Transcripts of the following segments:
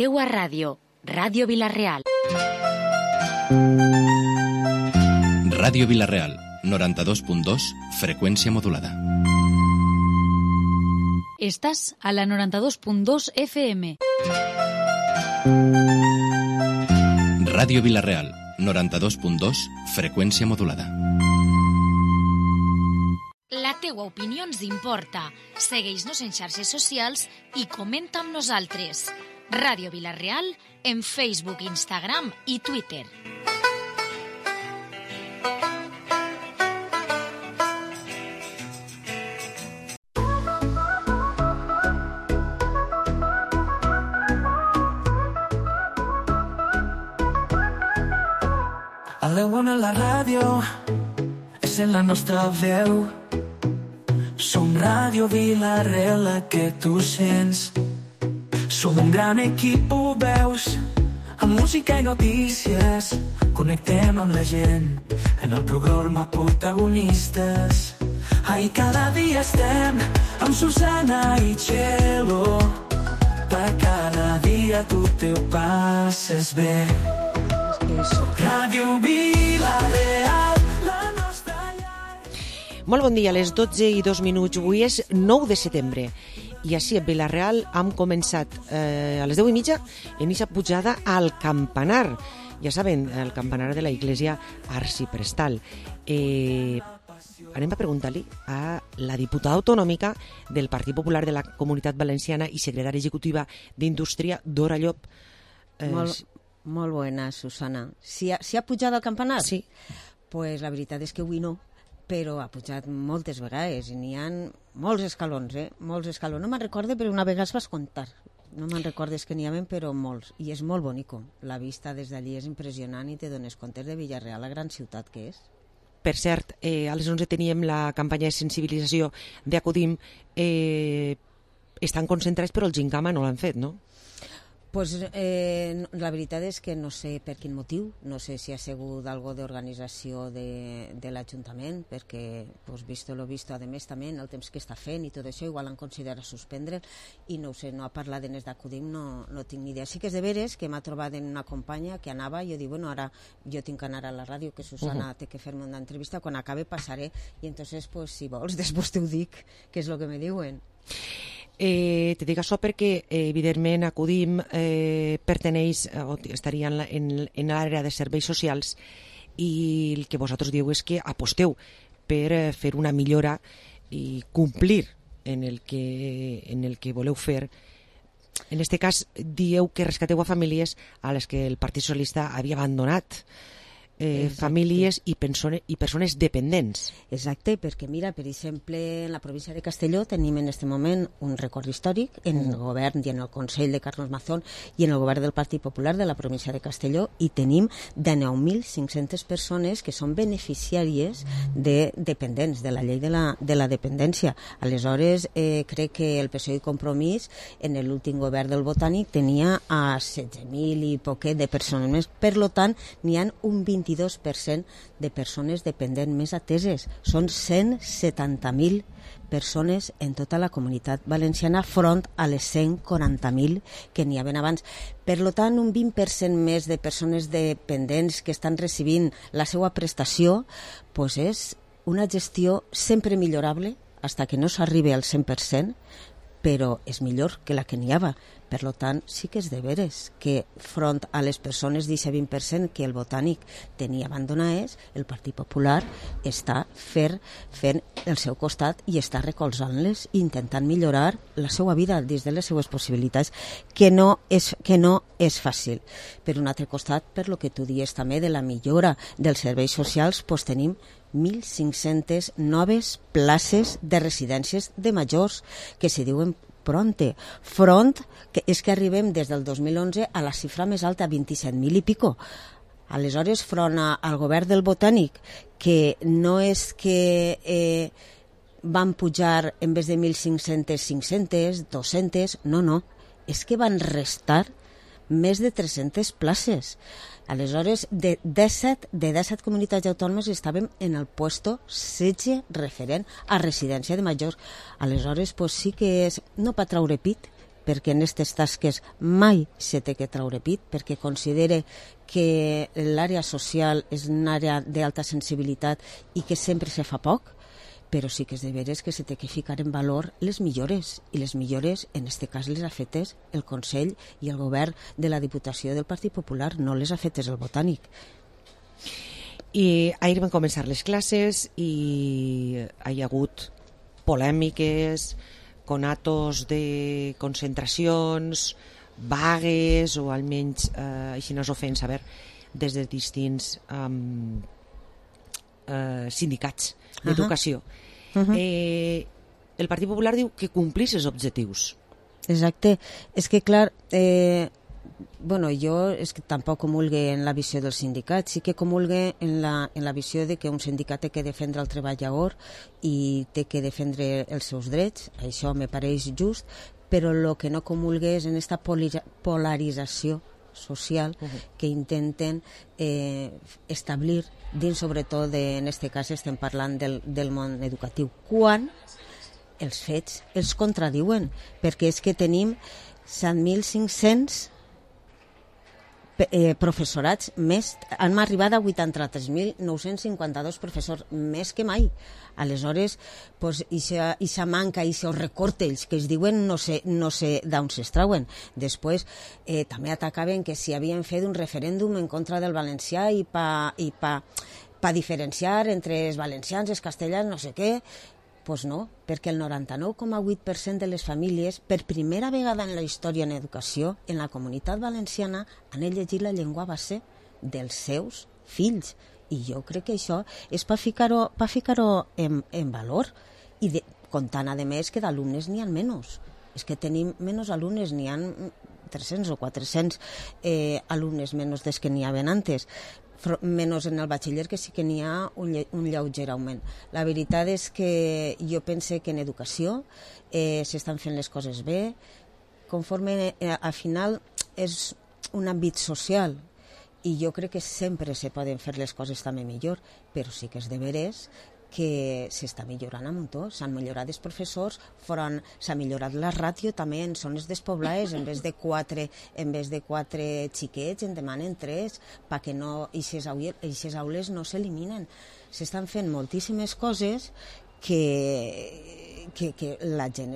teua ràdio, Ràdio Vila-real. Ràdio Vila-real, 92.2, freqüència modulada. Estàs a la 92.2 FM. Ràdio Vila-real, 92.2, freqüència modulada. La teua opinió ens importa. Segueix-nos en xarxes socials i comenta amb nosaltres. Ràdio Vila-real en Facebook, Instagram i Twitter. A l'Eona la ràdio és en la nostra veu. Som Ràdio Vila-real, la que tu sents. Som un gran equip, ho veus, amb música i notícies. Connectem amb la gent en el programa Protagonistes. Ai, cada dia estem amb Susana i Txelo. Per cada dia tu te ho passes bé. Ràdio Vila-real, la nostra llar. Molt bon dia, a les 12:02. Avui és 9 de setembre. I així a Vila-real hem començat a les 10:30 en aquesta pujada al campanar. Ja saben, el campanar de la Iglesia Arciprestal. Anem a preguntar-li a la diputada autonòmica del Partit Popular de la Comunitat Valenciana i secretària executiva d'Indústria, Dora Llop. Molt bona, Susana. Si ha pujat al campanar? Sí. Pues la veritat és que avui no, però ha pujat moltes vegades i n'hi ha molts escalons, molts escalons. No me'n recordo, però una vegada es vas comptar. No me'n recordes que n'hi havia, però molts. I és molt bonico. La vista des d'allí és impressionant i te dones compte de Vila-real, la gran ciutat que és. Per cert, a les 11 teníem la campanya de sensibilització d'Acudim. Estan concentrats, però el Gingama no l'han fet, no? Pues la veritat és que no sé per quin motiu, no sé si ha sigut algo d'organització de l'Ajuntament, perquè, pues, visto lo visto, a més també en el temps que està fent i tot això, igual han considerat suspendre i no ho sé, no ha parlat de d'Acudim, no tinc ni idea. Sí que és de veres que m'ha trobat en una companya que anava i jo dic, bueno, ara jo tinc que anar a la ràdio, que Susana té que fer-me una entrevista, quan acabe passaré i entonces, pues, si vols, després t'ho dic, que és el que me diuen. Te dic això perquè, evidentment, Acudim perteneix o estaria en l'àrea de serveis socials i el que vosaltres dieu és que aposteu per fer una millora i complir en el que voleu fer. En aquest cas, dieu que rescateu a famílies a les que el Partit Socialista havia abandonat. Famílies i persones dependents. Exacte, perquè mira, per exemple, en la província de Castelló tenim en aquest moment un record històric en el govern i en el Consell de Carlos Mazón i en el govern del Partit Popular de la província de Castelló i tenim de 9.500 persones que són beneficiàries de dependents, de la llei de la dependència. Aleshores, crec que el PSOE i Compromís en l'últim govern del Botànic tenia a 16.000 i poquet de persones més. Per tant, n'hi ha un 22% de persones dependents més ateses. Són 170.000 persones en tota la comunitat valenciana front a les 140.000 que n'hi havia abans. Per tant, un 20% més de persones dependents que estan recibint la seva prestació, pues és una gestió sempre millorable fins que no s'arribi al 100%, però és millor que la que n'hi havia. Per tant, sí que és de veres que front a les persones d'aquest 20% que el Botànic tenia abandonades, el Partit Popular està fent el seu costat i està recolzant-les i intentant millorar la seva vida dins de les seues possibilitats, que no és fàcil. Per un altre costat, per lo que tu dius també de la millora dels serveis socials, doncs tenim 1.500 noves places de residències de majors que se diuen front, que és que arribem des del 2011 a la xifra més alta, 27.000 i pico. Aleshores, front al govern del Botànic, que no és que van pujar en vez de 1.500, 500, 200, no, és que van restar més de 300 places. Aleshores, de 17 comunitats autònomes estàvem en el puesto 16 referent a residència de majors. Aleshores, pues sí que és, no per traure pit, perquè en aquestes tasques mai se té que traure pit, perquè considere que l'àrea social és una àrea d'alta sensibilitat i que sempre se fa poc, però sí que és de veres que se té que ficar en valor les millores, i les millores, en aquest cas, les ha fetes el Consell i el Govern de la Diputació del Partit Popular, no les ha fetes el Botànic. I ahir van començar les classes i hi ha hagut polèmiques, conatos de concentracions, vagues, o almenys així no s'ho feien saber des de distints sindicats d'educació. El Partit Popular diu que complís els objectius. Exacte. És que, clar, jo és que tampoc comulgue en la visió del sindicat, sí que comulgue en la visió de que un sindicat té que defendre el treballador i té que defendre els seus drets, això me pareix just, però el que no comulgue és en aquesta polarització social que intenten establir dins, sobretot, en aquest cas estem parlant del món educatiu, quan els fets els contradiuen, perquè és que tenim 7.500 professorats més, han arribat a 83.952 professors, més que mai. Aleshores, ixa manca, ixa recortes que es diuen, no sé d'on s'extrauen. Després, també atacaven que si havien fet un referèndum en contra del valencià i pa diferenciar entre els valencians, els castellans, no sé què. Doncs no, perquè el 99,8% de les famílies, per primera vegada en la història en educació, en la Comunitat Valenciana, han llegit la llengua base dels seus fills. I jo crec que això és per ficar-ho en valor. I comptant, a més, que d'alumnes n'hi ha menys. És que tenim menys alumnes, n'hi ha 300 o 400 alumnes menys des que n'hi havia antes. Menys en el batxiller, que sí que n'hi ha un lleuger augment. La veritat és que jo pense que en educació s'estan fent les coses bé, conforme al final és un àmbit social, i jo crec que sempre se poden fer les coses també millor, però sí que és de veres que s'està millorant a muntó. S'han millorat els professors, s'ha millorat la ràtio també en zones despoblades, en vez de 4 xiquets en demanen 3, perquè aquestes aules no s'eliminen. S'estan fent moltíssimes coses que la gent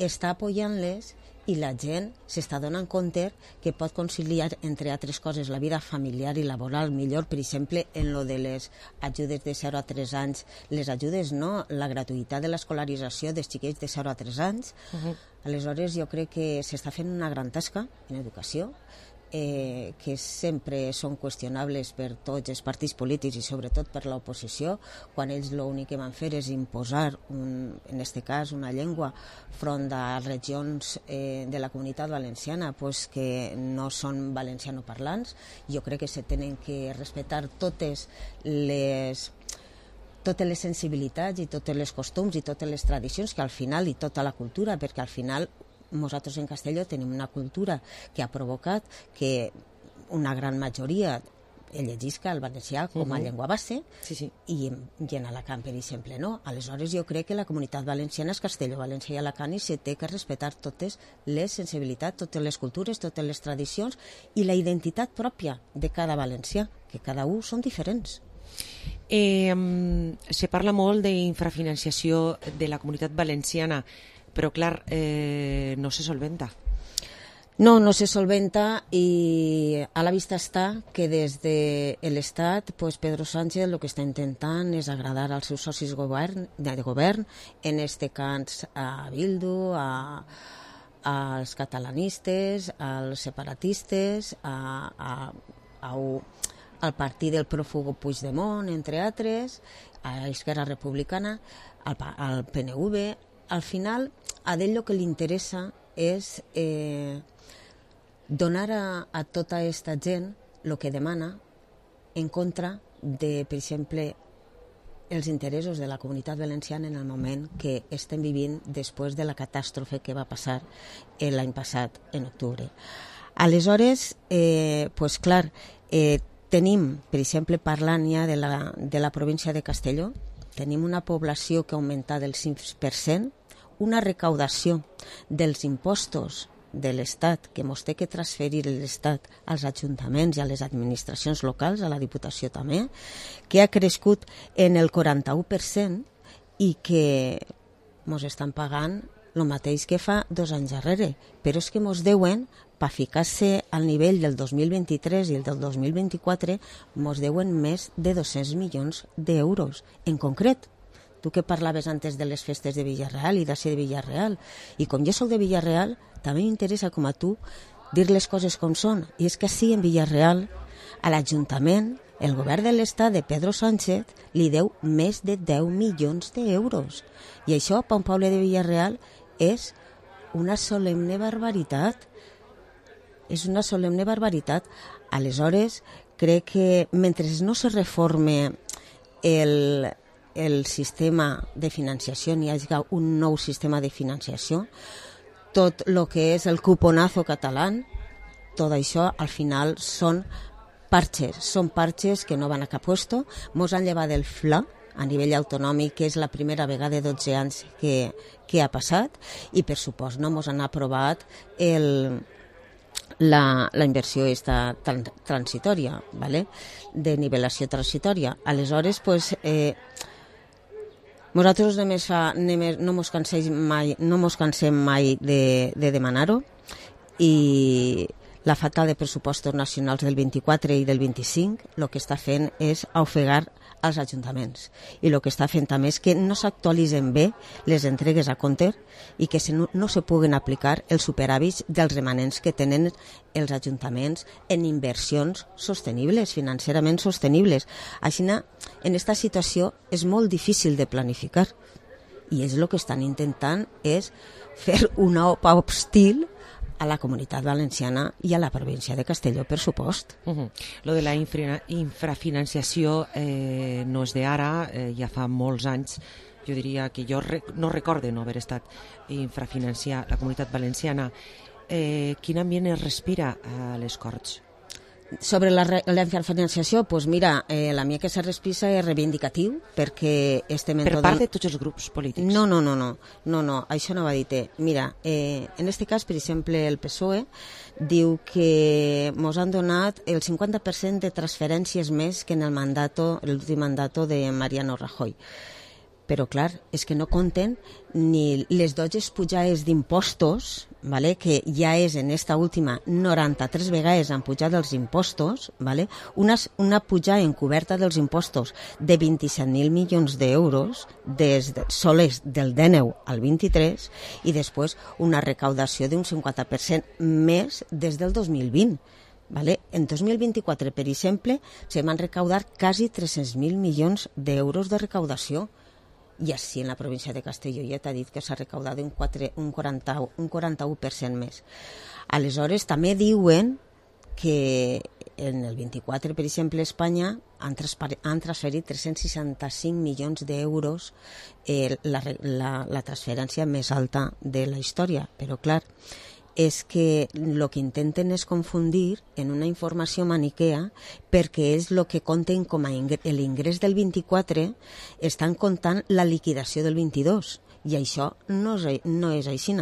està apoyant-les, i la gent s'està donant compte que pot conciliar, entre altres coses, la vida familiar i laboral millor. Per exemple, en lo de les ajudes de 0 a 3 anys, les ajudes no, la gratuïtat de l'escolarització dels xiquets de 0 a 3 anys. Aleshores, jo crec que s'està fent una gran tasca en educació, que sempre són qüestionables per tots els partits polítics i sobretot per l'oposició, quan ells l'únic que van fer és imposar, en aquest cas, una llengua front a regions de la Comunitat Valenciana que no són valencianoparlants. Jo crec que se tenen que respectar totes les sensibilitats i tots els costums i totes les tradicions, que al final, i tota la cultura, perquè al final nosaltres en Castelló tenim una cultura que ha provocat que una gran majoria llegisca el valencià com a llengua base, i en Alacant, per exemple, no. Aleshores, jo crec que la Comunitat Valenciana és Castelló, València i Alacant, i se té que respectar totes les sensibilitats, totes les cultures, totes les tradicions i la identitat pròpia de cada valencià, que cada un són diferents. Se parla molt d'infrafinanciació de la Comunitat Valenciana, però clar, no se solventa. No se solventa, i a la vista està que des de l'Estat Pedro Sánchez el que està intentant és agradar als seus socis de govern, en este cas a Bildu, als catalanistes, als separatistes, al partit del prófugo Puigdemont, entre altres, a Esquerra Republicana, al PNV. Al final, a ell el que li interessa és donar a tota aquesta gent el que demana en contra de, per exemple, els interessos de la Comunitat Valenciana en el moment que estem vivint després de la catàstrofe que va passar l'any passat, en octubre. Aleshores, clar, tenim, per exemple, parlant ja de la província de Castelló, tenim una població que ha augmentat del 5%, una recaudació dels impostos de l'Estat, que mos té que transferir l'Estat als ajuntaments i a les administracions locals, a la Diputació també, que ha crescut en el 41% i que mos estan pagant el mateix que fa 2 anys darrere, però és que mos deuen, per ficar-se al nivell del 2023 i el del 2024, mos deuen més de 200 milions d'euros. En concret, tu que parlaves antes de les festes de Villarreal i de ser de Villarreal, i com jo soc de Villarreal, també m'interessa, com a tu, dir les coses com són. I és que sí, en Villarreal, a l'Ajuntament, el govern de l'Estat de Pedro Sánchez li deu més de 10 milions d'euros. I això, per un poble de Villarreal, és una solemne barbaritat. És una solemne barbaritat. Aleshores, crec que mentre no se reforme el sistema de financiació, ni hi hagi un nou sistema de financiació, tot el que és el cuponazo català, tot això al final són parches que no van a cap puesto. Mos han llevat del FLA a nivell autonòmic, que és la primera vegada de 12 anys que ha passat, i per supost no mos han aprovat la inversió esta transitòria, ¿vale? De nivelació transitòria. Aleshores, pues, nosaltres no mos cansem mai de demanar-ho, i la falta de pressupostos nacionals del 24 i del 25 el que està fent és ofegar als ajuntaments, i el que està fent també és que no s'actualitzen bé les entregues a compte i que no se puguen aplicar els superàvits dels remanents que tenen els ajuntaments en inversions sostenibles, financerament sostenibles. Així, en aquesta situació és molt difícil de planificar, i és el que estan intentant és fer una OPA hostil a la Comunitat Valenciana i a la província de Castelló, per supost. Lo de la infrafinanciació no és d'ara, ja fa molts anys. Jo diria que jo no recorde no haver estat infrafinanciar la Comunitat Valenciana. Quin ambient es respira a les Corts? Sobre la infrafinanciació, pues mira, la mia que se respira és reivindicatiu, perquè per part de tots els grups polítics? No, això no va dir. Mira, en este cas, per exemple, el PSOE diu que mos han donat el 50% de transferències més que en l'últim mandat de Mariano Rajoy. Però, clar, és que no compten ni les 12 pujades d'impostos, ¿vale? Que ja és en esta última 93 vegades han pujat els impostos, ¿vale? Una pujada encoberta dels impostos de 27.000 milions d'euros soles del 19 al 23, i després una recaudació d'un 50% més des del 2020. ¿Vale? En 2024, per exemple, se van recaudar quasi 300.000 milions d'euros de recaudació. I així en la província de Castelló ja t'ha dit que s'ha recaudat un 41% més. Aleshores, també diuen que en el 24, per exemple, a Espanya han transferit 365 milions d'euros, la transferència més alta de la història. Però, clar, és que el que intenten és confundir en una informació maniquea, perquè és el que compten com a l'ingrés del 24, estan comptant la liquidació del 22, i això no és així.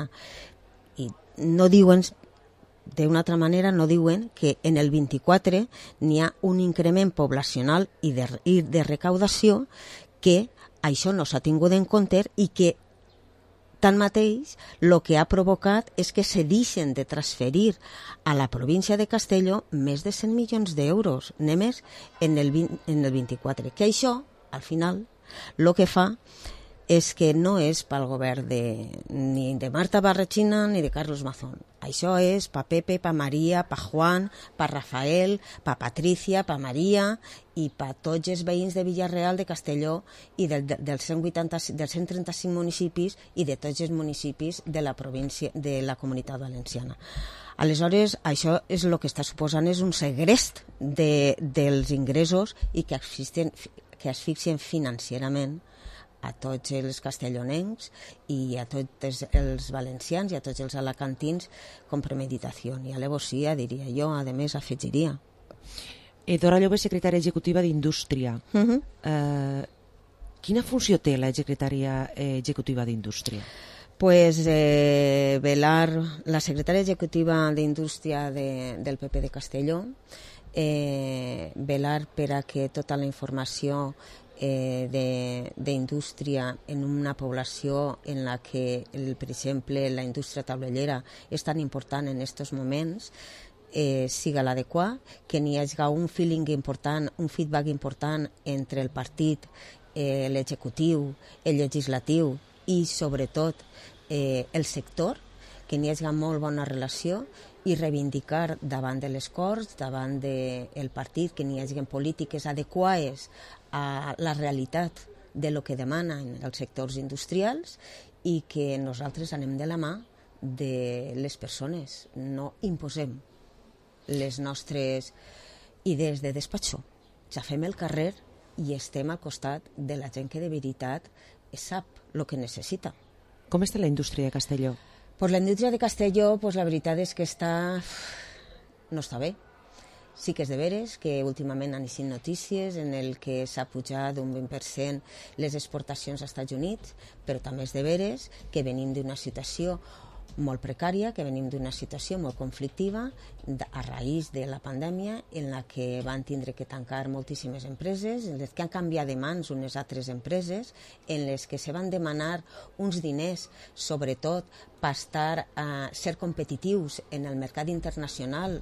I no diuen, d'una altra manera, no diuen que en el 24 n'hi ha un increment poblacional i de recaudació, que això no s'ha tingut en compte, i que tanmateix, el que ha provocat és que se deixen de transferir a la província de Castelló més de 100 milions d'euros, només en el 24. Que això, al final, el que fa és que no és pel govern ni de Marta Barrachina ni de Carlos Mazón. Això és pa Pepe, pa Maria, pa Juan, pa Rafael, pa Patricia, pa Maria i pa tots els veïns de Villarreal, de Castelló i dels 135 municipis i de tots els municipis de la província, de la Comunitat Valenciana. Aleshores, això és el que està suposant és un segrest dels ingressos i que asfixien financerament a tots els castellonencs i a tots els valencians i a tots els alacantins con premeditació i alevosía, diria jo, a més afegiria. Dora Llobet, secretària executiva d'Indústria. Quina funció té la secretària executiva d'Indústria? Pues velar, la secretària executiva d'Indústria del PP de Castelló, velar per a que tota la informació d'indústria en una població en la que, per exemple, la indústria taulellera és tan important en aquests moments, siga l'adequat, que n'hi hagi un feeling important, un feedback important entre el partit, l'executiu, el legislatiu i, sobretot, el sector, que n'hi hagi molt bona relació i reivindicar davant de les Corts, davant del partit, que n'hi hagi polítiques adequades a la realitat de lo que demanen els sectors industrials i que nosaltres anem de la mà de les persones, no imposem les nostres idees de despatxó. Ja fem el carrer i estem al costat de la gent que de veritat sap el que necessita. Com està la indústria de Castelló? Pues la indústria de Castelló, pues la veritat és que no està bé. Sí que és de veres que últimament han eixit notícies en el que s'ha pujat un 20% les exportacions als Estats Units, però també és de veres que venim d'una situació molt precària, que venim d'una situació molt conflictiva a raïs de la pandèmia, en la que van tindre que tancar moltíssimes empreses, en les que han canviat de mans unes altres empreses, en les que se van demanar uns diners, sobretot per ser competitius en el mercat internacional,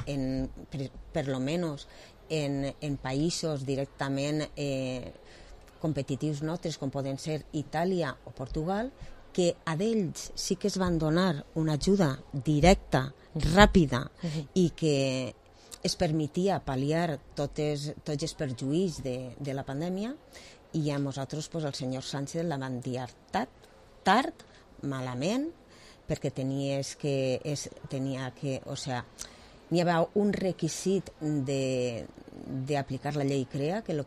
per lo menos en països directament competitius nostres, com poden ser Itàlia o Portugal, que a d'ells sí que es van donar una ajuda directa, ràpida, i que es permetia pal·liar tots els perjuís de la pandèmia, i a nosaltres el senyor Sánchez la van dir tard, malament, perquè n'hi havia un requisit d'aplicar la llei CREA, que el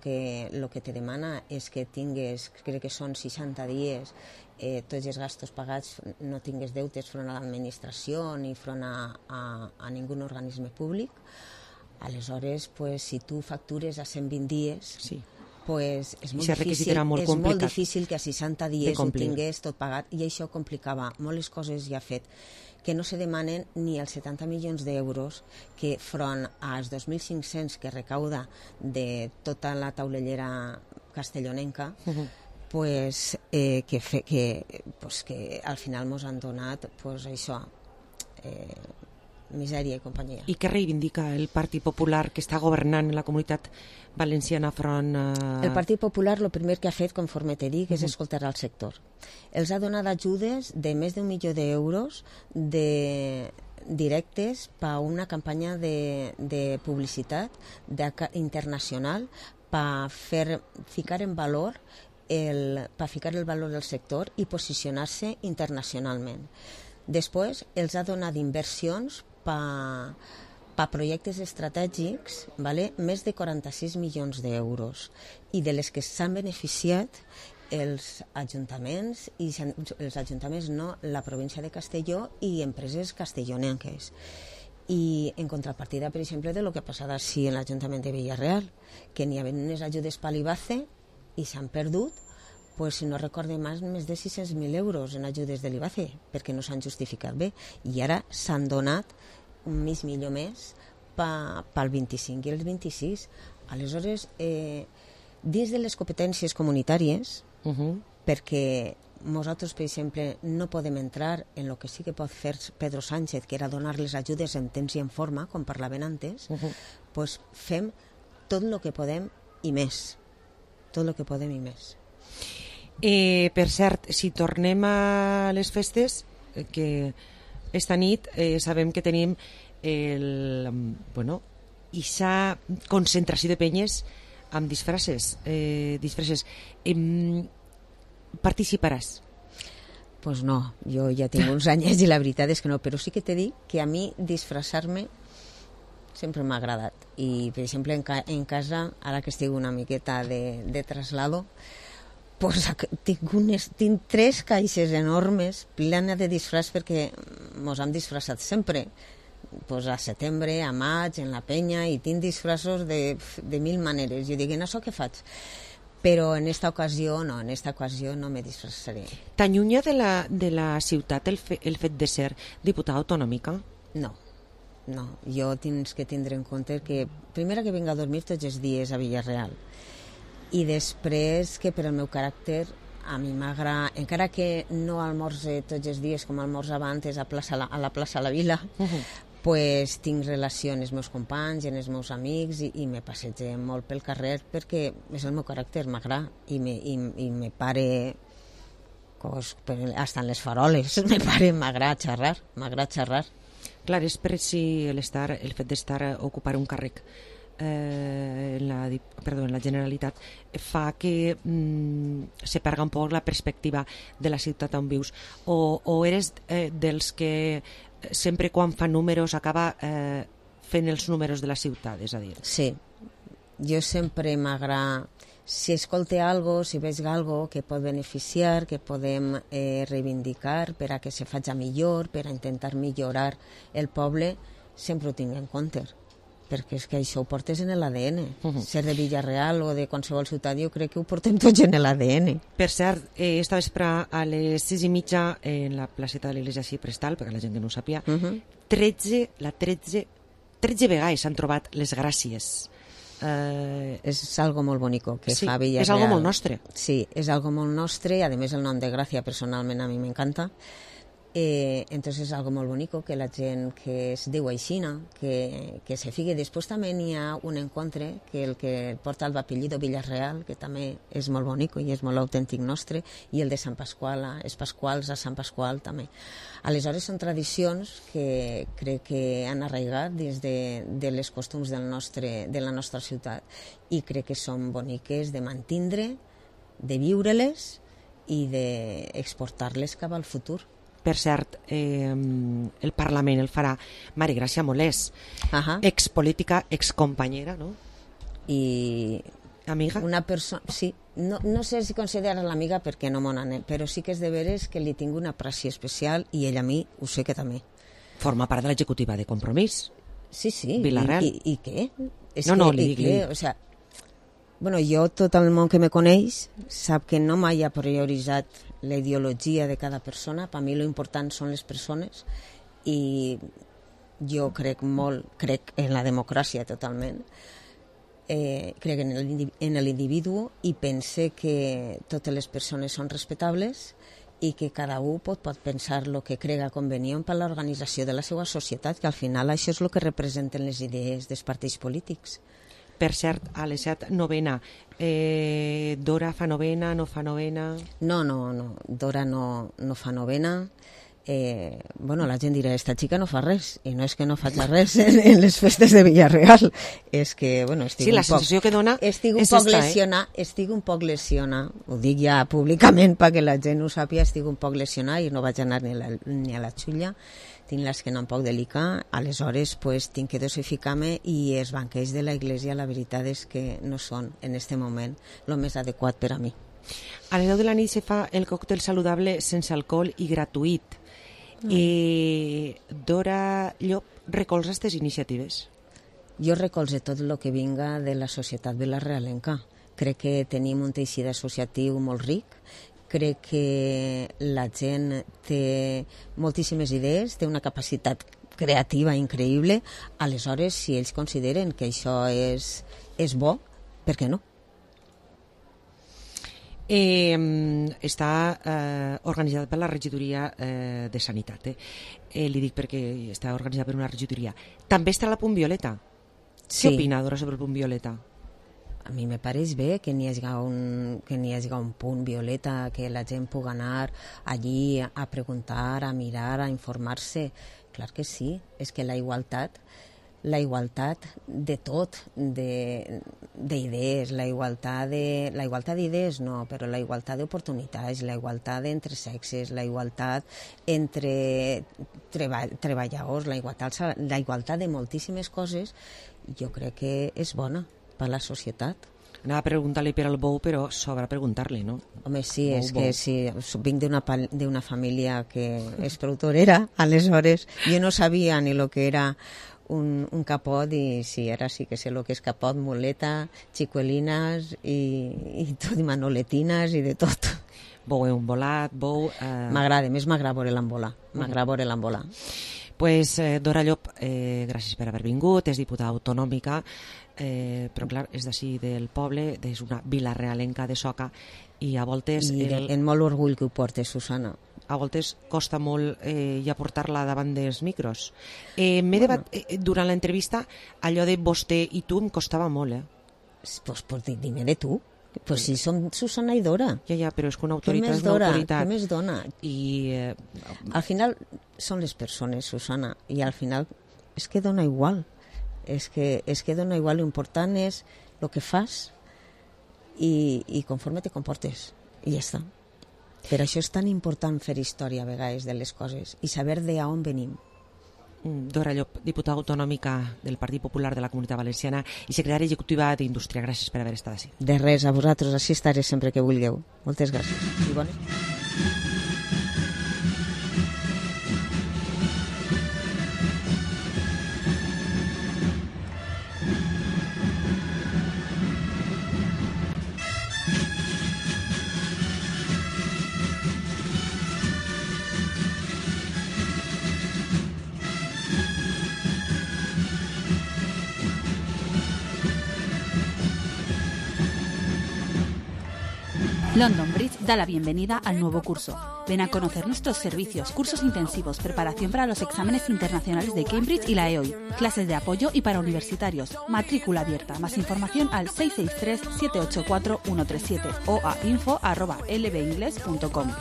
que te demana és que tingues, crec que són 60 dies, tots els gastos pagats, no tingues deutes front a l'administració ni front a ningú organisme públic. Aleshores, si tu factures a 120 dies, és molt difícil que a 60 dies ho tingués tot pagat, i això complicava molt les coses. Ja fet que no se demanen ni els 70 milions d'euros que front als 2.500 que recauda de tota la taulellera castellonenca, que al final ens han donat això, misèria i companyia. I què reivindica el Partit Popular, que està governant en la Comunitat Valenciana front a... El Partit Popular el primer que ha fet, conforme te dic, és escoltar al sector. Els ha donat ajudes de més d'1 milió d'euros directes per a una campanya de publicitat internacional per ficar el valor del sector i posicionar-se internacionalment. Després els ha donat inversions per projectes estratègics, més de 46 milions d'euros, i de les que s'han beneficiat els ajuntaments, la província de Castelló i empreses castellonenques. I en contrapartida, per exemple, de lo que ha passat així en l'Ajuntament de Villarreal, que n'hi havia unes ajudes per l'IBACE i s'han perdut, si no recorde més de 600.000 euros en ajudes de l'IBACE, perquè no s'han justificat bé, i ara s'han donat un mig milió més pel 25 i el 26. Aleshores, dins de les competències comunitàries, perquè nosaltres, per exemple, no podem entrar en el que sí que pot fer Pedro Sánchez, que era donar les ajudes en temps i en forma, com parlaven antes, fem tot el que podem i més. Tot el que podem i més. Per cert, si tornem a les festes, que esta nit sabem que tenim ixa concentració de penyes amb disfresses. Participaràs? Pues no, jo ja tinc uns anys i la veritat és que no, però sí que t'he dit que a mi disfressar-me sempre m'ha agradat. I, per exemple, en casa, ara que estic una miqueta de traslado, tinc 3 caixes enormes plenes de disfraç, perquè mos hem disfressat sempre. A setembre, a maig, en la penya, i tinc disfraços de 1000 maneres. Jo dic, en això què faig? Però en esta ocasió no me disfressaré. T'allunya de la ciutat el fet de ser diputada autonòmica? No, jo tens que tindre en compte que primera que vinc a dormir tots els dies a Villarreal i després que per al meu caràcter a mi m'agrada, encara que no almorze tots els dies com almorzava antes a la plaça La Vila, pues tinc relació amb els meus companys, amb els meus amics i me passege molt pel carrer perquè és el meu caràcter, m'agrada i me pare hasta en les faroles m'agrada xerrar. Clar, és per si el fet d'estar ocupar un càrrec en la Generalitat fa que se perga un poc la perspectiva de la ciutat on vius o eres dels que sempre quan fa números acaba fent els números de la ciutat, és a dir? Sí, jo sempre m'agrada si escolte algo, si veig algo que pot beneficiar, que podem reivindicar per a que se faci millor, per a intentar millorar el poble, sempre ho tinc en compte, perquè és que això ho portes en l'ADN. Ser de Villarreal o de qualsevol ciutat, jo crec que ho portem tots en l'ADN. Per cert, esta vespre a les 6:30 en la placeta de l'Església Xiprestal, perquè la gent que no ho sàpia, 13 vegades s'han trobat les gràcies. És algo molt bonico que fa Villarreal. És algo molt nostre. Sí, és algo molt nostre, a més el nom de Gràcia personalment a mi m'encanta. Entonces és algo molt bonico que la gent que es diu aixina, que se figue. Després també n'hi ha un encontre que el que porta el apellido Villarreal, que també és molt bonico i és molt autèntic nostre, i el de Sant Pasqual, els Pasquals a Sant Pasqual també. Aleshores són tradicions que crec que han arraigat dins de les costums de la nostra ciutat i crec que són boniques de mantindre, de viure-les i d'exportar-les cap al futur. Per cert, el Parlament el farà Maria Gràcia Molés, expolítica, excompanyera, no? I amiga? Una persona, sí, no sé si considera l'amiga perquè no m'ho anem, però sí que és de veres que li tinc una aprecio especial i ella a mi ho sé que també. Forma part de l'executiva de Compromís. Sí. Villarreal. I què? No, li dic. O sea, bueno, jo, tot el món que me coneix sap que no mai ha prioritzat la ideologia de cada persona. Per mi lo important són les persones i jo crec en la democràcia totalment. Crec en l'individu i pense que totes les persones són respectables i que cada un pot pensar el que crega convenient per a l'organització de la seva societat, que al final això és el que representen les idees dels partits polítics. Per cert, a les 7, novena. Dora fa novena, no fa novena? No. Dora no fa novena. Bueno, la gent dirà, esta xica no fa res, i no és que no faig res en les festes de Villarreal, és que, bueno, estic la sensació que dona estic un poc lesionada, ho dic ja públicament perquè la gent ho sàpiga, estic un poc lesionada i no vaig anar ni a la xulla, tinc l'esquena un poc delicada, aleshores pues, tinc que dosificar-me i els banquets de la Iglesia la veritat és que no són en aquest moment el més adequat per a mi. A les 10 de la nit se fa el còctel saludable sense alcohol i gratuït. Dora Llop recolza aquestes iniciatives? Jo recolze tot el que vinga de la societat vilarrealenca. Crec que tenim un teixit associatiu molt ric, crec que la gent té moltíssimes idees, té una capacitat creativa increïble, aleshores si ells consideren que això és bo, per què no? Està organitzat per la regidoria de Sanitat. Li dic perquè està organitzat per una regidoria. També està la Punt Violeta. Sí. Què opina, Dora, sobre el Punt Violeta? A mi me pareix bé que n'hi hagi un punt violeta, que la gent pugui anar allí a preguntar, a mirar, a informar-se. Clar que sí, és que la igualtat de tot, d'idees, la igualtat d'idees no, però la igualtat d'oportunitats, la igualtat entre sexes, la igualtat entre treballadors, la igualtat de moltíssimes coses, jo crec que és bona per a la societat. Anava a preguntar-li per al bou, però sobra preguntar-li, no? Home, sí, és que sí, vinc d'una família que és prou torera, aleshores jo no sabia ni el que era un capot i sí, ara sí que sé el que és capot, muleta, xicuelines i tot, i manoletinas i de tot. Vou un volat, vou... M'agrada, més m'agrada veure l'embolar. Pues, Dora Llop, gràcies per haver vingut, és diputada autonòmica, però clar, és d'ací del poble, és una vilarealenca de Soca, i a voltes... En molt orgull que ho portes, Susana. A voltes costa molt ja portar-la davant dels micros. Durant l'entrevista, allò de vostè i tu em costava molt, Pues dime de tu. Pues si som Susana i Dora. Ja, però és que una autoritat és una autoritat. Què més dona? I... Al final són les persones, Susana, i al final és que dona igual. És que dona igual, l'important és el que fas i conforme te comportes. I ja està. Per això és tan important fer història a vegades de les coses i saber d'on venim. Dora Llop, diputada autonòmica del Partit Popular de la Comunitat Valenciana i secretària executiva d'Indústria. Gràcies per haver estat així. De res, a vosaltres, així estaré sempre que vulgueu. Moltes gràcies. I bones. London Bridge da la bienvenida al nuevo curso. Ven a conocer nuestros servicios, cursos intensivos, preparación para los exámenes internacionales de Cambridge y la EOI, clases de apoyo y para universitarios, matrícula abierta. Más información al 663-784-137 o a info@lbingles.com.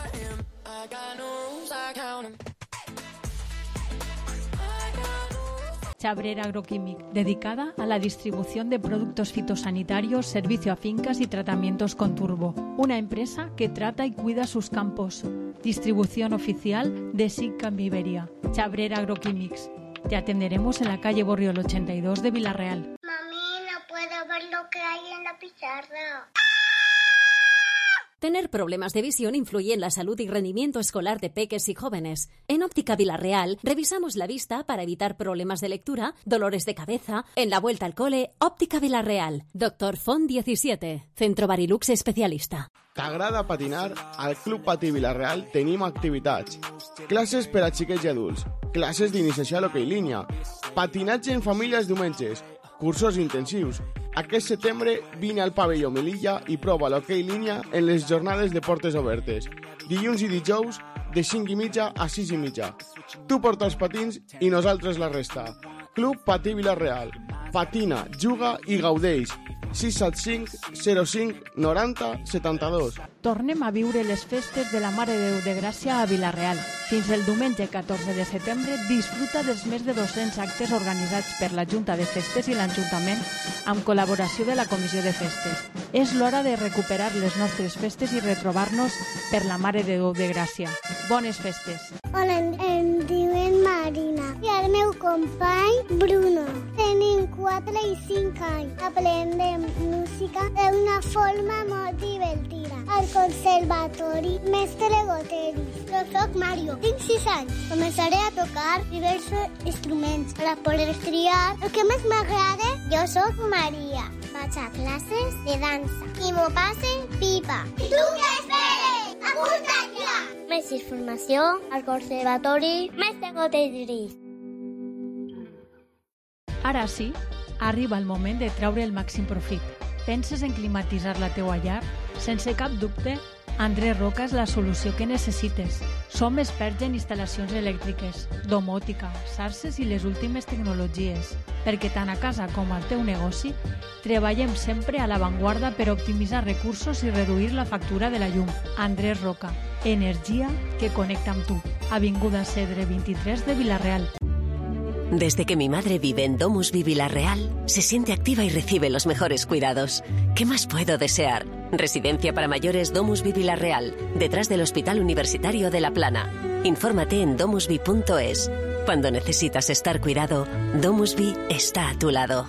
Chabrera Agroquímic, dedicada a la distribución de productos fitosanitarios, servicio a fincas y tratamientos con turbo. Una empresa que trata y cuida sus campos. Distribución oficial de SICAM Iberia. Chabrera Agroquímics. Te atenderemos en la calle Borriol 82 de Villarreal. Mami, no puedo ver lo que hay en la pizarra. Tener problemas de visión influye en la salud y rendimiento escolar de peques y jóvenes. En Óptica Villarreal revisamos la vista para evitar problemas de lectura, dolores de cabeza. En la vuelta al cole, Óptica Villarreal. Doctor Font 17, Centro Barilux especialista. T'agrada patinar? Al Club Patí Villarreal tenim activitats. Classes per a xiquets i adults, classes d'iniciació a l'hoquei línia, patinatge en famílies diumenges, cursos intensius. Aquest setembre vine al pavelló Melilla i prova l'hoquei línia en les jornades de portes obertes. Dilluns i dijous de 5:30 a 6:30. Tu porta els patins i nosaltres la resta. Club Patí Villarreal. Patina, juga i gaudeix. 675 05 90 72. Tornem a viure les festes de la Mare de Déu de Gràcia a Villarreal. Fins el diumenge 14 de setembre disfruta dels més de 200 actes organitzats per la Junta de Festes i l'Ajuntament amb col·laboració de la Comissió de Festes. És l'hora de recuperar les nostres festes i retrobar-nos per la Mare de Déu de Gràcia. Bones festes! Hola, em diuen Marina i el meu company Bruno. Tenim 4 i 5 anys. Aprendem música d'una forma molt divertida. Al Conservatori Mestre Goteris. Jo soc Mario, tinc 6 anys. Començaré a tocar diversos instruments per a poder triar el que més m'agrada. Jo soc Maria. Vaig a classes de dansa i m'ho passe pipa. I tu què esperes? Apunta't ja! Més informació al Conservatori Mestre Goteris. Ara sí, arriba el moment de treure el màxim profit. Penses en climatitzar la teua llar? Sense cap dubte, Andrés Roca és la solució que necessites. Som experts en instal·lacions elèctriques, domòtica, xarxes i les últimes tecnologies, perquè tant a casa com al teu negoci treballem sempre a l'avantguarda per optimitzar recursos i reduir la factura de la llum. Andrés Roca, energia que connecta amb tu. Avinguda Cedre 23 de Villarreal. Desde que mi madre vive en Domusvi Villarreal, se siente activa y recibe los mejores cuidados. ¿Qué más puedo desear? Residencia para mayores Domusvi Villarreal, detrás del Hospital Universitario de La Plana. Infórmate en domusvi.es. Cuando necesitas estar cuidado, Domusvi está a tu lado.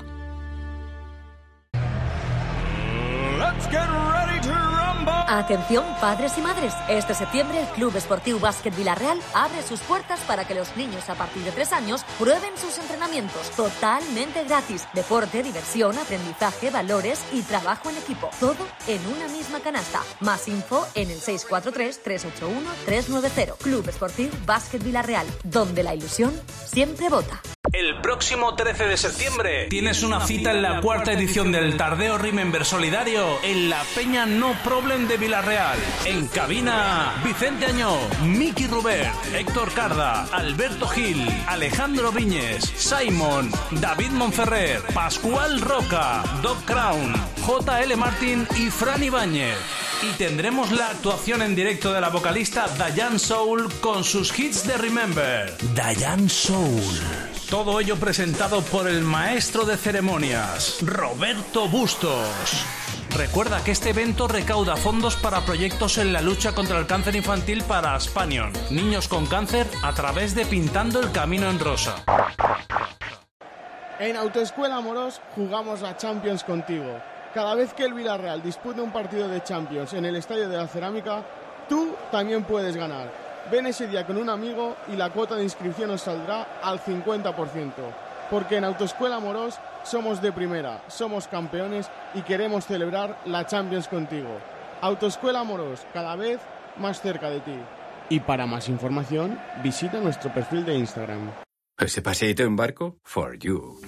Let's get ready to rumble! Atención, padres y madres. Este septiembre el Club Esportiu Básquet Villarreal abre sus puertas para que los niños a partir de 3 años prueben sus entrenamientos totalmente gratis. Deporte, diversión, aprendizaje, valores y trabajo en equipo. Todo en una misma canasta. Más info en el 643-381-390. Club Esportiu Básquet Villarreal, donde la ilusión siempre vota. El próximo 13 de septiembre tienes una cita en la 4ª edición del Tardeo Remember Solidario en la Peña No Problem de Villarreal. En cabina, Vicente Añó, Miki Rubert, Héctor Carda, Alberto Gil, Alejandro Viñes, Simon, David Monferrer, Pascual Roca, Doc Crown, J.L. Martin y Fran Ibáñez. Y tendremos la actuación en directo de la vocalista Diane Soul con sus hits de Remember. Diane Soul. Todo ello presentado por el maestro de ceremonias, Roberto Bustos. Recuerda que este evento recauda fondos para proyectos en la lucha contra el cáncer infantil para Aspanion, niños con cáncer, a través de Pintando el Camino en Rosa. En Autoescuela Amorós jugamos la Champions contigo. Cada vez que el Villarreal dispute un partido de Champions en el Estadio de la Cerámica, tú también puedes ganar. Ven ese día con un amigo y la cuota de inscripción os saldrá al 50%. Porque en Autoescuela Amorós somos de primera, somos campeones y queremos celebrar la Champions contigo. Autoescuela Amorós, cada vez más cerca de ti. Y para más información, visita nuestro perfil de Instagram. ¿Ese paseíto en barco? For you.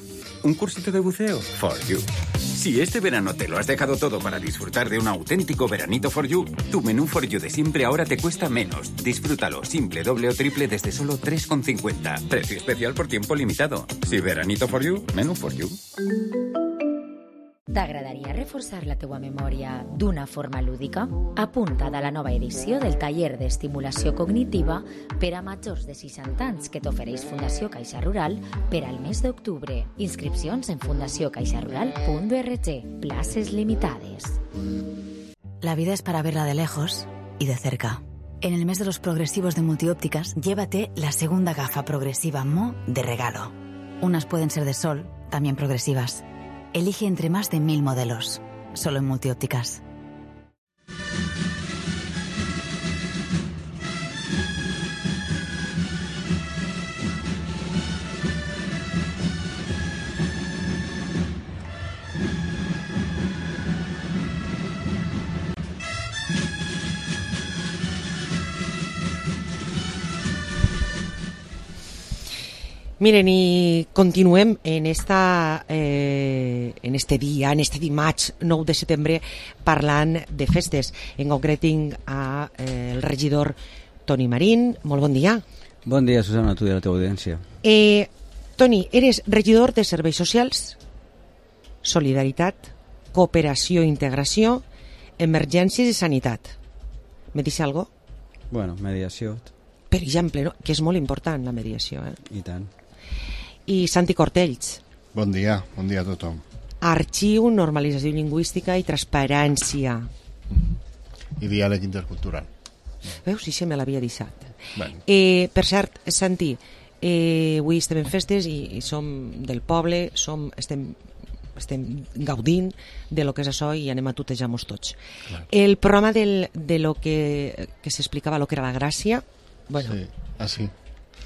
¿Un cursito de buceo? For you. Si este verano te lo has dejado todo para disfrutar de un auténtico veranito For you, tu menú For you de siempre ahora te cuesta menos. Disfrútalo simple, doble o triple desde solo 3,50. Precio especial por tiempo limitado. Si veranito For you, menú For you. T'agradaria reforçar la teua memòria d'una forma lúdica? Apunta't a la nova edició del taller d'estimulació cognitiva per a majors de 60 anys que t'ofereix Fundació Caixa Rural per al mes d'octubre. Inscripcions en fundaciocaixarural.org. Places limitades. La vida es para verla de lejos y de cerca. En el mes de los progresivos de Multiópticas, llévate la segunda gafa progresiva Mo de regalo. Unas pueden ser de sol, también progresivas. Elige entre más de 1000 modelos, solo en Multiópticas. Miren, i continuem en este dia, en este dimarts 9 de setembre, parlant de festes. En concret tinc el regidor Toni Marín. Molt bon dia. Bon dia, Susana, a tu i a la teva audiència. Toni, eres regidor de Serveis Socials, Solidaritat, Cooperació i Integració, Emergències i Sanitat. Me dice algo? Bueno, mediació. Per exemple, no? Que és molt important la mediació. I tant. I Santi Cortells. Bon dia a tothom. Arxiu, normalització lingüística i transparència. I diàleg intercultural. Veus? Sí, me l'havia deixat. Bueno. Per cert, Santi, avui estem en festes i som del poble, estem gaudint de lo que és això i anem a tutejar-nos tots. Clar. El programa de lo que s'explicava, lo que era la gràcia, bueno. Sí, sí.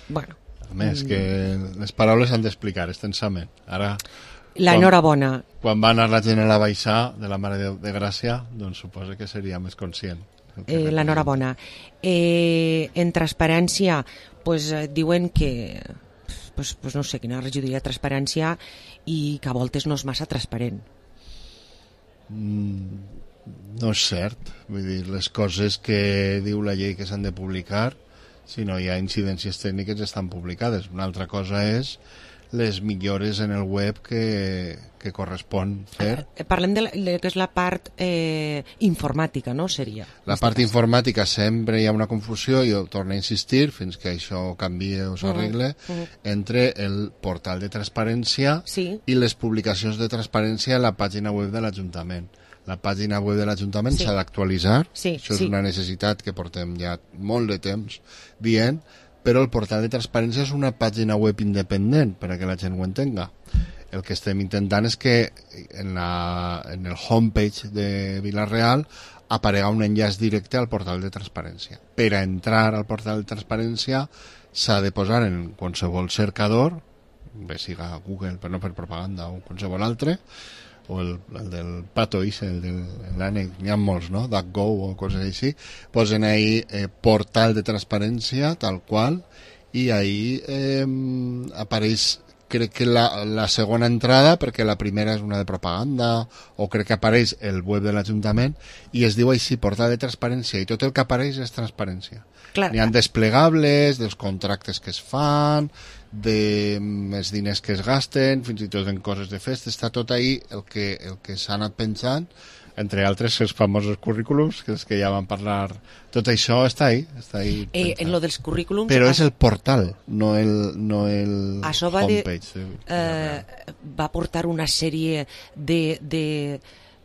Bueno. A més, que les paraules s'han d'explicar extensament. Ara, l'enhorabona. Quan va anar la gent a la baixar de la Mare de Gràcia, doncs suposo que seria més conscient. L'enhorabona. En transparència, pues, diuen que pues no sé, quina regidoria de transparència i que a voltes no és massa transparent. No és cert. Vull dir, les coses que diu la llei que s'han de publicar, si no hi ha incidències tècniques, estan publicades. Una altra cosa és les millores en el web que correspon fer. Parlem de que és la part informàtica, no? Seria. La part informàtica sempre hi ha una confusió, i jo torno a insistir, fins que això canvie o s'arregle, entre el portal de transparència i les publicacions de transparència a la pàgina web de l'Ajuntament. La pàgina web de l'Ajuntament s'ha d'actualitzar, això és una necessitat que portem ja molt de temps dient, però el portal de transparència és una pàgina web independent, per a que la gent ho entenga. El que estem intentant és que en el homepage de Vila-real aparega un enllaç directe al portal de transparència. Per a entrar al portal de transparència s'ha de posar en qualsevol cercador, bé siga Google, però no per propaganda, o qualsevol altre, o el del Pato Ise, el de l'ànec, n'hi ha molts, no? DuckGo o coses així, posen ahí portal de transparència, tal qual, i ahí apareix, crec que la segona entrada, perquè la primera és una de propaganda, o crec que apareix el web de l'Ajuntament, i es diu així, portal de transparència, i tot el que apareix és transparència. N'hi ha desplegables, dels contractes que es fan, dels diners que es gasten, fins i tot en coses de festa, està tot ahí el que s'ha anat pensant, entre altres els famosos currículums, que és que ja vam parlar, tot això està ahí en lo dels currículums... Però és el portal, no el això homepage. Va portar una sèrie de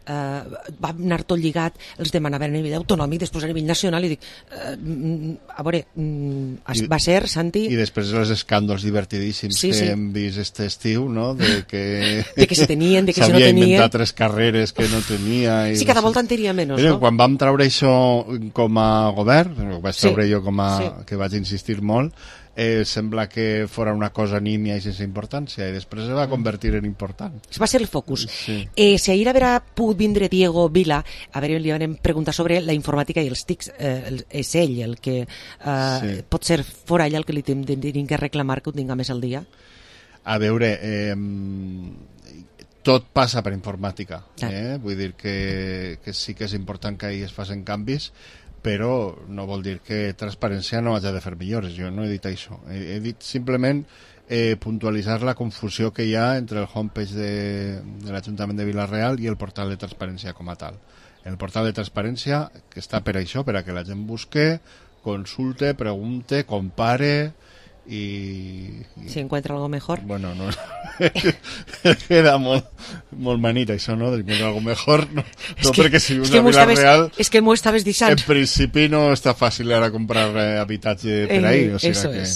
va anar tot lligat, els demanaven a nivell autonòmic, després a nivell nacional, i dic, a veure, va ser, Santi... I després els escàndols divertidíssims que hem vist aquest estiu, no?, de que se tenien, de que se no tenien... S'havia inventat 3 carreres que no tenia... Sí, cada volta en tenia menys, no? Quan vam treure això com a govern, ho vaig treure jo que vaig insistir molt, sembla que fora una cosa nímia i sense importància, i després es va convertir en important. Va ser el focus. Si ahir haurà pogut vindre Diego Vila, a veure, li vam preguntar sobre la informàtica i els TICs, és ell el que pot ser fora ell el que li tenim que reclamar que ho tinga més al dia? A veure, tot passa per informàtica, vull dir que sí que és important que ahir es facin canvis, però no vol dir que transparència no hagi de fer millores. Jo no he dit això. He dit simplement puntualitzar la confusió que hi ha entre el homepage de l'Ajuntament de Vila-real i el portal de transparència com a tal. El portal de transparència, que està per això, per a que la gent busque, consulte, pregunte, compare y si encuentra algo mejor. Bueno, no queda molt manit això, no? De encontrar algo mejor, no perquè si vius a Vila-real és que m'ho estaves dixant. En principi no està fàcil ara comprar habitatge per ahí, o sigui que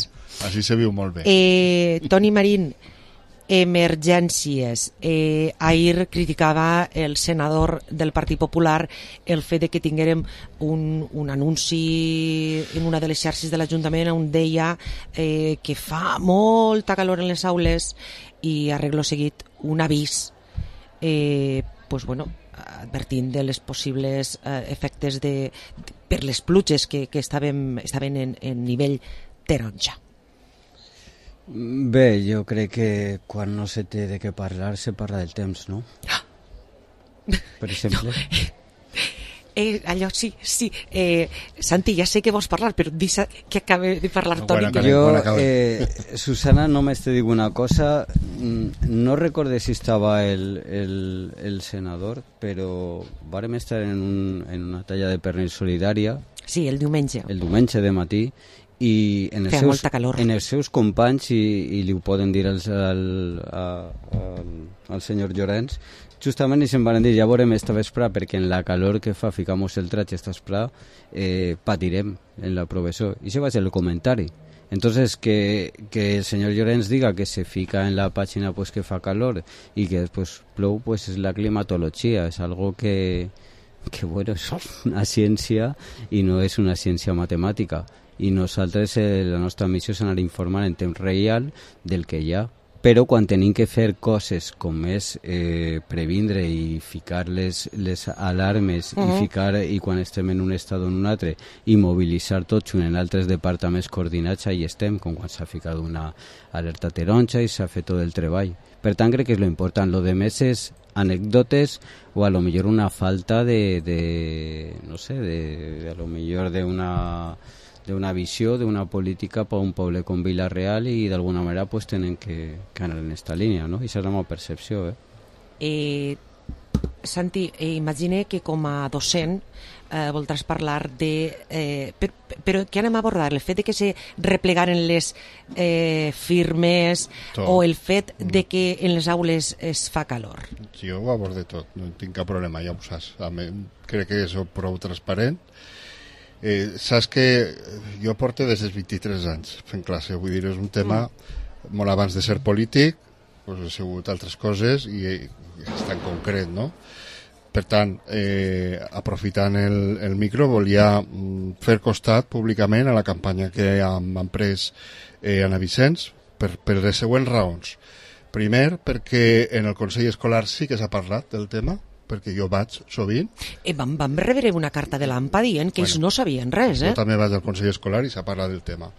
així se viu molt bé. Toni Marín, emergències. Ahir criticava el senador del Partit Popular el fet de que tinguérem un anunci en una de les xarxes de l'Ajuntament on deia que fa molta calor en les aules i arreglo seguit un avís advertint de les possibles efectes per les pluges que estaven en nivell taronja. Bé, jo crec que quan no se té de què parlar se parla del temps, no? Per exemple. Allò sí. Santi, ja sé que vols parlar, però deixa que acabe de parlar Toni. Susana, només te dic una cosa. No recorde si estava el senador, però vàrem estar en una talla de pernil solidària. Sí, el diumenge. El diumenge de matí. I en els seus companys, i li ho poden dir al senyor Llorenç, justament se'n van dir, ja veurem esta vesprà, perquè en la calor que fa ficamos el traje esta vesprà, patirem en la professor. I això va ser el comentari. Entonces, que el senyor Llorenç diga que se fica en la pàgina pues, que fa calor i que després plou, pues, és la climatologia, és algo que bueno, és una ciència i no és una ciència matemàtica. I nosaltres, la nostra missió és anar informant en temps real del que hi ha. Però quan tenim que fer coses com és previndre i ficar les alarmes i quan estem en un estat o en un altre i mobilitzar tots en altres departaments coordinats, ahí estem, com quan s'ha ficat una alerta taronja i s'ha fet tot el treball. Per tant, crec que és lo important. Lo de més és anècdotes o a lo millor una falta no sé, a lo millor d'una visió, d'una política per un poble com Vila-real i d'alguna manera pues, tenen que anar en aquesta línia, no? I serà la meva percepció. Santi, imagine que com a docent voldràs parlar de... però què anem a abordar? El fet de que se replegaren les firmes o el fet de que en les aules es fa calor? Jo ho abordo tot, no tinc cap problema, ja ho saps. Crec que soc prou transparent. Saps que jo porto des dels 23 anys fent classe, vull dir, és un tema molt abans de ser polític, doncs he sigut altres coses i és tan concret, no? Per tant, aprofitant el micro, volia fer costat públicament a la campanya que han pres Anna Vicenç per les següents raons. Primer, perquè en el Consell Escolar sí que s'ha parlat del tema, perquè jo vaig sovint. Vam rebre una carta de l'AMPA dient que ells no sabien res. Jo també vaig al Consell Escolar i s'ha parlat del tema.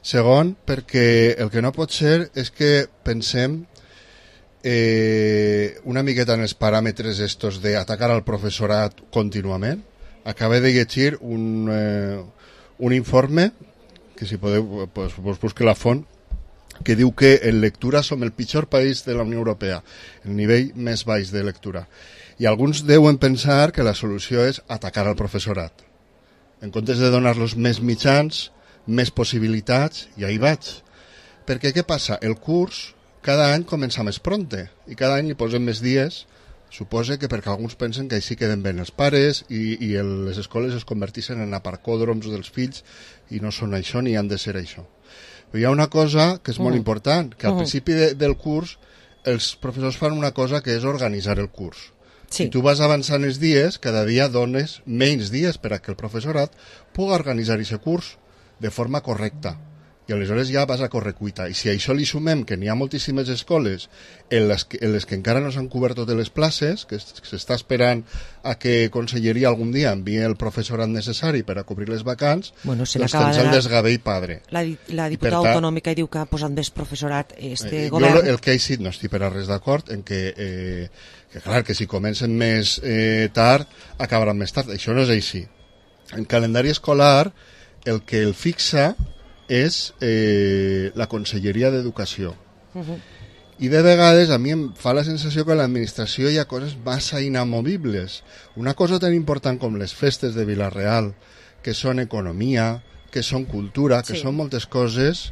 Segon, perquè el que no pot ser és que pensem una miqueta en els paràmetres estos d'atacar al professorat contínuament. Acabé de llegir un informe, que si podeu pues busque la font, que diu que en lectura som el pitjor país de la Unió Europea, el nivell més baix de lectura. I alguns deuen pensar que la solució és atacar al professorat. En comptes de donar-los més mitjans, més possibilitats, i ahí vaig. Perquè què passa? El curs cada any comença més pronte i cada any li posem més dies, suposa que perquè alguns pensen que així queden ben els pares i les escoles es converteixen en aparcòdroms dels fills i no són això ni han de ser això. Però hi ha una cosa que és molt important, que al principi del curs els professors fan una cosa que és organitzar el curs. Si tu vas avançant els dies, cada dia dones menys dies per a que el professorat pugui organitzar aquest curs de forma correcta. I aleshores ja vas a correcuita. I si a això li sumem que n'hi ha moltíssimes escoles en les que encara no s'han cobert totes les places, que s'està esperant a que Conselleria algun dia enviï el professorat necessari per a cobrir les vacants, doncs tens el desgavell padre. La diputada autonòmica diu que ha posat més professorat govern. Jo el que he dit no estic per a res d'acord en que clar, que si comencen més tard acabaran més tard. Això no és així. En calendari escolar el que el fixa és la Conselleria d'Educació. I de vegades a mi em fa la sensació que a l'administració hi ha coses massa inamovibles. Una cosa tan important com les festes de Vila-real, que són economia, que són cultura, que són moltes coses,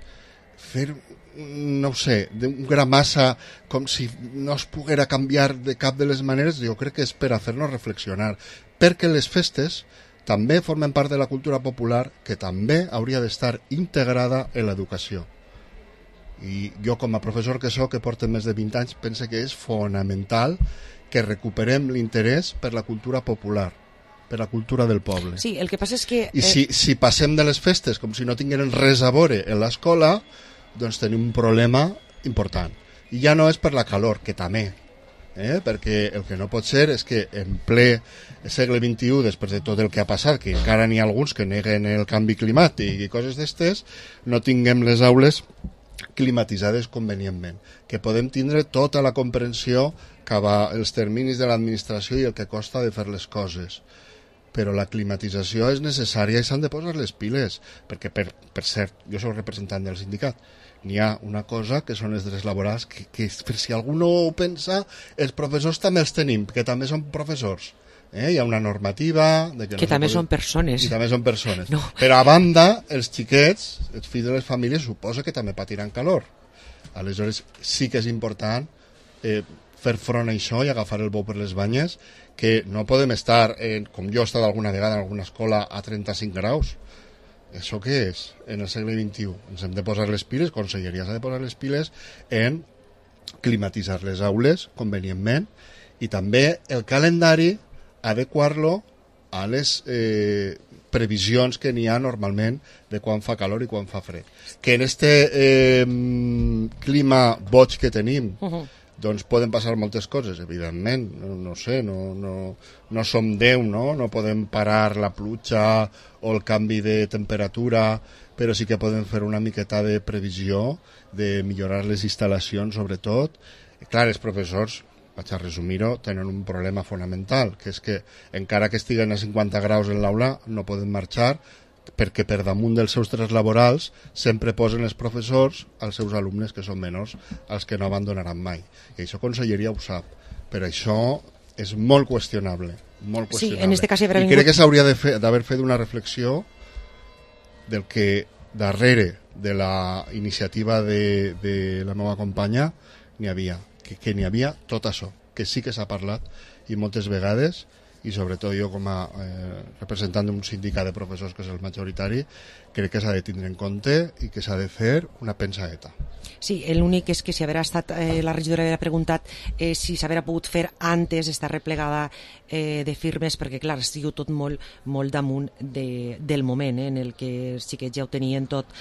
fer, no ho sé, un gra massa com si no es poguera canviar de cap de les maneres, jo crec que és per a fer-nos reflexionar. Perquè les festes també formen part de la cultura popular que també hauria d'estar integrada en l'educació. I jo com a professor que soc, que porta més de 20 anys, penso que és fonamental que recuperem l'interès per la cultura popular, per la cultura del poble. Sí, el que passa és que... I si passem de les festes com si no tingueren res a veure en l'escola, doncs tenim un problema important. I ja no és per la calor, que també, perquè el que no pot ser és que en ple segle XXI, després de tot el que ha passat, que encara n'hi ha alguns que neguen el canvi climàtic i coses d'estes, no tinguem les aules climatitzades convenientment, que podem tindre tota la comprensió cap als terminis de l'administració i el que costa de fer les coses, però la climatització és necessària i s'han de posar les piles, perquè per cert, jo soc representant del sindicat, n'hi ha una cosa que són els drets laborals que per si algú no ho pensa, els professors també els tenim, que també són professors. Hi ha una normativa... Que també són persones. I també són persones. No. Però a banda, els xiquets, els fills de les famílies, suposa que també patiran calor. Aleshores sí que és important fer front a això i agafar el bou per les banyes, que no podem estar, com jo he estat alguna vegada en alguna escola, a 35 graus. Això què és en el segle XXI? Ens hem de posar les piles, Conselleria s'ha de posar les piles en climatitzar les aules convenientment i també el calendari adequar-lo a les previsions que n'hi ha normalment de quan fa calor i quan fa fred. Que en este clima boig que tenim doncs poden passar moltes coses, evidentment, no sé, no som Déu, no podem parar la pluja o el canvi de temperatura, però sí que podem fer una miqueta de previsió, de millorar les instal·lacions, sobretot. Clar, els professors, vaig a resumir-ho, tenen un problema fonamental, que és que encara que estiguen a 50 graus en l'aula, no poden marxar, perquè per damunt dels seus drets laborals sempre posen els professors als seus alumnes que són menors, als que no abandonaran mai. I això Conselleria ho sap. Però això és molt qüestionable. Molt qüestionable. Sí, en este cas I crec que s'hauria d'haver fet una reflexió del que darrere de la iniciativa de la meva companya n'hi havia. Que n'hi havia tot això, que sí que s'ha parlat i moltes vegades i sobretot jo com a representant d'un sindicat de professors que és el majoritari, crec que s'ha de tindre en compte i que s'ha de fer una pensadeta. Sí, l'únic és que si haurà estat, la regidora havia preguntat si s'haurà pogut fer antes estar replegada de firmes, perquè clar, estigui tot molt damunt del moment en el que sí que ja ho tenien tot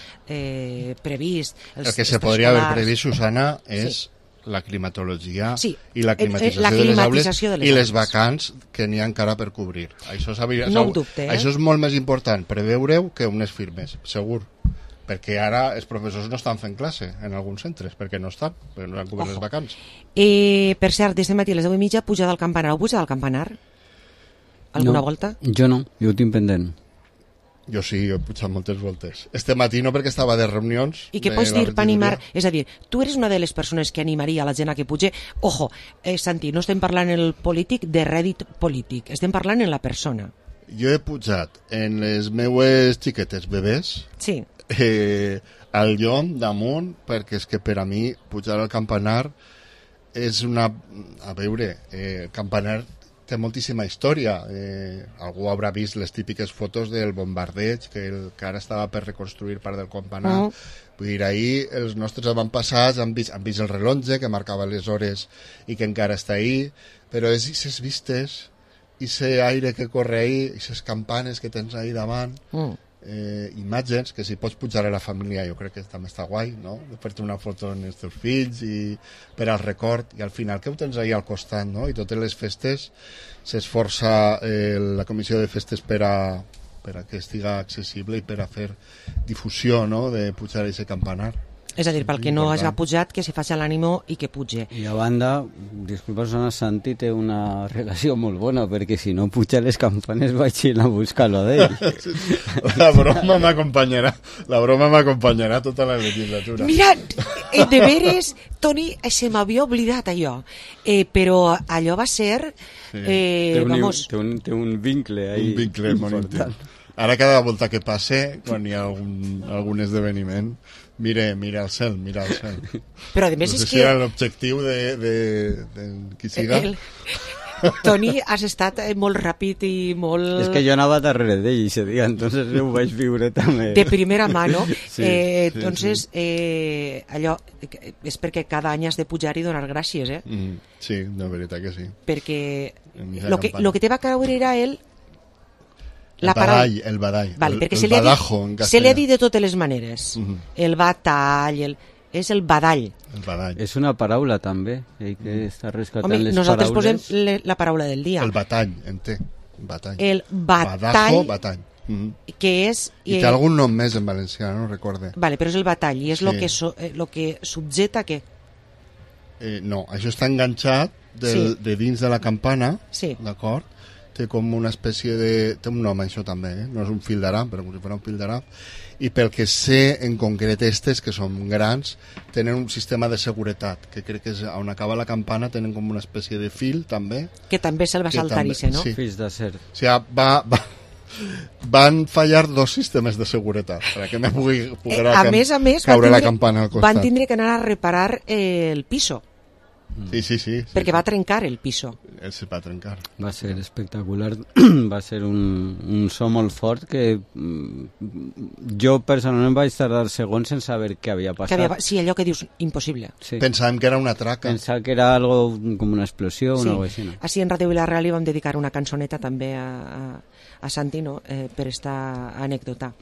previst. El que se podria haver previst, Susana, és la climatologia i la climatització de les aules i les vacants que n'hi ha encara per cobrir. Això és molt més important preveure-ho que unes firmes, segur. Perquè ara els professors no estan fent classe en alguns centres, perquè no estan cobert les vacants. Per cert, des de matí a les 10:30 pujada al campanar. Heu pujat al campanar? Alguna volta? Jo no, jo ho tinc pendent. Jo sí, jo he pujat moltes voltes. Este matí no, perquè estava de reunions. I què pots dir per animar? És a dir, tu eres una de les persones que animaria a la gent a que puge. Ojo, Santi, no estem parlant en el polític de rèdit polític, estem parlant en la persona. Jo he pujat en les meues xiquetes bebès. Sí. Al llom damunt, perquè és que per a mi pujar al campanar és una... A veure, el campanar té moltíssima història. Algú haurà vist les típiques fotos del bombardeig que ara estava per reconstruir part del campanar. Vull dir, ahir els nostres avantpassats han vist el rellotge que marcava les hores i que encara està ahí, però és aquestes vistes, aquest aire que corre ahí, aquestes campanes que tens ahí davant, imatges que si pots pujar a la família jo crec que també està guai, no? De fer-te una foto amb els teus fills i per al record, i al final que ho tens ahí al costat, no? I totes les festes s'esforça la comissió de festes per a que estiga accessible i per a fer difusió, no? De pujar a aquest campanar. És a dir, pel que no hagi pujat, que se faci l'ànimo i que puge. I a banda, disculpa, Santi té una relació molt bona, perquè si no puja les campanes vaig ir a buscar-lo d'ell. La broma m'acompanyarà tota la legislatura. Mira, de veres, Toni, se m'havia oblidat allò, però allò va ser... Té un vincle ahí. Un vincle molt íntim. Ara cada volta que passe, quan hi ha algun esdeveniment, mira al cel. Però a més no sé és si era l'objectiu de qui siga. Toni, has estat molt ràpid i molt... És que jo anava darrere d'ell aquest dia, entonces ho vaig viure també. De primera mà, no? Sí, entonces, allò és perquè cada any has de pujar i donar gràcies, eh? Sí, de veritat que sí. Perquè lo que te va caure era el badall. Vale, perquè el badajo en castellà. Se li ha dit de totes les maneres. El batall, és el badall. És una paraula també, que està rescatant les nosaltres paraules. posem la paraula del dia. El batall, batall. El batall. Badajo, batall. Que és... I té algun nom més en valencià, no recorde. Vale, però és el batall, i és lo que subjeta què? No, això està enganxat de dins de la campana, d'acord? Té com una espècie de... Té un nom, això també, no és un fil d'aram, però com si fos un fil d'aram. I pel que sé, en concret, estes, que són grans, tenen un sistema de seguretat, que crec que és on acaba la campana, tenen com una espècie de fil, també. Que també se'l va saltar, no? Sí. Fills d'acer. O sigui, van fallar dos sistemes de seguretat perquè me pugui caure la campana al costat. Van tindre que anar a reparar el piso. Sí. Perquè va trencar el piso. Se va trencar. Va ser espectacular. Va ser un so molt fort que jo personalment vaig tardar segons en saber què havia passat. Sí, allò que dius, impossible. Sí. Pensàvem que era una traca. Pensàvem que era algo com una explosió o algo així. Així en Ràdio Vila-real li vam dedicar una cançoneta també a Santi, no? Per esta anècdota.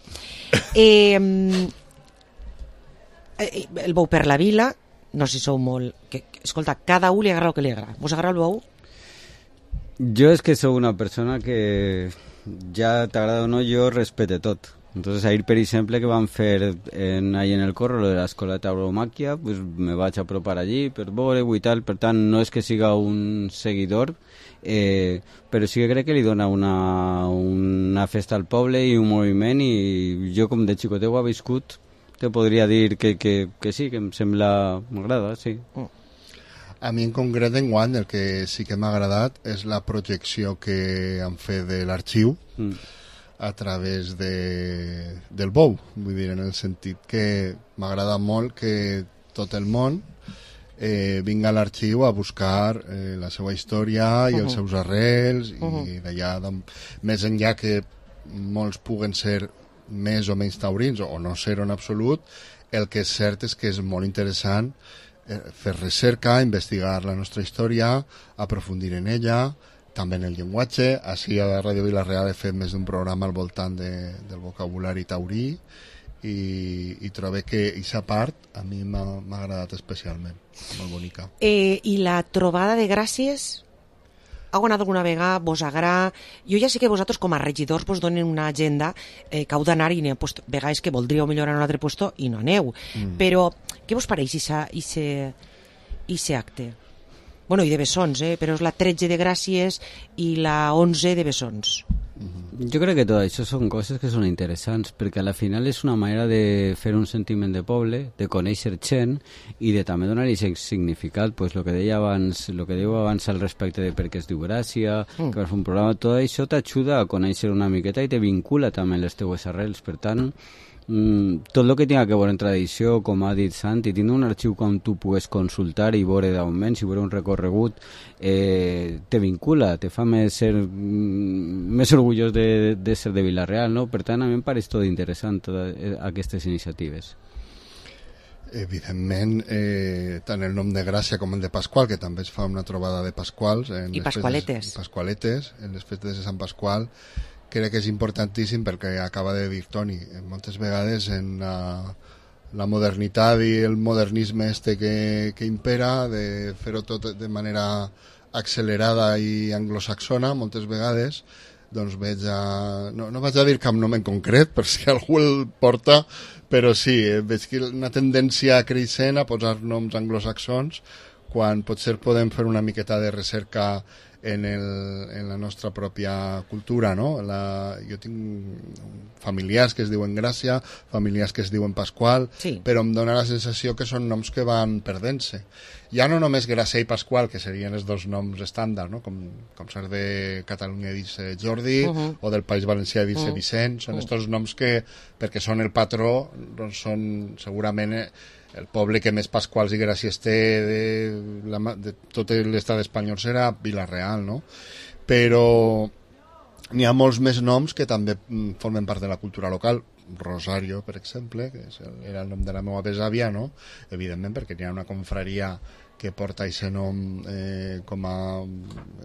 El bou per la vila, no sé si sou molt... Escolta, cada un li agrada el que li agrada. Vos agrada el bou? Jo és que sou una persona que ja t'agrada o no, jo respete tot. Entonces ahir, per exemple, que van fer ahí en el corro lo de l'escola de tauromàquia, pues me vaig apropar allí per veure-ho i tal. Per tant, no és que siga un seguidor, però sí que crec que li dona una festa al poble i un moviment, i jo com de xicoteu ha viscut te podria dir que sí, que em sembla... m'agrada, sí. A mi en concret enguany el que sí que m'ha agradat és la projecció que han fet de l'arxiu a través del bou, vull dir, en el sentit que m'agrada molt que tot el món vinga a l'arxiu a buscar la seva història i els seus arrels, i d'allà, més enllà que molts puguen ser més o menys taurins, o no ser en absolut, el que és cert és que és molt interessant fer recerca, investigar la nostra història, aprofundir en ella, també en el llenguatge. Així a Ràdio Vila-real he fet més d'un programa al voltant del vocabulari taurí, i trobo que aquesta part a mi m'ha agradat especialment, molt bonica. I la trobada de Gràcies, heu anat alguna vegada, vos agrada? Jo ja sé que vosaltres com a regidors vos donen una agenda que heu d'anar, i vegades que voldríeu millorar en un altre puesto i no aneu, però què vos pareix aquest acte? Bueno, i de bessons, però és la 13 de Gràcies i la 11 de bessons. Jo crec que tot això són coses que són interessants, perquè a la final és una manera de fer un sentiment de poble, de conèixer gent i de també donar-hi significat, pues lo que diu abans al respecte de per què es diu Gràcia, que vas fer un programa, tot això t'ajuda a conèixer una miqueta i te vincula també les teues arrels. Per tant, tot el que tinga que veure en tradició, com ha dit Santi, tindre un arxiu com tu pugues consultar i veure d'augments i veure un recorregut, te vincula, te fa més orgullós de ser de Vila-real, no? Per tant, a mi em pareix tot interessant, totes aquestes iniciatives. Evidentment, tant el nom de Gràcia com el de Pasqual, que també es fa una trobada de Pasquals i Pasqualetes en les festes de Sant Pasqual, crec que és importantíssim, perquè acaba de dir Toni, moltes vegades en la modernitat i el modernisme que impera, de fer-ho tot de manera accelerada i anglosaxona, moltes vegades doncs veig no vaig a dir cap nom en concret per si algú el porta, però sí, veig que una tendència creixent a posar noms anglosaxons, quan potser podem fer una miqueta de recerca en la nostra pròpia cultura, no? Jo tinc familiars que es diuen Gràcia, familiars que es diuen Pasqual, però em dona la sensació que són noms que van perdent-se. Ja no només Gràcia i Pasqual, que serien els dos noms estàndard, no? Com ser de Catalunya dir-se Jordi, o del País Valencià dir-se Vicent, són aquests noms que, perquè són el patró, doncs són segurament el poble que més Pasquals i Gràcies té de tot l'estat espanyol serà Vila-real, no? Però n'hi ha molts més noms que també formen part de la cultura local. Rosario, per exemple, que era el nom de la meva besàvia, no? Evidentment, perquè n'hi ha una confraria que porta aquest nom com a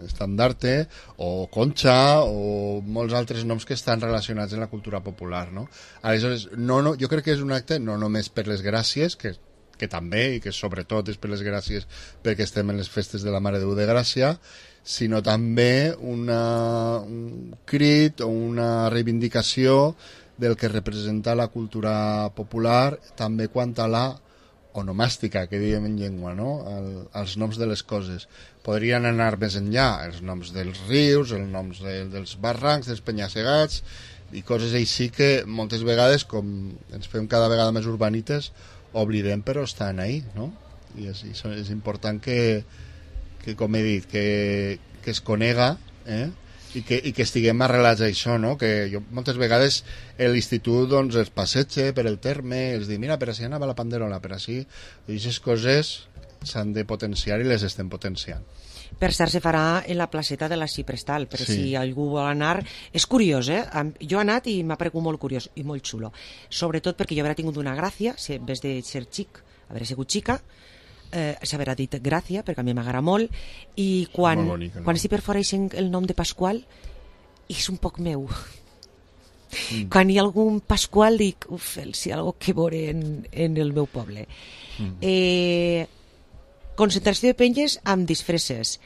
estandarte, o Concha, o molts altres noms que estan relacionats amb la cultura popular, no? Aleshores, jo crec que és un acte no només per les Gràcies, que també, i que sobretot és per les Gràcies perquè estem en les festes de la Mare de Déu de Gràcia, sinó també un crit o una reivindicació del que representa la cultura popular, també quant a la onomàstica, que diem en llengua, no? Els noms de les coses. Podrien anar més enllà, els noms dels rius, els noms dels barrancs, dels penya-segats, i coses així que moltes vegades, com ens fem cada vegada més urbanites, oblidem, però estan ahí, no? I és important que com he dit, que es conega, i que estiguem arrelats a això, no? Que jo moltes vegades l'institut doncs els passeja per el terme, els dic, mira, per així anava la Panderola, per així, i aquestes coses s'han de potenciar i les estem potenciant. Per cert, se farà en la placeta de la Ciprestal, però si algú vol anar... És curiós, Jo he anat i m'ha paregut molt curiós i molt xulo, sobretot perquè jo haurà tingut una gràcia, en vez de ser xic, haurà sigut xica, s'haurà dit Gràcia, perquè a mi m'agrada molt, i quan s'hi perforeixen el nom de Pasqual, és un poc meu. Quan hi ha algun Pasqual, dic, si hi ha alguna cosa que veure en el meu poble. Concentració de penges amb disfresses.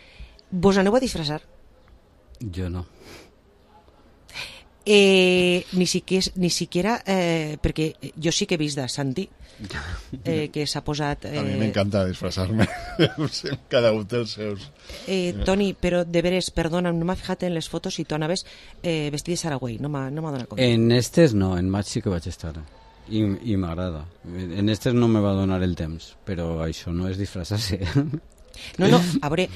Vos aneu a disfressar? Jo no. Ni siquiera perquè jo sí que he vist de Santi que s'ha posat a mi m'encanta disfressar-me. Cada un té els seus. Toni, però de veres, perdona, no m'ha fijat en les fotos si tu anaves vestit de Saragüell, no m'ha donat compte. En estes no, en maig sí que vaig estar i m'agrada. En estes no me va donar el temps, però això no és disfressar-se. No, a veure...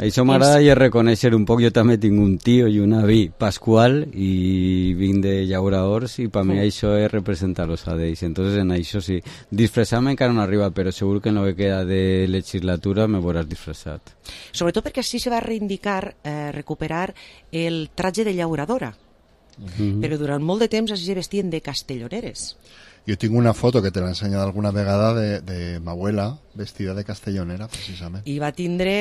Això m'agrada i reconèixer un poc. Jo també tinc un tio i un avi, Pasqual, i vinc de llauradors, i per mi això és representar-los a ells. Entonces, en això sí. Disfressar-me encara no arriba, però segur que en el que queda de legislatura me veuràs disfressat. Sobretot perquè així se va reivindicar, recuperar el tratge de llauradora. Però durant molt de temps així se vestien de castelloneres. Jo tinc una foto que te l'he ensenyat alguna vegada de ma abuela vestida de castellonera, precisament. I va tindre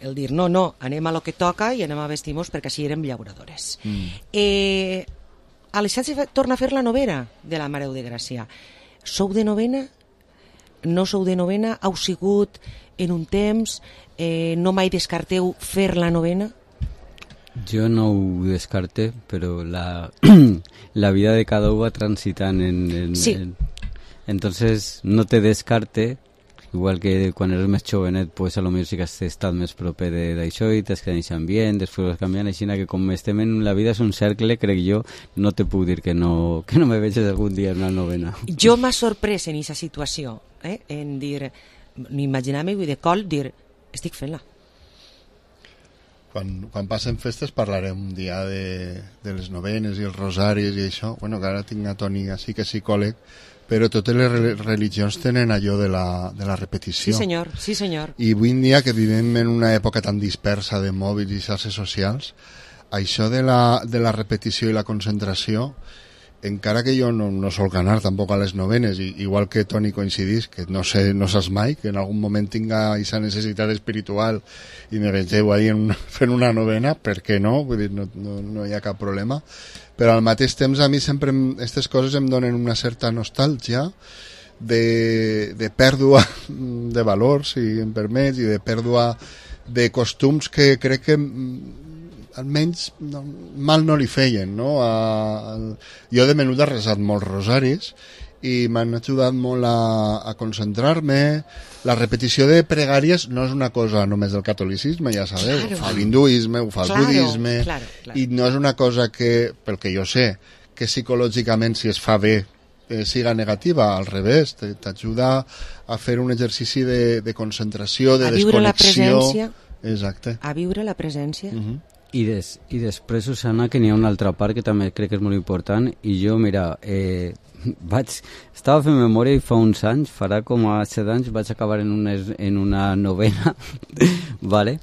el dir, no, anem a lo que toca i anem a vestir-nos perquè així érem llauradores. Alexandre torna a fer la novena de la Mare de Gràcia. Sou de novena? No sou de novena? Heu sigut en un temps? No mai descarteu fer la novena? Jo no ho descarte, però la vida de cada un va transitant sí. Entonces no te descarte, igual que quan eres més jovenet, pues a lo millor sí que has estat més proper d'això i t'has quedat ambient, després vas canviant, així que com estem en la vida és un cercle, crec jo, no te puc dir que no me veges algun dia en una novena. Jo m'ha sorprès en aquesta situació, en dir, m'imaginar-me de col, dir, estic fent-la. Quan passen festes parlarem un dia de les novenes i els rosaris i això. Bueno, que ara tinc a Toni així que és psicòleg, però totes les religions tenen allò de la repetició. Sí senyor. I avui en dia que vivim en una època tan dispersa de mòbils i xarxes socials, això de la repetició i la concentració, encara que jo no sol anar tampoc a les novenes, igual que Toni coincidís, que no saps mai, que en algun moment tinga aquesta necessitat espiritual i me vegeu ahí fent una novena, per què no? Vull dir, no hi ha cap problema. Però al mateix temps a mi sempre aquestes coses em donen una certa nostàlgia de pèrdua de valors, si em permets, i de pèrdua de costums que crec que almenys mal no li feien, no? Jo de menut he resat molts rosaris i m'han ajudat molt a concentrar-me. La repetició de pregàries no és una cosa només del catolicisme, ja sabeu, ho fa l'hinduisme, ho fa el budisme, i no és una cosa que, pel que jo sé, que psicològicament si es fa bé siga negativa, al revés, t'ajuda a fer un exercici de concentració, de desconnexió. A viure la presència. Exacte. A viure la presència. I després, Susana, que n'hi ha una altra part que també crec que és molt important, i jo, mira, estava fent memòria i fa uns anys, farà com a 7 anys, vaig acabar en una novena, vale?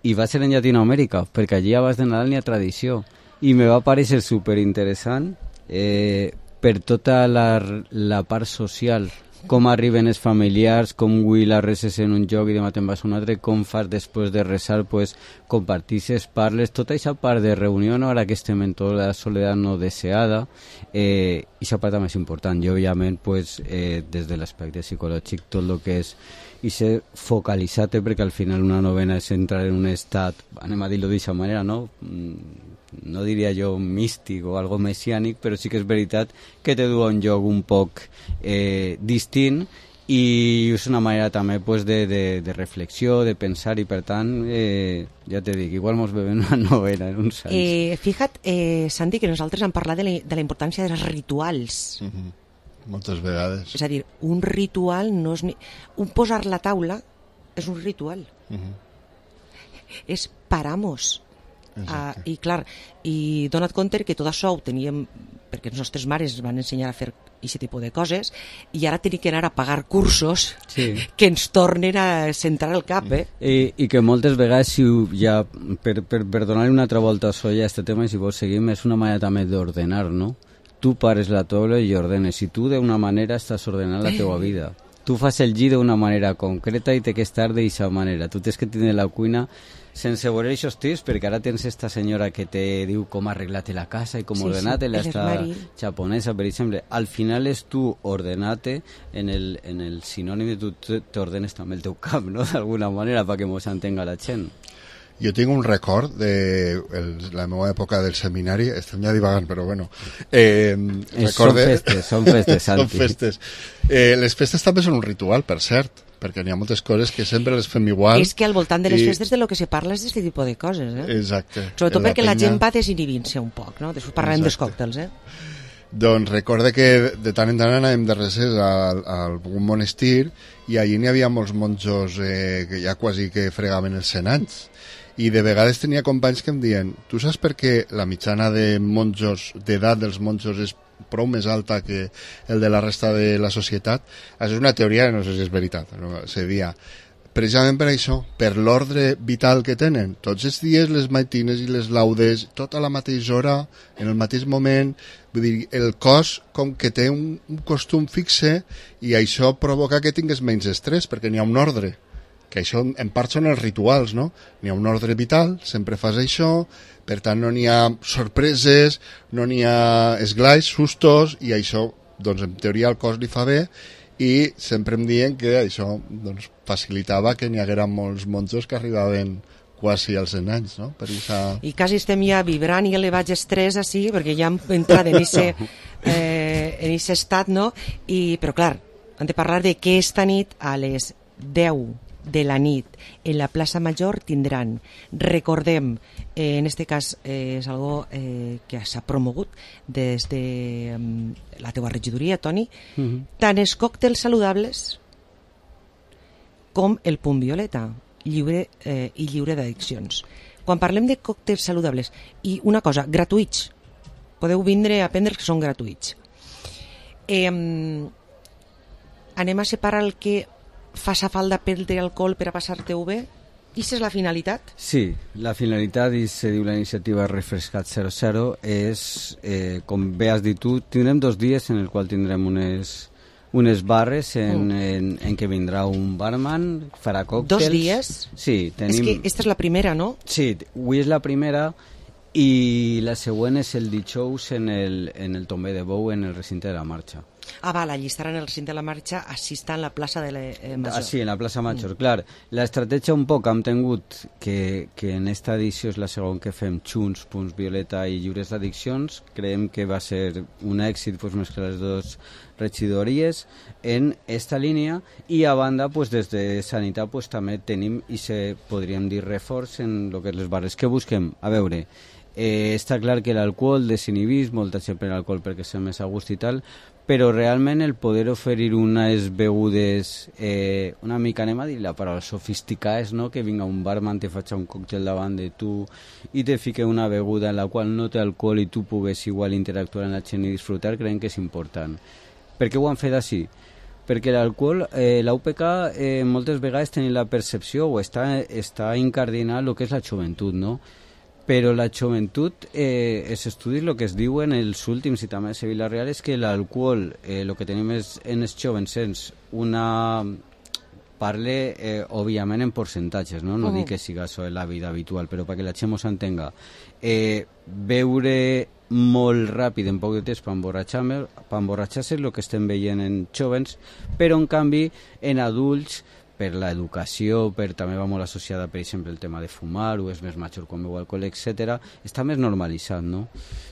I va ser en Llatinoamèrica, perquè allí abans de Nadal n'hi ha tradició, i me va parecer superinteressant per tota la part social, com arriben els familiars, com avui la reses en un lloc i demà te'n vas a un altre, com fas després de resar, pues, compartisses, parles, tota aquesta part de reunió, no? Ara que estem en tota la soledat no deseada, i aquesta part també és important. I, òbviament, pues, des de l'aspecte psicològic, tot el que és i ser focalitzat, perquè al final una novena és entrar en un estat, anem a dir-ho d'aquesta manera, no? No diria jo místic o algo messiànic, però sí que és veritat que te du a un lloc un poc distint, i és una manera també pues, de reflexió, de pensar, i per tant ja te dic, igual mos bevem una novena en uns anys. Fija't, Santi, que nosaltres hem parlat de la importància dels rituals. Moltes vegades. És a dir, un ritual no és un posar la taula és un ritual. És paramos. I clar, i dona't compte que tot això ho teníem perquè les nostres mares van ensenyar a fer aquest tipus de coses, i ara tenim que anar a pagar cursos que ens tornen a centrar el cap, I que moltes vegades, si ja, per donar-li una altra volta a això ja a aquest tema, i si vols seguim, és una manera també d'ordenar, no? Tu pares la taula i ordenes, i tu d'una manera estàs ordenant la teva vida. Tu fas el llit d'una manera concreta i té que estar d'aquesta manera. Tu tens que tenir la cuina sense veure aquests tips, perquè ara tens esta senyora que te diu com arreglar-te la casa i com ordenar-te-la, esta japonesa, per exemple. Al final és tu ordenar-te en el sinònim de tu t'ordenes també el teu cap, no?, d'alguna manera, perquè mos entenga la gent. Jo tinc un record de la meva època del seminari, estem ja divagant, però bueno. Són festes, Santi. Són festes. Les festes també són un ritual, per cert, perquè n'hi ha moltes coses que sempre les fem igual. És que al voltant de les festes de lo que se parla és d'aquest tipus de coses, Exacte. Sobretot perquè la gent va desinhibint-se un poc, no? Després parlem dels còctels, Doncs recorde que de tant en tant anàvem de recés a algun monestir i allí n'hi havia molts monjos que ja quasi que fregaven els 100 anys. I de vegades tenia companys que em diuen, tu saps per què la mitjana de monjos, d'edat dels monjos és prou més alta que el de la resta de la societat? Això és una teoria, no sé si és veritat, no? Seria precisament per això, per l'ordre vital que tenen. Tots els dies, les matines i les laudes, tot a la mateixa hora, en el mateix moment. Vull dir, el cos com que té un costum fixe i això provoca que tingues menys estrès, perquè n'hi ha un ordre. Que això en part són els rituals, no? N'hi ha un ordre vital, sempre fas això, per tant no n'hi ha sorpreses, no n'hi ha esglais, sustos, i això, doncs en teoria al cos li fa bé, i sempre em diuen que això doncs, facilitava que n'hi haguera molts monjos que arribaven quasi als 100 anys, no? Per esa... I quasi estem ja vibrant i elevats estrès així, perquè ja hem entrat en aquest estat, no? Però clar, hem de parlar de que esta nit a les 10 de la nit en la plaça Major tindran, recordem, en este cas és algo que s'ha promogut des de la teua regidoria, Toni, tant els còctels saludables com el punt violeta, lliure i lliure d'addiccions. Quan parlem de còctels saludables, i una cosa, gratuïts, podeu vindre a prendre que són gratuïts. Anem a separar el que fas a falta prendre alcohol per a passar-te-ho bé? I és la finalitat? Sí, la finalitat, i se diu la iniciativa Refrescat 00, és, com bé has dit tu, tindrem 2 dies en el qual tindrem unes barres en què vindrà un barman, farà còctels. 2 dies? Sí, tenim... És que aquesta és la primera, no? Sí, avui és la primera i la següent és el dijous en el Tomber de Bou, en el recinte de la marxa. Ah, val, allí estaran en el recinte de la marxa, així està en la plaça de la Major. Sí, en la plaça Major, clar. L'estratègia un poc hem tingut que en esta edició és la segona que fem Junts, Punts Violeta i Lliures d'Addiccions. Creiem que va ser un èxit pues, més que les 2 regidories en esta línia, i a banda pues, des de Sanitat pues, també tenim i podríem dir reforç en el que les barres que busquem. A veure, està clar que l'alcohol desinhibís, molta gent pren alcohol perquè és més a gust i tal, però realment el poder oferir unes begudes una mica, anem a dir la paraula, sofisticades, no? Que vinga un barman, te faci un còctel davant de tu i te fique una beguda en la qual no té alcohol i tu pugues igual interactuar amb la gent i disfrutar, creiem que és important. Per què ho han fet així? Perquè l'alcohol, l'UPK moltes vegades tenen la percepció o està incardinat el que és la joventut, no? Però la joventut, els estudis, el que es diuen els últims i també a Vila Real, és que l'alcohol, el que tenim en els jovens és una... Parle, òbviament, en percentatges, no? No dic que siga això la vida habitual, però perquè la gent s'entenga. Beure molt ràpid en poc de temps per emborratxar-se el que estem veient en jovens, però en canvi en adults, per l'educació, també va molt associada, per exemple, el tema de fumar, o és més major quan beu alcohol, etc. Està més normalitzat, no?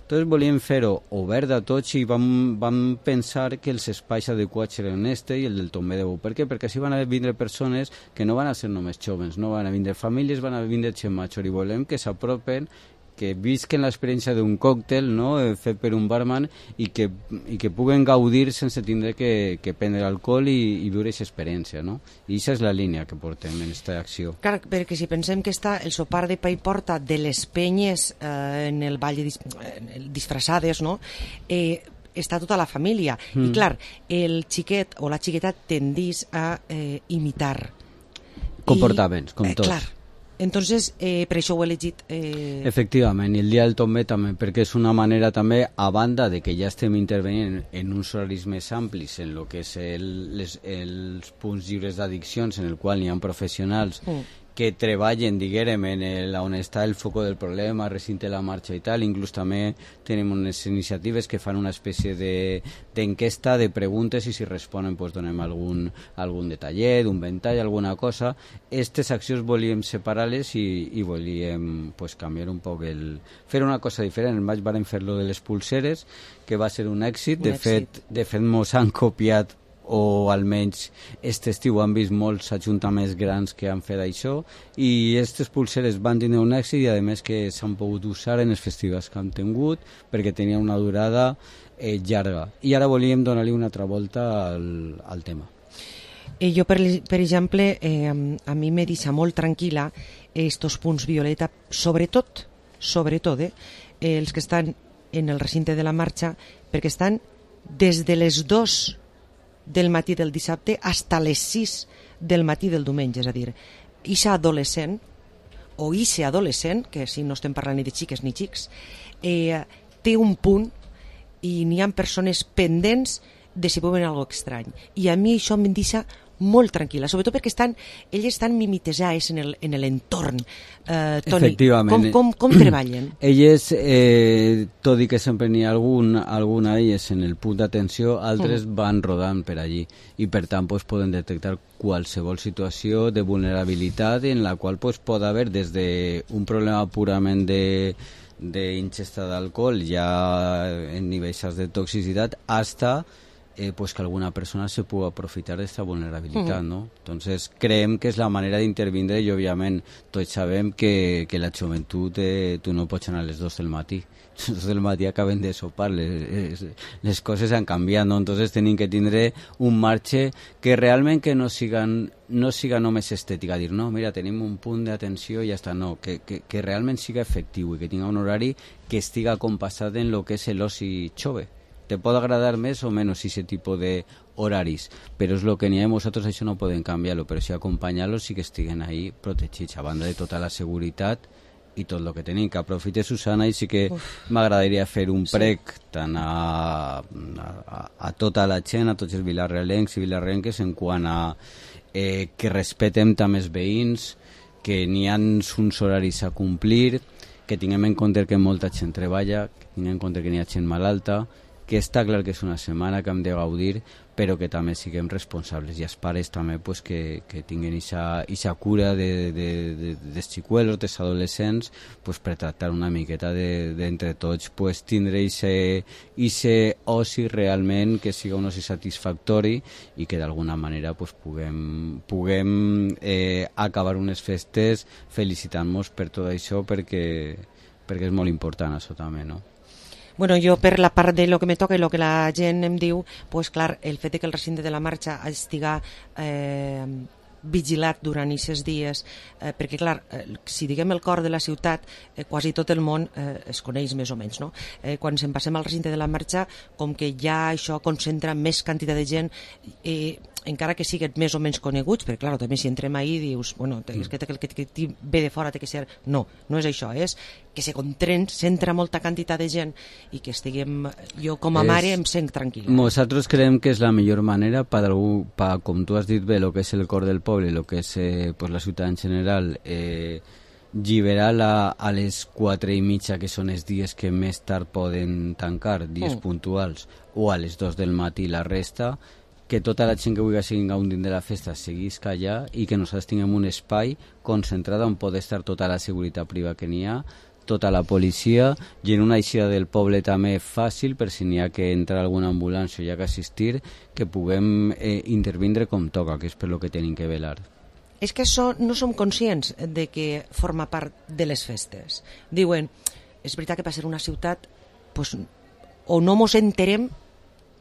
Entonces volíem fer-ho obert a tots i vam pensar que els espais adequats eren este i el del Tomber de Bou. Per què? Perquè així van a vindre persones que no van a ser només joves, no van a vindre famílies, van a vindre gent major, i volem que s'apropen, que visquen l'experiència d'un còctel, no? Fet per un barman i que puguen gaudir sense tindre que prendre alcohol i viure aquesta experiència, no? I aquesta és la línia que portem en aquesta acció. Clar, perquè si pensem que està el sopar de pa i porta de les penyes en el ball disfressades, no? Està tota la família. I clar, el xiquet o la xiqueta tendís a imitar comportaments, com tots. Clar. Entonces, per això ho he elegit... Efectivament, i el dia del Tomber també, perquè és una manera també, a banda de que ja estem intervenint en uns horaris més amplis en el que és els punts lliures d'addiccions, en el qual hi ha professionals que treballen, diguem, on està el foco del problema, recinte la marxa i tal. Inclús també tenim unes iniciatives que fan una espècie d'enquesta, de preguntes, i si responen doncs donem algun detallet, un ventall, alguna cosa. Aquestes accions volíem separar-les i volíem pues, canviar un poc fer una cosa diferent. El maig vam fer-lo de les pulseres, que va ser un èxit. De fet mos han copiat o almenys aquest estiu han vist molts ajuntaments grans que han fet això, i aquestes pulseres van tenir un èxit i a més que s'han pogut usar en els festivals que han tingut perquè tenien una durada llarga. I ara volíem donar-li una altra volta al tema. Jo, per exemple, a mi me deixa molt tranquil·la estos punts violeta, sobretot els que estan en el recinte de la marxa, perquè estan des de les 2 del matí del dissabte fins a les 6 del matí del diumenge, és a dir, ixa adolescent, o ixe adolescent, que si no estem parlant ni de xiques ni xics, té un punt i n'hi ha persones pendents de si veuen alguna cosa estrany. I a mi això em deixa molt tranquil·la, sobretot perquè elles estan mimetejades en l'entorn. Toni, com treballen? Elles, tot i que sempre n'hi ha alguna d'elles en el punt d'atenció, altres van rodant per allí i per tant poden detectar qualsevol situació de vulnerabilitat en la qual pot haver des d'un problema purament d'ingesta d'alcohol ja en nivells de toxicitat hasta pues que alguna persona se pueda aprovechar de esta vulnerabilidad, ¿no? Entonces creem que és la manera d'intervindre i òbviament tots sabem que la joventut tu no pots anar a les 2 del matí. A les 2 del matí acaben de sopar, les coses han canviat, no? Entonces tenim que tindre un marge que realment que no siga només estètica, dir, no, mira, tenim un punt d'atenció i ja està, no, que realment siga efectiu i que tinga un horari que estiga compassat en lo que és l'oci jove. Te pot agradar més o menys aquest tipus d'horaris, però és el que n'hi ha i nosaltres això no podem canviar-lo, però sí acompanyar-los i que estiguen ahí protegits, a banda de tota la seguretat i tot el que tenim. Que aprofite Susana i sí que m'agradaria fer un prec tant a tota la gent, a tots els vilarrealencs i vilarrealenques en quant a que respetem també els veïns, que n'hi ha uns horaris a complir, que tinguem en compte que molta gent treballa, que tinguem en compte que n'hi ha gent malalta, que està clar que és una setmana que hem de gaudir, però que també siguem responsables, i els pares també pues, que tinguin aquesta cura dels xicuelos, dels adolescents, pues, per tractar una miqueta d'entre tots, pues, tindre aquest oci realment que siga un oci satisfactori i que d'alguna manera pues, puguem acabar unes festes felicitant-nos per tot això, perquè és molt important això també, no? Bueno, jo per la part de lo que me toca i lo que la gent em diu, pues clar, el fet de que el recinte de la marxa estiga vigilat durant aquests dies, perquè clar, si diguem el cor de la ciutat, quasi tot el món es coneix més o menys, no? Quan se'n passem al recinte de la marxa, com que ja això concentra més quantitat de gent, encara que siguin més o menys coneguts, perquè clar, també si entrem ahí dius, bueno, és que el que ve de fora té que ser... No és això, és que se concentra molta quantitat de gent i que estiguem... Jo com a mare em sent tranquil·la. Nosaltres creiem que és la millor manera per, com tu has dit bé, el que és el cor del poble i el que és pues, la ciutat en general, lliberar a les 4:30, que són els dies que més tard poden tancar, dies puntuals, o a les 2 del matí la resta, que tota la gent que vulgui seguir gaudint de la festa seguisca allà i que nosaltres tinguem un espai concentrat on pot estar tota la seguretat privada que n'hi ha, tota la policia, i en una eixida del poble també fàcil per si n'hi ha que entrar alguna ambulància o hi ha que assistir, que puguem intervindre com toca, que és per lo que tenim que velar. És que no som conscients de que forma part de les festes. Diuen, és veritat que per ser una ciutat pues, o no mos enterem,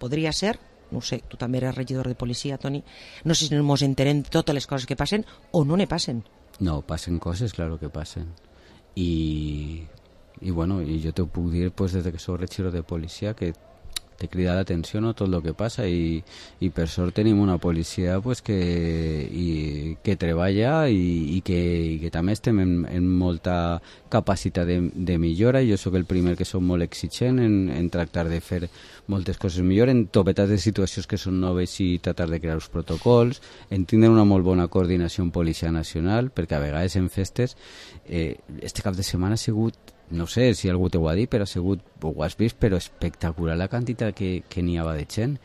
podria ser, no sé, tu també eres regidor de policia, Toni, no sé si ens enterem de totes les coses que passen o no ne passen. No, passen coses, claro que passen. I bueno, i jo te puc dir pues, des que soc regidor de policia que te crida l'atenció, no, tot el que passa i per sort tenim una policia pues, que treballa i que també estem en molta capacitat de millora, i jo sóc el primer que soc molt exigent en tractar de fer moltes coses millor, en topetats de situacions que són noves i tratar de crear els protocols, en tindre una molt bona coordinació amb Policia Nacional, perquè a vegades en festes este cap de setmana ha sigut, no sé si algú t'ho ha dit, però ha sigut, ho has vist, però espectacular la quantitat que n'hi havia de gent,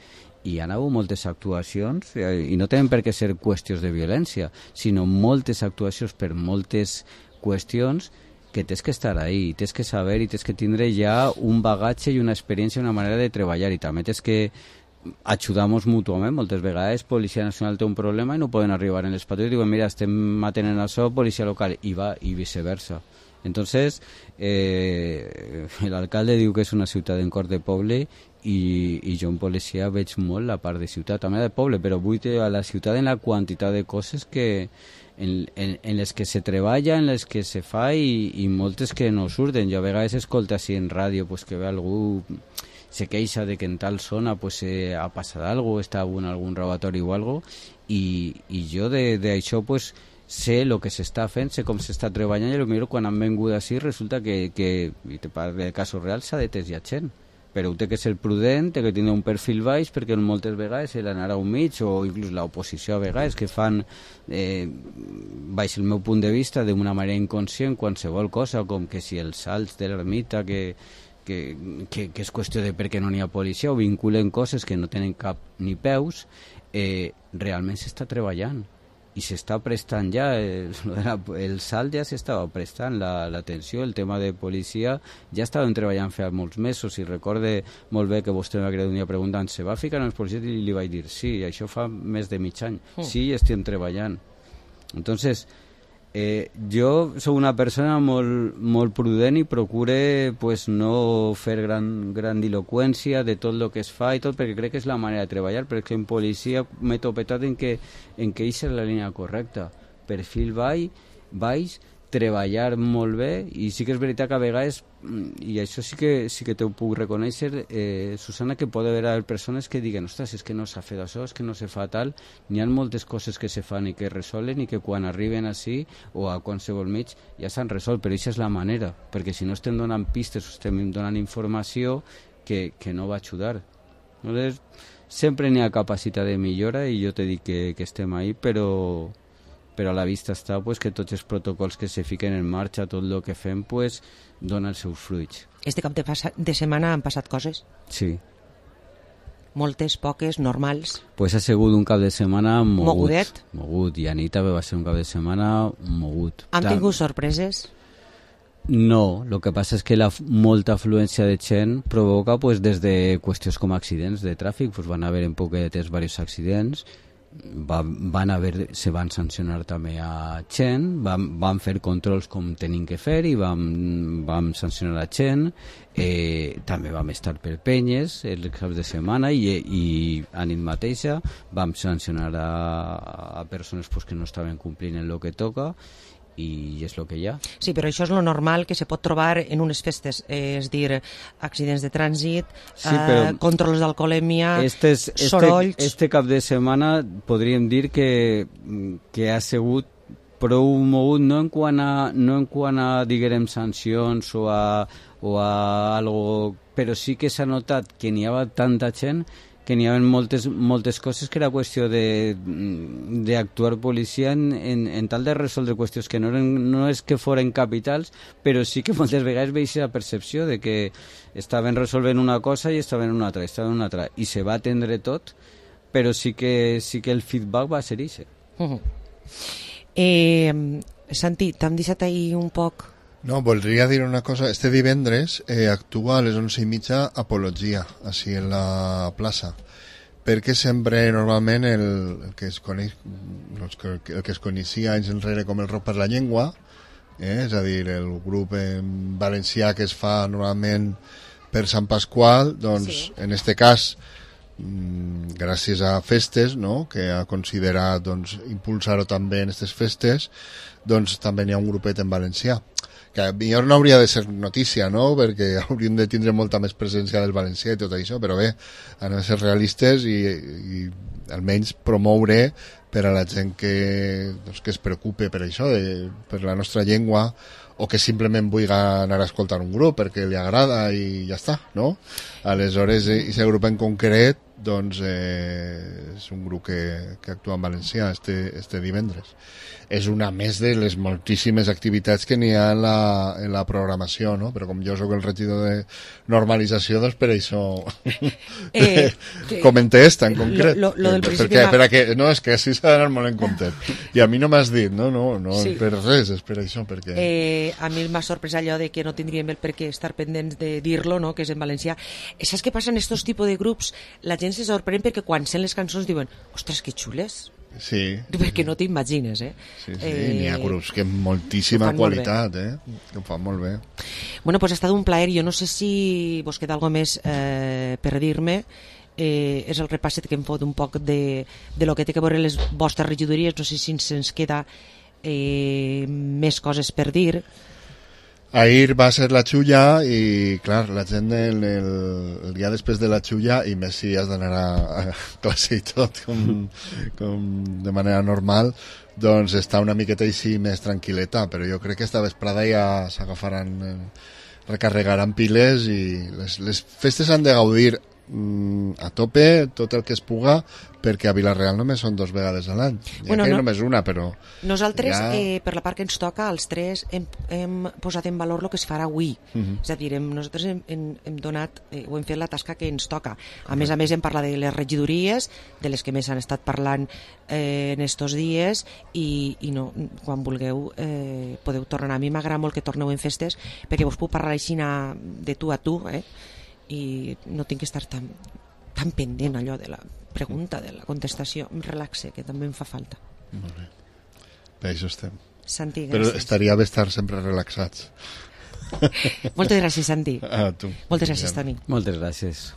i hi ha hagut moltes actuacions, i no tenen per què ser qüestions de violència, sinó moltes actuacions per moltes qüestions que tens que estar ahí, tens que saber i tens que tindre ja un bagatge i una experiència, una manera de treballar, i també tens que ajudamos mútuament. Moltes vegades Policia Nacional té un problema i no poden arribar en les patrulles i diuen, mira, estem atenent això, policia local, i va, i viceversa. Entonces, l'alcalde diu que és una ciutat en cor de poble i jo en policia veig molt la part de ciutat, també de poble, però vull a la ciutat en la quantitat de coses que en les que se treballa, en les que se fa i moltes que no surten. Jo a vegades escolto així en ràdio pues, que ve algú se queixa de que en tal zona pues, ha passat alguna cosa, està en algun robatori o alguna cosa, i jo d'això pues, sé el que s'està fent, sé com s'està treballant, i potser quan han vengut així resulta que i te parlo de casos reals, s'ha detès ja gent, però té que ser prudent, té que tenir un perfil baix, perquè moltes vegades l'anar a un mig, o inclús l'oposició a vegades, que fan, baix el meu punt de vista, d'una manera inconscient, qualsevol cosa, com que si els salts de l'ermita, que és qüestió de per què no n'hi ha policia, o vinculen coses que no tenen cap ni peus, realment s'està treballant i s'està prestant ja el salt ja s'estava prestant, l'atenció, el tema de policia ja estàvem treballant fa molts mesos, i recorde molt bé que vostè m'ha creat un dia preguntant, se va ficar en els policies, i li vaig dir sí, això fa més de mig any, sí, estem treballant. Entonces jo soc una persona molt prudent i procure pues, no fer gran grandiloqüència de tot el que es fa i tot, perquè crec que és la manera de treballar, perquè en policia m'he topetat en que és la línia correcta, perfil baix, treballar molt bé, i sí que és veritat que a vegades, i això sí que t'ho puc reconèixer, Susana, que pot haver persones que diguen, ostres, és que no s'ha fet això, és que no se fa tal. N'hi ha moltes coses que se fan i que resolen, i que quan arriben així o a qualsevol mig ja s'han resolt, però això és la manera, perquè si no estem donant pistes o estem donant informació que no va ajudar. Llavors, sempre n'hi ha capacitat de millora, i jo t'he dit que estem ahí, però a la vista està pues, que tots els protocols que se fiquen en marxa, tot el que fem, pues, dona els seus fruits. Este cap de setmana han passat coses? Sí. Moltes, poques, normals? Pues ha sigut un cap de setmana mogudet. Mogut, i Anita va ser un cap de setmana mogut. Han tingut sorpreses? No, el que passa és que molta afluència de gent provoca pues, des de qüestions com accidents de tràfic, pues, van haver en poquetes diversos accidents, se van sancionar també a gent, van fer controls com tenim que fer i vam sancionar a gent, també vam estar per penyes els caps de setmana, i a nit mateixa vam sancionar a persones pues, que no estaven complint en el que toca, i és el que hi ha. Sí, però això és lo normal que se pot trobar en unes festes, és dir, accidents de trànsit, sí, controls d'alcoholèmia, sorolls... Este cap de setmana podríem dir que ha sigut prou mogut, no en quant a diguem, sancions o a algo, però sí que s'ha notat que n'hi havia tanta gent, que n'hi havia moltes coses, que era qüestió d'actuar policia en tal de resoldre qüestions que no és que foren capitals, però sí que moltes vegades veig la percepció de que estaven resolvent una cosa i estaven en una altra, i se va atendre tot, però sí que el feedback va ser això. Santi, t'hem deixat ahir un poc... No, voldria dir una cosa. Este divendres actua a les 11:30 Apologia, així en la plaça, perquè sempre normalment el que es coneix, el que es coneixia anys enrere com el Rock per la Llengua, és a dir, el grup en valencià que es fa normalment per Sant Pasqual, doncs sí. En este cas gràcies a festes, no?, que ha considerat doncs, impulsar-ho també en aquestes festes, doncs també n'hi ha un grupet en valencià, que millor no hauria de ser notícia, no?, perquè hauríem de tindre molta més presència del valencià i tot això, però bé, han de ser realistes i almenys promoure per a la gent que es preocupe per això, per la nostra llengua, o que simplement vulgui anar a escoltar un grup perquè li agrada i ja està, no? Aleshores, aquest grup en concret, doncs, és un grup que actua en valencià este divendres. És una més de les moltíssimes activitats que n'hi ha en la programació, no? Però com jo sóc el regidor de normalització, doncs per això comenté esta en concret. Lo del principi... No, és que així s'ha d'anar molt en compte. I a mi no m'has dit, no sí. Per res, és per això, perquè... A mi m'ha sorprès allò de que no tindríem el per què estar pendents de dir-lo, no?, que és en valencià. Saps què passa en estos tipus de grups? La gent se sorprèn perquè quan sent les cançons diuen ostres, que xules. Sí. Perquè no t'imagines, Sí, n'hi ha grups que amb moltíssima qualitat, que ho fan molt bé. Bueno, pues ha estat un plaer. Jo no sé si vos queda alguna més per dir-me. És el repasset que hem fet un poc de lo que té que veure les vostres regidories. No sé si se'ns queda més coses per dir. Ahir va ser la xulla i, clar, la gent el dia després de la xulla, i més si has d'anar a classe i tot, com de manera normal, doncs està una miqueta així més tranquil·leta, però jo crec que esta vesprada ja s'agafaran, recarregaran piles i les festes han de gaudir a tope, tot el que es puga, perquè a Vila-real només són 2 vegades a l'any. Bueno, que només una, però... Nosaltres, per la part que ens toca, els 3 hem posat en valor el que es farà avui. És a dir, nosaltres hem donat, ho hem fet la tasca que ens toca. A més hem parlat de les regidories, de les que més han estat parlant en estos dies, i no, quan vulgueu podeu tornar. A mi m'agrada molt que torneu en festes, perquè vos puc parlar així de tu a tu, i no tinc que estar tan pendent allò de la pregunta, de la contestació. Em relaxe, que també em fa falta. Molt bé. Per això estem. Santi, gràcies. Però estaria bé estar sempre relaxats. Moltes gràcies, Santi. A tu. Moltes gràcies, Toni. Moltes gràcies.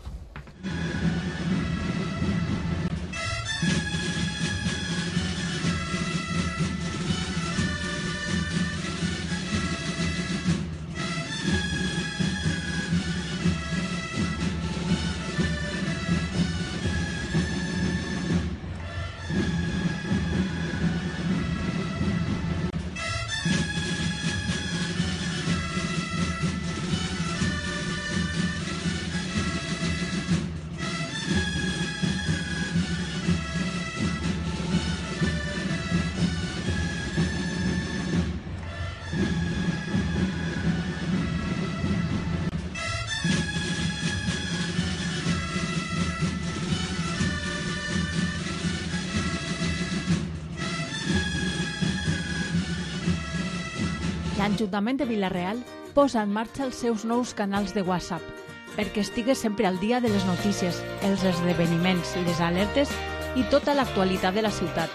L'Ajuntament de Vila-real posa en marxa els seus nous canals de WhatsApp perquè estigues sempre al dia de les notícies, els esdeveniments i les alertes i tota l'actualitat de la ciutat.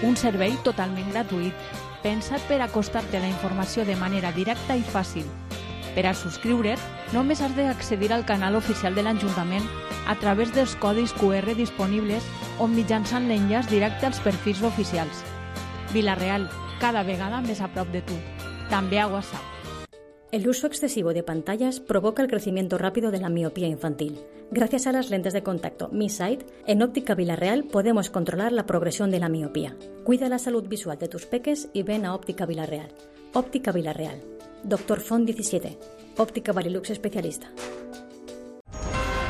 Un servei totalment gratuït, pensat per acostar-te a la informació de manera directa i fàcil. Per a subscriure't, només has d'accedir al canal oficial de l'Ajuntament a través dels codis QR disponibles o mitjançant l'enllaç directe als perfils oficials. Vila-real, cada vegada més a prop de tu. También a WhatsApp. El uso excesivo de pantallas provoca el crecimiento rápido de la miopía infantil. Gracias a las lentes de contacto Mi Sight, en Óptica Vila-real podemos controlar la progresión de la miopía. Cuida la salud visual de tus peques y ven a Óptica Vila-real. Óptica Vila-real. Dr. Font 17. Óptica Varilux especialista.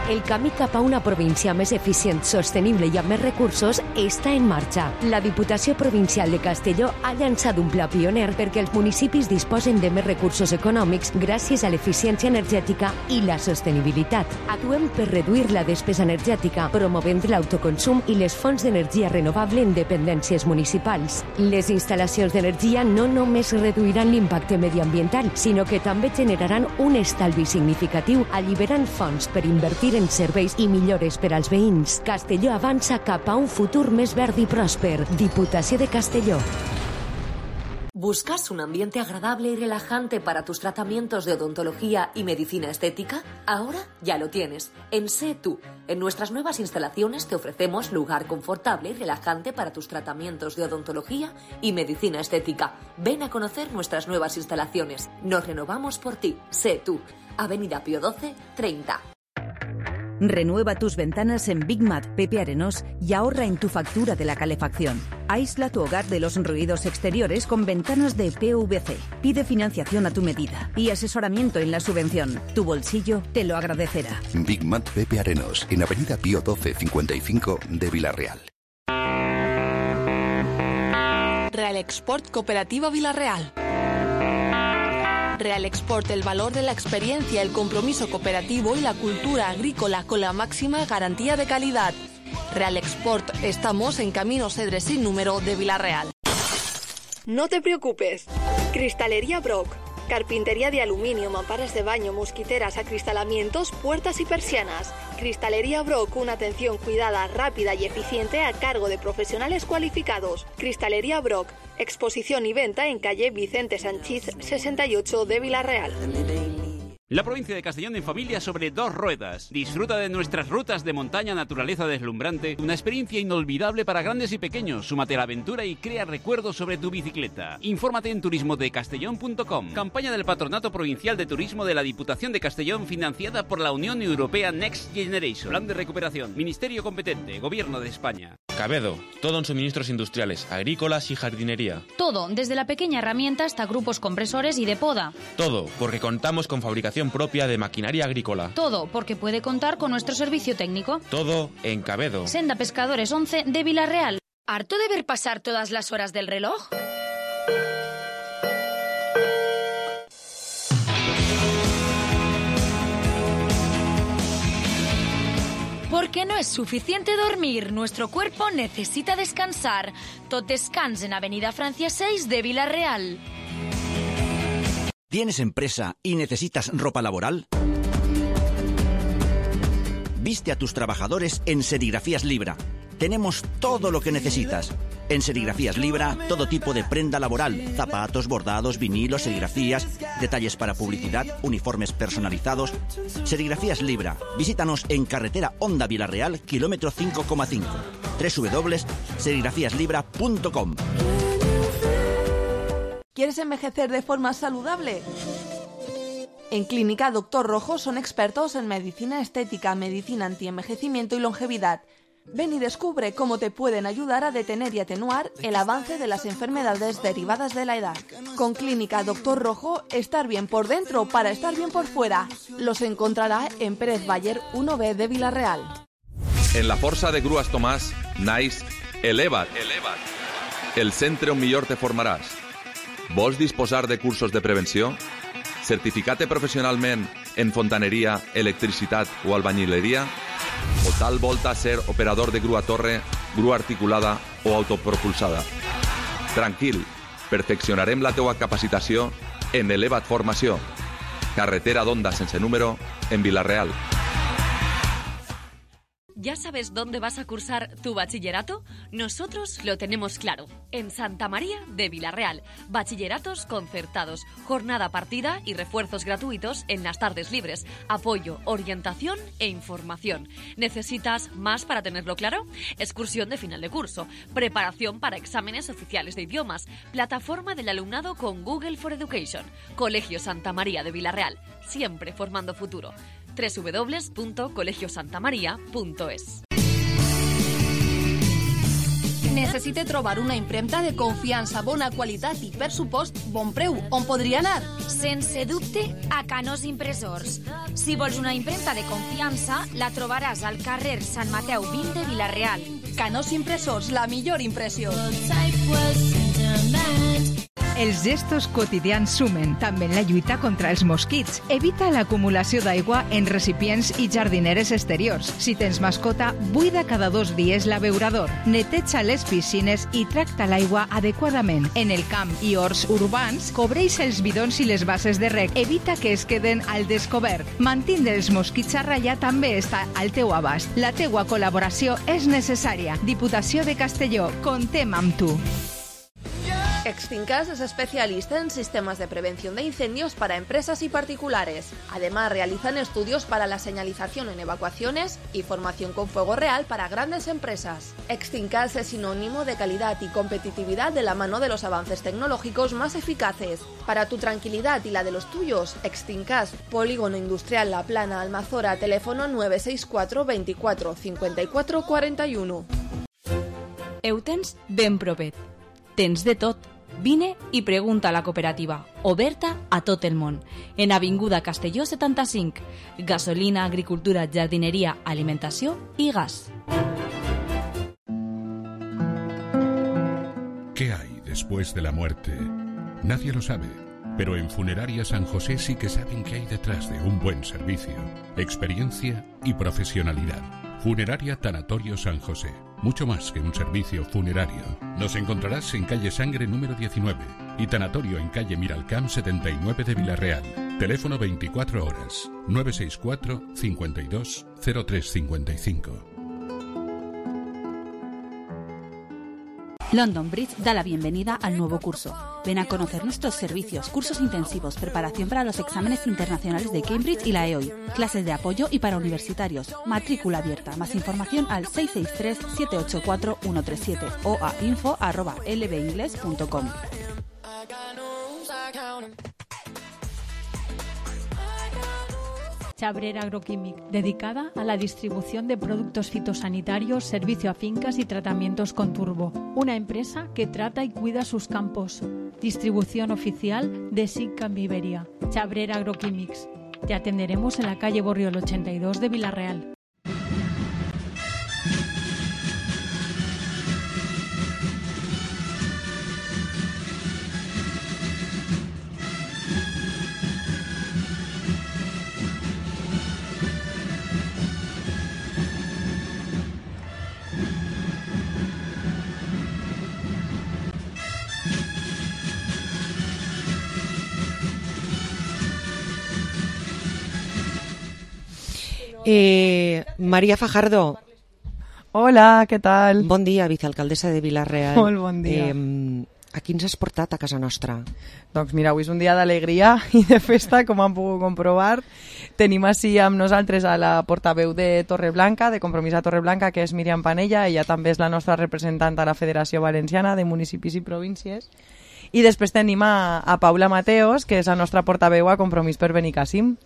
El camí cap a una província més eficient, sostenible i amb més recursos està en marxa. La Diputació Provincial de Castelló ha llançat un pla pioner perquè els municipis disposen de més recursos econòmics gràcies a l'eficiència energètica i la sostenibilitat. Actuem per reduir la despesa energètica, promovent l'autoconsum i les fonts d'energia renovable en dependències municipals. Les instal·lacions d'energia no només reduiran l'impacte mediambiental, sinó que també generaran un estalvi significatiu, alliberant fons per invertir en serveis i millores per als veïns. Castelló avança cap a un futur més verd i pròsper. Diputació de Castelló. ¿Buscas un ambiente agradable y relajante para tus tratamientos de odontología y medicina estética? Ahora ya lo tienes. En Sé Tú. En nuestras nuevas instalaciones te ofrecemos lugar confortable y relajante para tus tratamientos de odontología y medicina estética. Ven a conocer nuestras nuevas instalaciones. Nos renovamos por ti. Sé Tú. Avenida Pío XII, 30. Renueva tus ventanas en Big Mat Pepe Arenós y ahorra en tu factura de la calefacción. Aísla tu hogar de los ruidos exteriores con ventanas de PVC. Pide financiación a tu medida y asesoramiento en la subvención. Tu bolsillo te lo agradecerá. Big Mat Pepe Arenós, en Avenida Pío XII 55 de Vila-real. Real Export Cooperativa Vila-real. Real Export, el valor de la experiencia, el compromiso cooperativo y la cultura agrícola con la máxima garantía de calidad. Real Export, estamos en Camino Cedres sin número de Vila-real. No te preocupes. Cristalería Brock. Carpintería de aluminio, mamparas de baño, mosquiteras, acristalamientos, puertas y persianas. Cristalería Brock, una atención cuidada, rápida y eficiente a cargo de profesionales cualificados. Cristalería Brock, exposición y venta en calle Vicente Sanchís 68 de Vila-real. La provincia de Castellón en familia sobre dos ruedas. Disfruta de nuestras rutas de montaña, naturaleza deslumbrante, una experiencia inolvidable para grandes y pequeños. Súmate a la aventura y crea recuerdos sobre tu bicicleta. Infórmate en turismodecastellón.com. Campaña del Patronato Provincial de Turismo de la Diputación de Castellón financiada por la Unión Europea Next Generation. Plan de recuperación. Ministerio competente. Gobierno de España. Cabedo. Todo en suministros industriales, agrícolas y jardinería. Todo, desde la pequeña herramienta hasta grupos compresores y de poda. Todo, porque contamos con fabricación propia de maquinaria agrícola. Todo, porque puede contar con nuestro servicio técnico. Todo en Cabedo. Senda Pescadores 11 de Vila-real. ¿Harto de ver pasar todas las horas del reloj? Porque no es suficiente dormir, nuestro cuerpo necesita descansar. Tot descans en Avenida Francia 6 de Vila-real. ¿Tienes empresa y necesitas ropa laboral? Viste a tus trabajadores en Serigrafías Libra. Tenemos todo lo que necesitas. En Serigrafías Libra, todo tipo de prenda laboral, zapatos, bordados, vinilos, serigrafías, detalles para publicidad, uniformes personalizados. Serigrafías Libra. Visítanos en carretera Honda Vila-real, kilómetro 5,5. www.serigrafíaslibra.com. ¿Quieres envejecer de forma saludable? En Clínica Dr. Rojo son expertos en medicina estética, medicina antienvejecimiento y longevidad. Ven y descubre cómo te pueden ayudar a detener y atenuar el avance de las enfermedades derivadas de la edad. Con Clínica Dr. Rojo, estar bien por dentro para estar bien por fuera. Los encontrará en Pérez Baller 1B de Vila-real. En la Força de Grues Tomàs, naix Eleva't. El centre on millor te formaràs. Vols disposar de cursos de prevenció? Certificar-te professionalment en fontaneria, electricitat o albañileria? O tal volta ser operador de grua torre, grua articulada o autopropulsada? Tranquil, perfeccionarem la teua capacitació en Eleva't Formació. Carretera d'Onda sense número, en Vila-real. ¿Ya sabes dónde vas a cursar tu bachillerato? Nosotros lo tenemos claro. En Santa María de Vila-real. Bachilleratos concertados, jornada partida y refuerzos gratuitos en las tardes libres. Apoyo, orientación e información. ¿Necesitas más para tenerlo claro? Excursión de final de curso, preparación para exámenes oficiales de idiomas, plataforma del alumnado con Google for Education. Colegio Santa María de Vila-real. Siempre formando futuro. www.colegiosantamaria.es. Necessite trobar una impremta de confiança, bona qualitat i, per supost, bon preu. On podria anar? Sense dubte, a Canós Impressors. Si vols una impremta de confiança, la trobaràs al carrer Sant Mateu 20 de Vila-real. Canós Impressors, la millor impressió. Els gestos quotidians sumen, també en la lluita contra els mosquits. Evita l'acumulació d'aigua en recipients i jardineres exteriors. Si tens mascota, buida cada 2 dies l'abeurador. Neteja les piscines i tracta l'aigua adequadament. En el camp i horts urbans, cobreix els bidons i les bases de reg. Evita que es queden al descobert. Mantindre els mosquits a ratllar també està al teu abast. La teua col·laboració és necessària. Diputació de Castelló, contem amb tu. Extincas es especialista en sistemas de prevención de incendios para empresas y particulares. Además, realizan estudios para la señalización en evacuaciones y formación con fuego real para grandes empresas. Extincas es sinónimo de calidad y competitividad de la mano de los avances tecnológicos más eficaces. Para tu tranquilidad y la de los tuyos, Extincas, Polígono Industrial La Plana, Almazora, teléfono 964 24 54 41. Ho tens ben propet. Tens de tot. Vine i pregunta a la cooperativa, oberta a tot el món. En Avinguda Castelló 75. Gasolina, agricultura, jardineria, alimentació i gas. ¿Qué hay después de la muerte? Nadie lo sabe, pero en Funeraria San José sí que saben qué hay detrás de un buen servicio, experiencia y profesionalidad. Funeraria Tanatorio San José. Mucho más que un servicio funerario. Nos encontrarás en calle Sangre número 19 y Tanatorio en calle Miralcamp 79 de Villarreal. Teléfono 24 horas 964 52 0355. London Bridge da la bienvenida al nuevo curso. Ven a conocer nuestros servicios, cursos intensivos, preparación para los exámenes internacionales de Cambridge y la EOI, clases de apoyo y para universitarios, matrícula abierta. Más información al 663-784-137 o a info@lbingles.com. Chabrera Agroquímic, dedicada a la distribución de productos fitosanitarios, servicio a fincas y tratamientos con turbo. Una empresa que trata y cuida sus campos. Distribución oficial de SICAM Iberia. Chabrera Agroquímics. Te atenderemos en la calle Borriol 82 de Villarreal. Maria Fajardo. Hola, què tal? Bon dia, vicealcaldessa de Vila-real. Molt bon dia. A qui ens has portat a casa nostra? Doncs mira, avui és un dia d'alegria i de festa, com han pogut comprovar. Tenim així amb nosaltres a la portaveu de Torreblanca, de Compromís a Torreblanca, que és Míriam Panella. Ella també és la nostra representant a la Federació Valenciana de Municipis i Províncies. I després tenim a Paula Mateos, que és la nostra portaveu a Compromís per Benicàssim.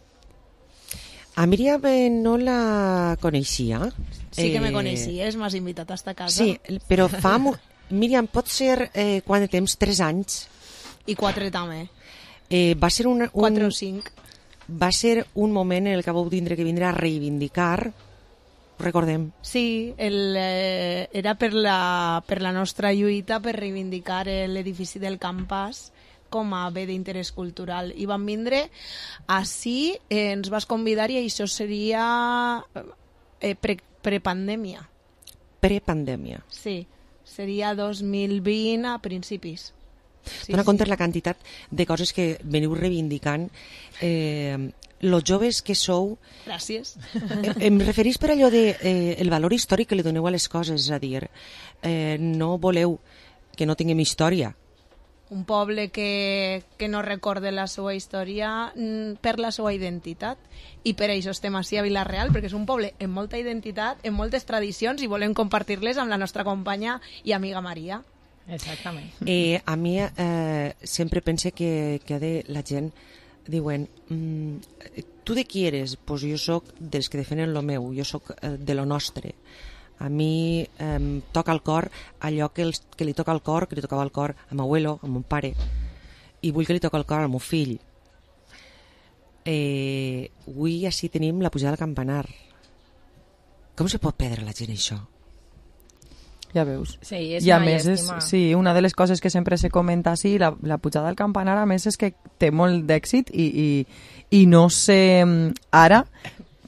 A Míriam no la coneixia. Sí que me coneixies, m'has invitat a esta casa. Sí, però fa... Míriam, pot ser quant de temps? 3 anys? I 4 també. Va ser 4 o 5. Va ser un moment en el que vau tindre que vindre a reivindicar, recordem. Sí, era per la nostra lluita per reivindicar l'edifici del Campàs com a bé d'interès cultural. I vam vindre així, ens vas convidar i això seria prepandèmia. Prepandèmia. Sí, seria 2020 a principis. Sí, dona compte la quantitat de coses que veniu reivindicant. Los joves que sou... Gràcies. Em referís per allò de el valor històric que li doneu a les coses, és a dir, no voleu que no tinguem història. Un poble que no recorde la seva història per la seva identitat, i per això estem així a Vila-real, perquè és un poble amb molta identitat, amb moltes tradicions, i volem compartir-les amb la nostra companya i amiga Maria. Exactament. A mi sempre pense que la gent diuen tu de qui eres? Pues jo soc dels que defenen lo meu, jo soc de lo nostre. A mi toca al cor allò que li toca al cor, que li tocava al cor a meu abuelo, a mon pare, i vull que li toca al cor al meu fill. Avui així tenim la pujada del campanar. Com se pot perdre la gent això? Ja veus. Sí, és I a una més llàstima. sí, una de les coses que sempre se comenta així, la pujada del campanar, a més, és que té molt d'èxit i no sé ara,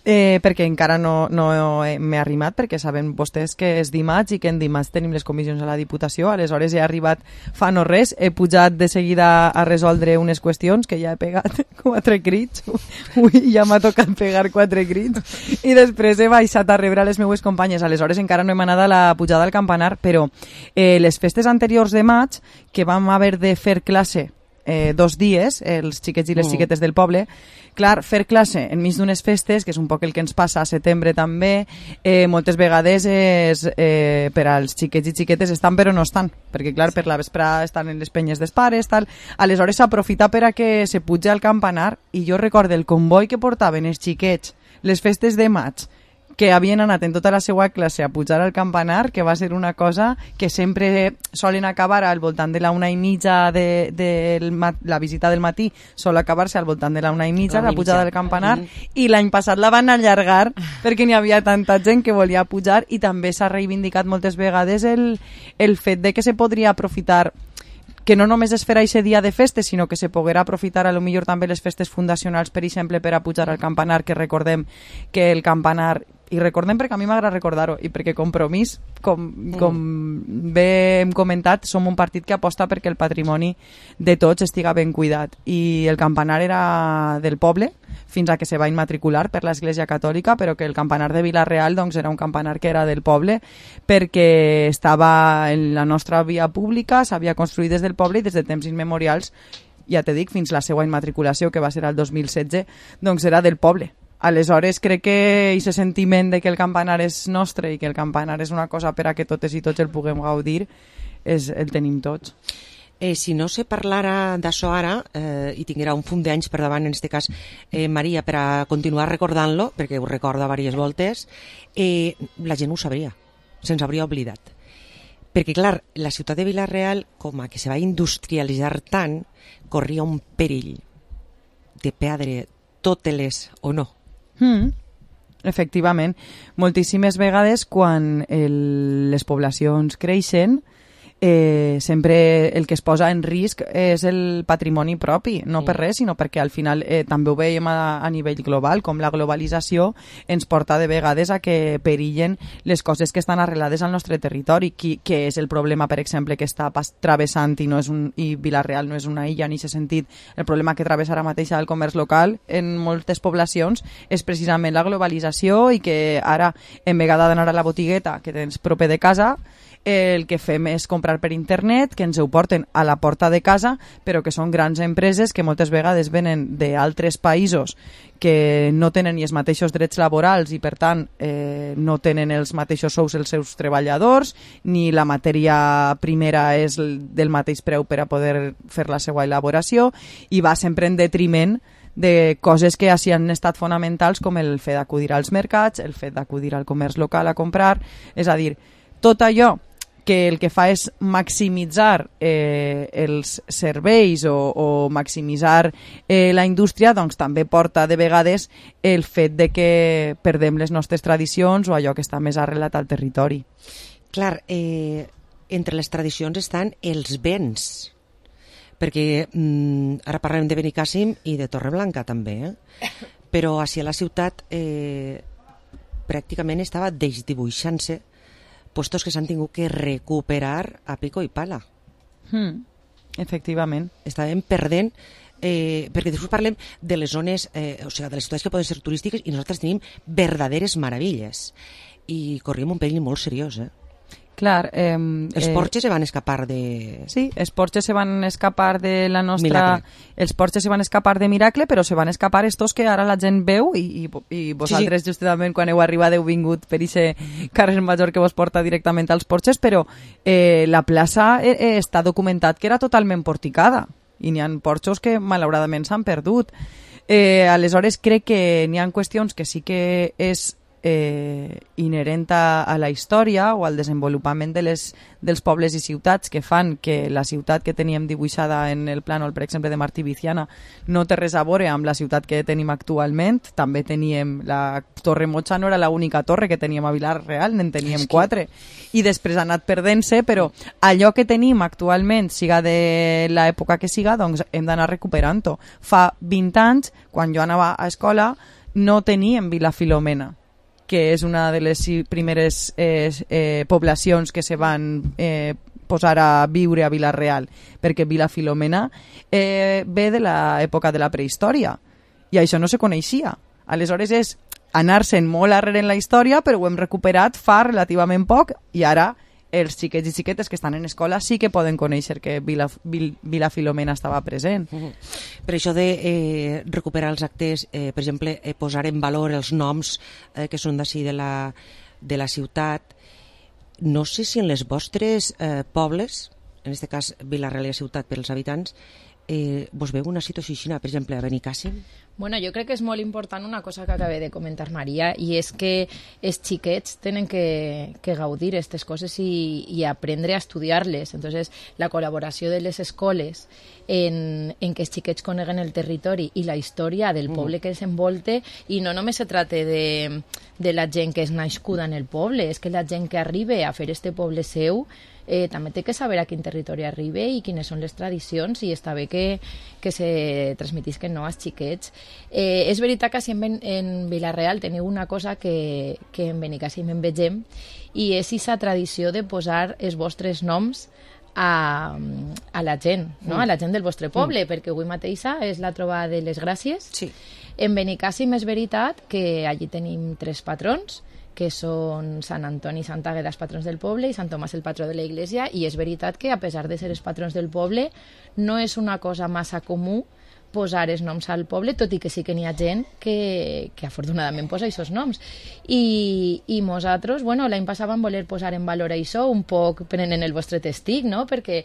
perquè encara no m'he arrimat, perquè saben vostès que és dimarts i que en dimarts tenim les comissions a la Diputació. Aleshores he arribat fa no res, he pujat de seguida a resoldre unes qüestions que ja he pegat 4 crits. Ui, ja m'ha tocat pegar 4 crits i després he baixat a rebre les meues companyes. Aleshores encara no hem anat a la pujada del campanar, però les festes anteriors de maig, que vam haver de fer classe 2 dies, els xiquets i les xiquetes del poble, clar, fer classe enmig d'unes festes, que és un poc el que ens passa a setembre també, moltes vegades per als xiquets i xiquetes estan però no estan, perquè clar, per la vesprada estan en les penyes dels pares, tal. Aleshores s'aprofita per a que se puja al campanar, i jo recordo el comboi que portaven els xiquets les festes de maig, que havien anat en tota la seva classe a pujar al campanar, que va ser una cosa que sempre solen acabar al voltant de la 1:30 de la visita del matí, sol acabar-se al voltant de la 1:30, la pujada del campanar, i l'any passat la van allargar perquè n'hi havia tanta gent que volia pujar, i també s'ha reivindicat moltes vegades el fet de que se podria aprofitar, que no només es farà aquest dia de festes, sinó que se poguera aprofitar a lo millor també les festes fundacionals, per exemple, per a pujar al campanar, que recordem que el campanar i recordem perquè a mi m'agrada recordar-ho, i perquè Compromís, com bé hem comentat, som un partit que aposta perquè el patrimoni de tots estiga ben cuidat, i el campanar era del poble fins a que se va immatricular per l'Església Catòlica, però que el campanar de Vila-real doncs, era un campanar que era del poble perquè estava en la nostra via pública, s'havia construït des del poble i des de temps immemorials, ja te dic, fins la seva immatriculació, que va ser el 2016, doncs era del poble. Aleshores, crec que aquest sentiment de que el campanar és nostre i que el campanar és una cosa per a que totes i tots el puguem gaudir, el tenim tots. Si no se parlara d'això ara, i tinguera un fum d'anys per davant, en aquest cas, Maria, per a continuar recordant-lo, perquè ho recorda diverses voltes, la gent ho sabria, se'ns hauria oblidat. Perquè, clar, la ciutat de Vila-real, com a que se va industrialitzar tant, corria un perill de perdre totes les o no. Efectivament. Moltíssimes vegades, quan les poblacions creixen, sempre el que es posa en risc és el patrimoni propi, no per res, sinó perquè al final també ho veiem a nivell global, com la globalització ens porta de vegades a que perillen les coses que estan arrelades al nostre territori, que és el problema, per exemple, que està travessant i Vila-real no és una illa en aquest sentit. El problema que travessa ara mateix el comerç local en moltes poblacions és precisament la globalització, i que ara, en vegada d'anar a la botigueta que tens proper de casa, el que fem és comprar per internet, que ens ho porten a la porta de casa, però que són grans empreses que moltes vegades venen d'altres països que no tenen ni els mateixos drets laborals i, per tant, no tenen els mateixos sous els seus treballadors, ni la matèria primera és del mateix preu per a poder fer la seva elaboració, i va sempre en detriment de coses que així han estat fonamentals, com el fet d'acudir als mercats, el fet d'acudir al comerç local a comprar. És a dir, tot allò que el que fa és maximitzar els serveis o maximitzar la indústria, doncs també porta de vegades el fet de que perdem les nostres tradicions o allò que està més arrelat al territori. Clar, entre les tradicions estan els béns, perquè ara parlem de Benicàssim i de Torreblanca també, però així a la ciutat pràcticament estava desdibuixant-se puestos que s'han tingut que recuperar a pico i pala. Efectivament. Estàvem perdent, perquè després parlem de les zones, o sigui, de les ciutats que poden ser turístiques, i nosaltres tenim verdaderes meravelles. I corríem un perill molt seriós, Clar, els porxes se van escapar de... Sí, els porxes se van escapar de la nostra... Miracle. Els porxes se van escapar de Miracle, però se van escapar estos que ara la gent veu, i vosaltres justament quan heu arribat heu vingut per aquest carrer major que vos porta directament als porxes, però la plaça està documentat que era totalment porticada, i n'hi ha porxos que malauradament s'han perdut. Aleshores crec que n'hi ha qüestions que sí que és inherent a la història o al desenvolupament dels pobles i ciutats, que fan que la ciutat que teníem dibuixada en el plànol, per exemple, de Martí Viciana, no té res a veure amb la ciutat que tenim actualment. També teníem la Torre Mocha, no era l'única torre que teníem a Vila-real, n'en teníem 4, i després ha anat perdent-se, però allò que tenim actualment, siga de l'època que siga, doncs hem d'anar recuperant-ho. Fa 20 anys, quan jo anava a escola, no teníem Vila Filomena, que és una de les primeres poblacions que se van posar a viure a Vila-real, perquè Vila Filomena ve de l'època de la prehistòria, i això no se coneixia. Aleshores és anar-se'n molt arrere en la història, però ho hem recuperat fa relativament poc, i ara els xiquets i xiquetes que estan en escola sí que poden conèixer que Vila Filomena estava present. Per això de recuperar els actes, per exemple, posar en valor els noms que són d'ací de la ciutat, no sé si en les vostres pobles, en aquest cas Vila-real i la ciutat per als habitants, vos veu una situació així, per exemple, a Benicàssim? Bueno, jo crec que és molt important una cosa que acaba de comentar Maria, i és que els xiquets tenen que gaudir aquestes coses i aprendre a estudiar-les. Entonces, la col·laboració de les escoles en que els xiquets coneguen el territori i la història del poble que els envolte, i no només se trata de la gent que és nascuda en el poble, és que la gent que arriba a fer este poble seu també té que saber a quin territori arriba i quines són les tradicions, i està bé que se transmetisquen als xiquets. És veritat que si en Vila-real teniu una cosa que en Benicàssim en vegem, i és aquesta tradició de posar els vostres noms a la gent, no? A la gent del vostre poble, perquè avui mateixa és la trobada de les Gràcies. Sí. En Benicàssim és veritat que allí tenim 3 patrons, que són Sant Antoni i Sant Àgueda, els patrons del poble, i Sant Tomàs, el patró de la Iglesia, i és veritat que, a pesar de ser els patrons del poble, no és una cosa massa comú posar els noms al poble, tot i que sí que n'hi ha gent que afortunadament posa aquests noms. I nosaltres, l'any passat vam voler posar en valor això, un poc prenent el vostre testig, no? Perquè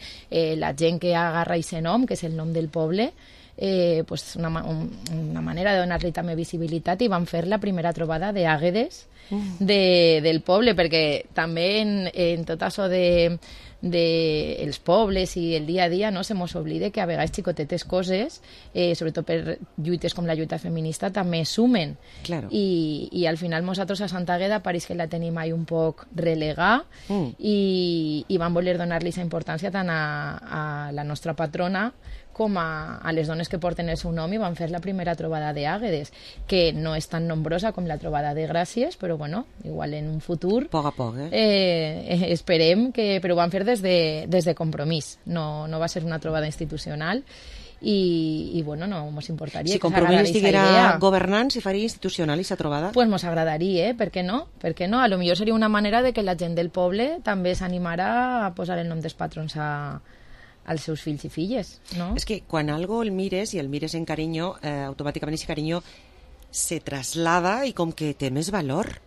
la gent que agarra aquest nom, que és el nom del poble, una manera de donar-li també visibilitat, i van fer la primera trobada d'àguedes del poble, perquè també en tot això dels pobles i el dia a dia, no se mos oblida que a vegades xicotetes coses, sobretot per lluites com la lluita feminista, també sumen. Claro. I al final nosaltres a Sant Àgueda pareix que la tenim ahí un poc relegada, i vam voler donar-li aquesta importància tant a la nostra patrona com a les dones que porten el seu nom, i van fer la primera trobada d'àguedes, que no és tan nombrosa com la trobada de Gràcies, però igual en un futur poc a poc, esperem que... Però ho van fer des de compromís, no va ser una trobada institucional, i no mos importaria. Si Compromís estiguera governant, si faria institucional aquesta trobada? Pues mos agradaria, per què no? A lo millor seria una manera de que la gent del poble també s'animara a posar el nom dels patrons als seus fills i filles, no? És que quan algo el mires, i el mires en carinyo, automàticament aquest carinyo se traslada i com que té més valor.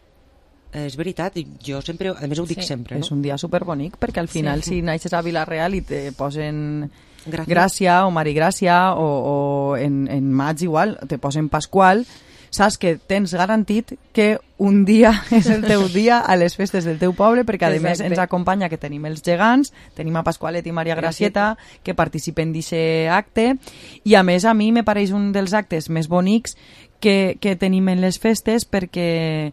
És veritat, jo sempre, a més ho dic sempre, no? És un dia superbonic, perquè al final si naixes a Vila-real i te posen Gràcia o Marigràcia, o en maig igual te posen Pasqual, saps que tens garantit que un dia és el teu dia a les festes del teu poble, perquè a més ens acompanya que tenim els gegants, tenim a Pasqualet i Maria Gracieta que participen d'aquest acte, i a més a mi me pareix un dels actes més bonics que tenim en les festes, perquè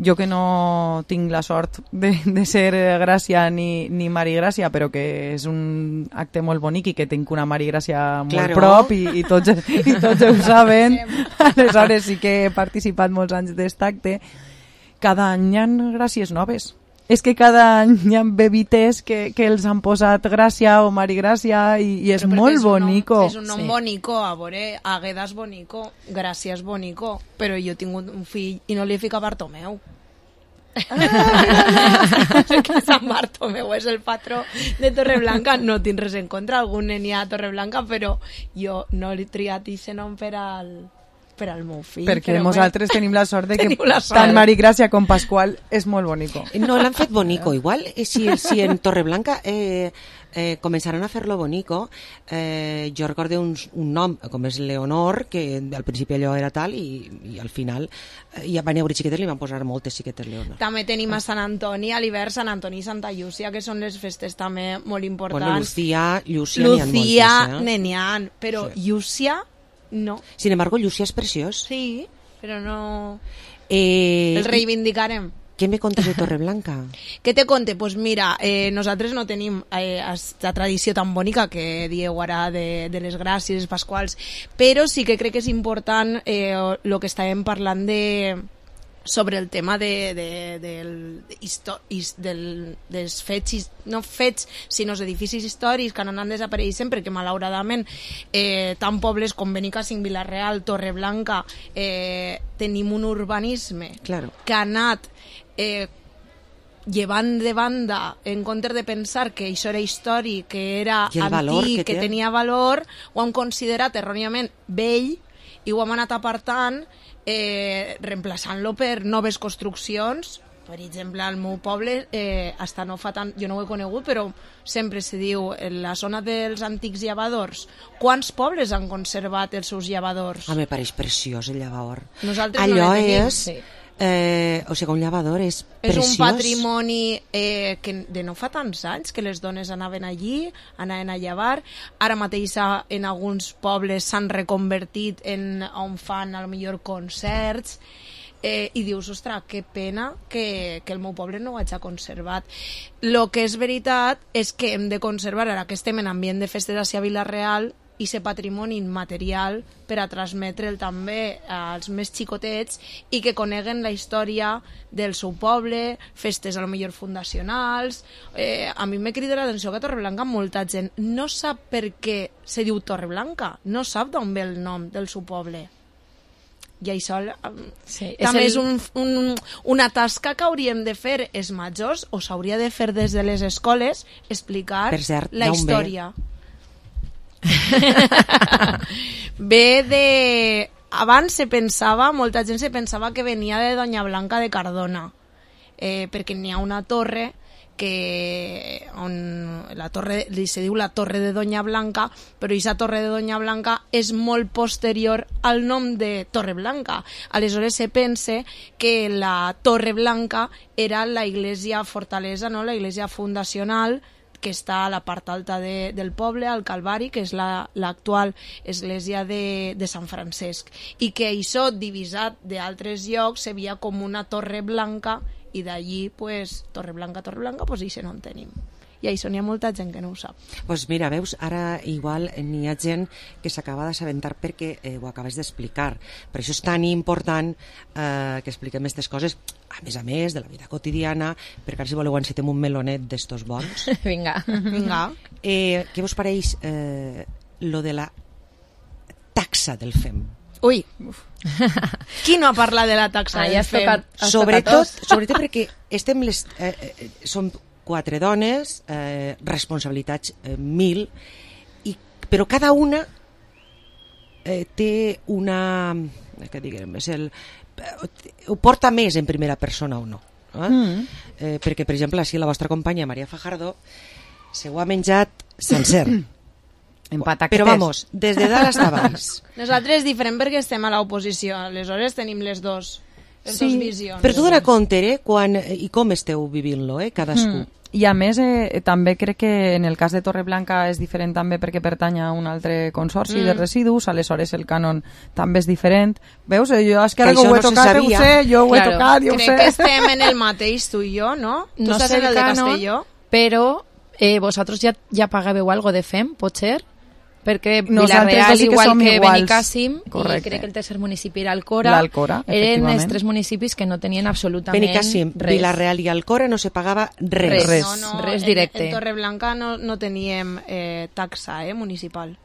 jo que no tinc la sort de ser Gràcia ni Marigràcia, però que és un acte molt bonic i que tinc una Marigràcia molt prop i tots ho saben, aleshores sí que he participat molts anys d'aquest acte. Cada any hi ha gràcies noves. És que cada any hi ha bebites que els han posat Gràcia o Marigràcia, i és molt bonico. És un nom bonico, a veure, Àgueda és bonico, Gràcia és bonico, però jo tinc un fill i no li he ficat Bartomeu. Que Sant Bartomeu és el patró de Torreblanca. No tinc res en contra, algun nen hi ha a Torreblanca, però jo no li he triat aquest nom per al meu fill. Perquè nosaltres tenim la sort de que tant Marigràcia com Pasqual és molt bonico. No l'han fet bonico, igual si en Torreblanca començaran a fer-lo bonico, jo recordo un nom com és Leonor, que al principi allò era tal, i al final ja van haver xiquetes, li van posar moltes xiquetes Leonor. També tenim a Sant Antoni, a l'hivern Sant Antoni i Santa Llúcia, que són les festes també molt importants. Bueno, Llúcia n'hi ha, però Llúcia no. Sin embargo, Llúcia és preciós. Sí, però no... El reivindicarem. Què me contes de Torreblanca? Què te conte? Pues mira, nosaltres no tenim aquesta tradició tan bonica que dieu ara de les Gràcies, Pasquals, però sí que crec que és important el que estàvem parlant sobre el tema dels fets, no fets, sinó els edificis històrics que han anat desapareixent, perquè malauradament tant pobles com Benicàssim, Vila-real, Torreblanca tenim un urbanisme que ha anat llevant de banda, en comptes de pensar que això era històric, que era antic, que tenia valor, ho han considerat erròniament vell i ho hem anat apartant, reemplaçant-lo per noves construccions. Per exemple, al meu poble hasta no fa tant, jo no ho he conegut, però sempre se diu en la zona dels antics llavadors, quants pobles han conservat els seus llavadors? Me pareix preciós el llavador. Nosaltres allò no tenim. És o sigui, un llavador és preciós. És un patrimoni que de no fa tants anys que les dones anaven allí, anaven a llevar. Ara mateix en alguns pobles s'han reconvertit en on fan a lo millor concerts. i dius, ostres, que pena que el meu poble no ho hagi conservat. Lo que és veritat és que hem de conservar, ara que estem en ambient de festes a Vila-real, i ser patrimoni immaterial per a transmetre'l també als més xicotets i que coneguen la història del seu poble, festes a lo millor fundacionals. A mi m'he cridat l'atenció que a Torreblanca molta gent no sap per què se diu Torreblanca, no sap d'on ve el nom del seu poble. I això també és una tasca que hauríem de fer els majors, o s'hauria de fer des de les escoles, explicar la història. Ve de... Abans se pensava, molta gent se pensava que venia de Doña Blanca de Cardona, perquè n'hi ha una torre on la torre se diu la Torre de Doña Blanca, però aquesta Torre de Doña Blanca és molt posterior al nom de Torre Blanca. Aleshores se pense que la Torre Blanca era la iglesia fortalesa, no? La iglesia fundacional que està a la part alta del poble, al Calvari, que és l'actual església de Sant Francesc, i que això, divisat d'altres llocs, se veia com una torre blanca, i d'allí, pues, Torre Blanca, pues això no en tenim. I això n'hi ha molta gent que no ho sap. Doncs mira, veus, ara igual n'hi ha gent que s'acaba d'assabentar perquè ho acabes d'explicar. Per això és tan important que expliquem aquestes coses, a més, de la vida quotidiana, perquè ara si voleu encetem un melonet d'estos bons. Vinga. Què vos pareix lo de la taxa del FEM? Ui, qui no ha parlat de la taxa del FEM? Sobretot perquè estem som 4 dones, responsabilitats 1000, però cada una té una... que diguem, ho porta més en primera persona o no. Perquè, per exemple, així la vostra companya Maria Fajardo se ho ha menjat sencer. Però vamos, des de dalt hasta baix. Nosaltres és diferent perquè estem a l'oposició, aleshores tenim les dues visions. Per tu donar compte quan i com esteu vivint-lo, cadascú. I a més, també crec que en el cas de Torreblanca és diferent també perquè pertany a un altre consorci de residus, aleshores el cànon també és diferent. Veus? Jo és que ara que ho he tocat, ho sé, jo ho he tocat, jo ho sé. Crec que estem en el mateix, tu i jo, no? Tu estàs en el de Castelló. Però vosaltres ja pagàveu algo de FEM, pot ser? Perquè Vila-real, igual que Benicàssim, i crec que el tercer municipi era Alcora, eren els 3 municipis que no tenien absolutament Benicàssim, res. Vila-real i Alcora no se pagava res. Res directe. En Torreblanca no teníem taxa municipal.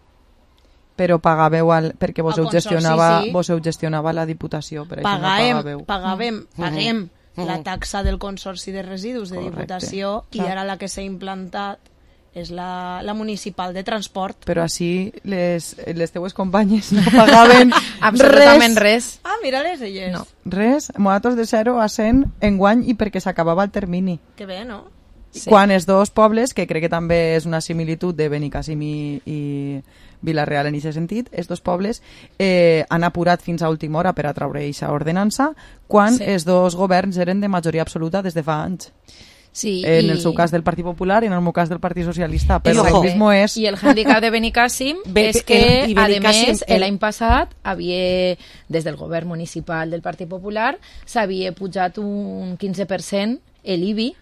Però pagàveu perquè vos heu gestionava la Diputació. Paguem la taxa del Consorci de Residus de Diputació i ara la que s'ha implantat és la municipal de transport. Però així les teues companyes no pagaven absolutament res. Ah, mira-les elles. No, res, nosaltres de 0 a 100 enguany i perquè s'acabava el termini. Que bé, no? Sí. Quan els dos pobles, que crec que també és una similitud de Benicàssim i Vila-real en aquest sentit, els dos pobles han apurat fins a última hora per a traure aquesta ordenança quan els dos governs eren de majoria absoluta des de fa anys. Sí, en el seu cas del Partit Popular i en el meu cas del Partit Socialista, però el mismo és... I el handicap de Benicàssim és que, a més, l'any passat havia, des del govern municipal del Partit Popular, s'havia pujat un 15% l'IBI,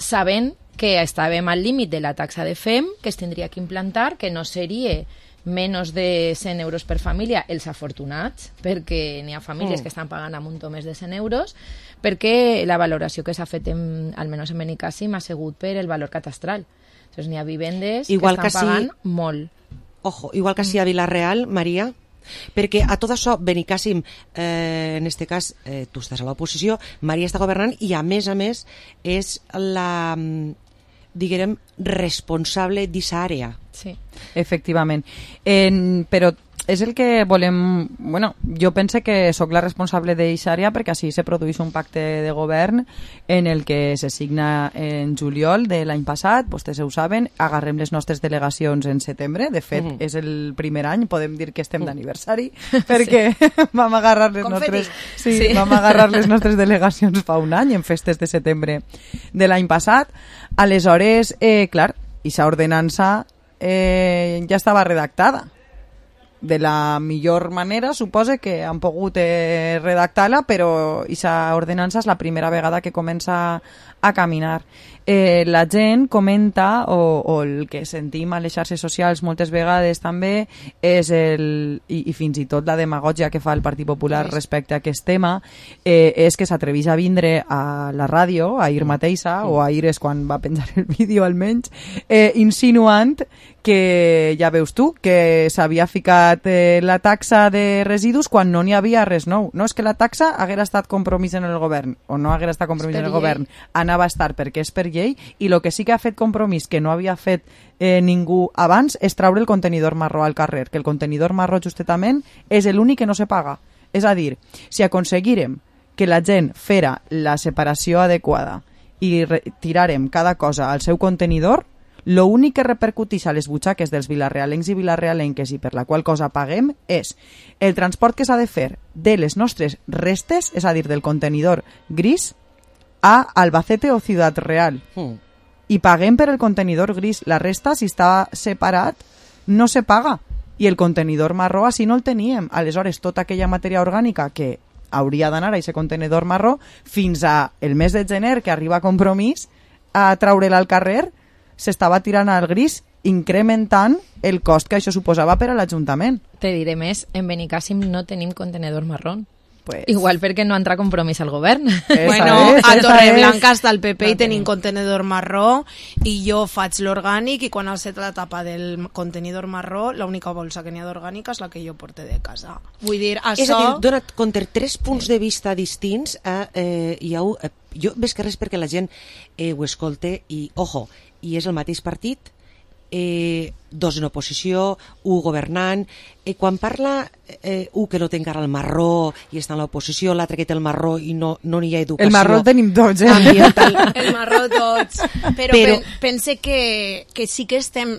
sabent que estàvem al límit de la taxa de FEM, que es tindria que implantar, que no seria menys de 100 euros per família, els afortunats, perquè n'hi ha famílies que estan pagant a muntó més de 100 euros, perquè la valoració que s'ha fet, almenys en Benicàssim, ha sigut per el valor catastral. Entonces, n'hi ha vivendes que estan pagant molt. Ojo, igual que a Vila-real, Maria, perquè a tot això Benicàssim, en este cas tu estàs a l'oposició, Maria està governant i a més és la, diguem, responsable d'aquesta àrea. Sí. Efectivament. Però és el que volem... Bueno, jo pense que sóc la responsable d'aquesta àrea perquè així se produeix un pacte de govern en el que se signa en juliol de l'any passat, vostès ho saben, agarrem les nostres delegacions en setembre, de fet és el primer any, podem dir que estem d'aniversari, perquè vam agarrar les nostres delegacions fa un any en festes de setembre de l'any passat. Aleshores, clar, aquesta ordenança ja estava redactada. de la millor manera, suposa que han pogut redactar-la, però aquesta ordenança és la primera vegada que comença a caminar. La gent comenta, o el que sentim a les xarxes socials moltes vegades també, és i fins i tot la demagògia que fa el Partit Popular respecte a aquest tema, és que s'atreveix a vindre a la ràdio, ahir mateixa, o ahir és quan va penjar el vídeo almenys, insinuant que, ja veus tu, que s'havia ficat la taxa de residus quan no n'hi havia res nou. No, és que la taxa haguera estat compromís en el govern, o no haguera estat compromís en el govern, anava a estar perquè és per llei, i el que sí que ha fet compromís que no havia fet ningú abans és traure el contenidor marró al carrer, que el contenidor marró justament és l'únic que no se paga. És a dir, si aconseguirem que la gent fera la separació adequada i tirarem cada cosa al seu contenidor, l'únic que repercuteix a les butxaques dels vilarrealencs i vilarrealenques i per la qual cosa paguem és el transport que s'ha de fer de les nostres restes, és a dir, del contenidor gris, a Albacete o Ciutat Real. I paguem per el contenidor gris. La resta, si està separat, no se paga. I el contenidor marró, així no el teníem. Aleshores, tota aquella matèria orgànica que hauria d'anar a aquest contenidor marró, fins a el mes de gener, que arriba a Compromís, a treure-la al carrer, s'estava tirant al gris, incrementant el cost que això suposava per a l'Ajuntament. Te diré més, en Benicàssim no tenim contenedor marró. Pues... Igual perquè no entra Compromís al govern. Bueno, a Torreblanca està el PP i tenim contenidor marró, i jo faig l'orgànic, i quan has set la tapa del contenidor marró, l'única bolsa que n'hi ha d'orgànica és la que jo porto de casa. Vull dir, això... És a dir, dona't compte, 3 punts de vista distints, jo ves que res perquè la gent ho escolte, i, ojo, i és el mateix partit, 2 en oposició, 1 governant. Quan parla 1 que no té encara el marró i està en l'oposició, l'altre que té el marró i no n'hi ha educació. El marró el tenim tots, El marró tots. Però pense que sí que estem...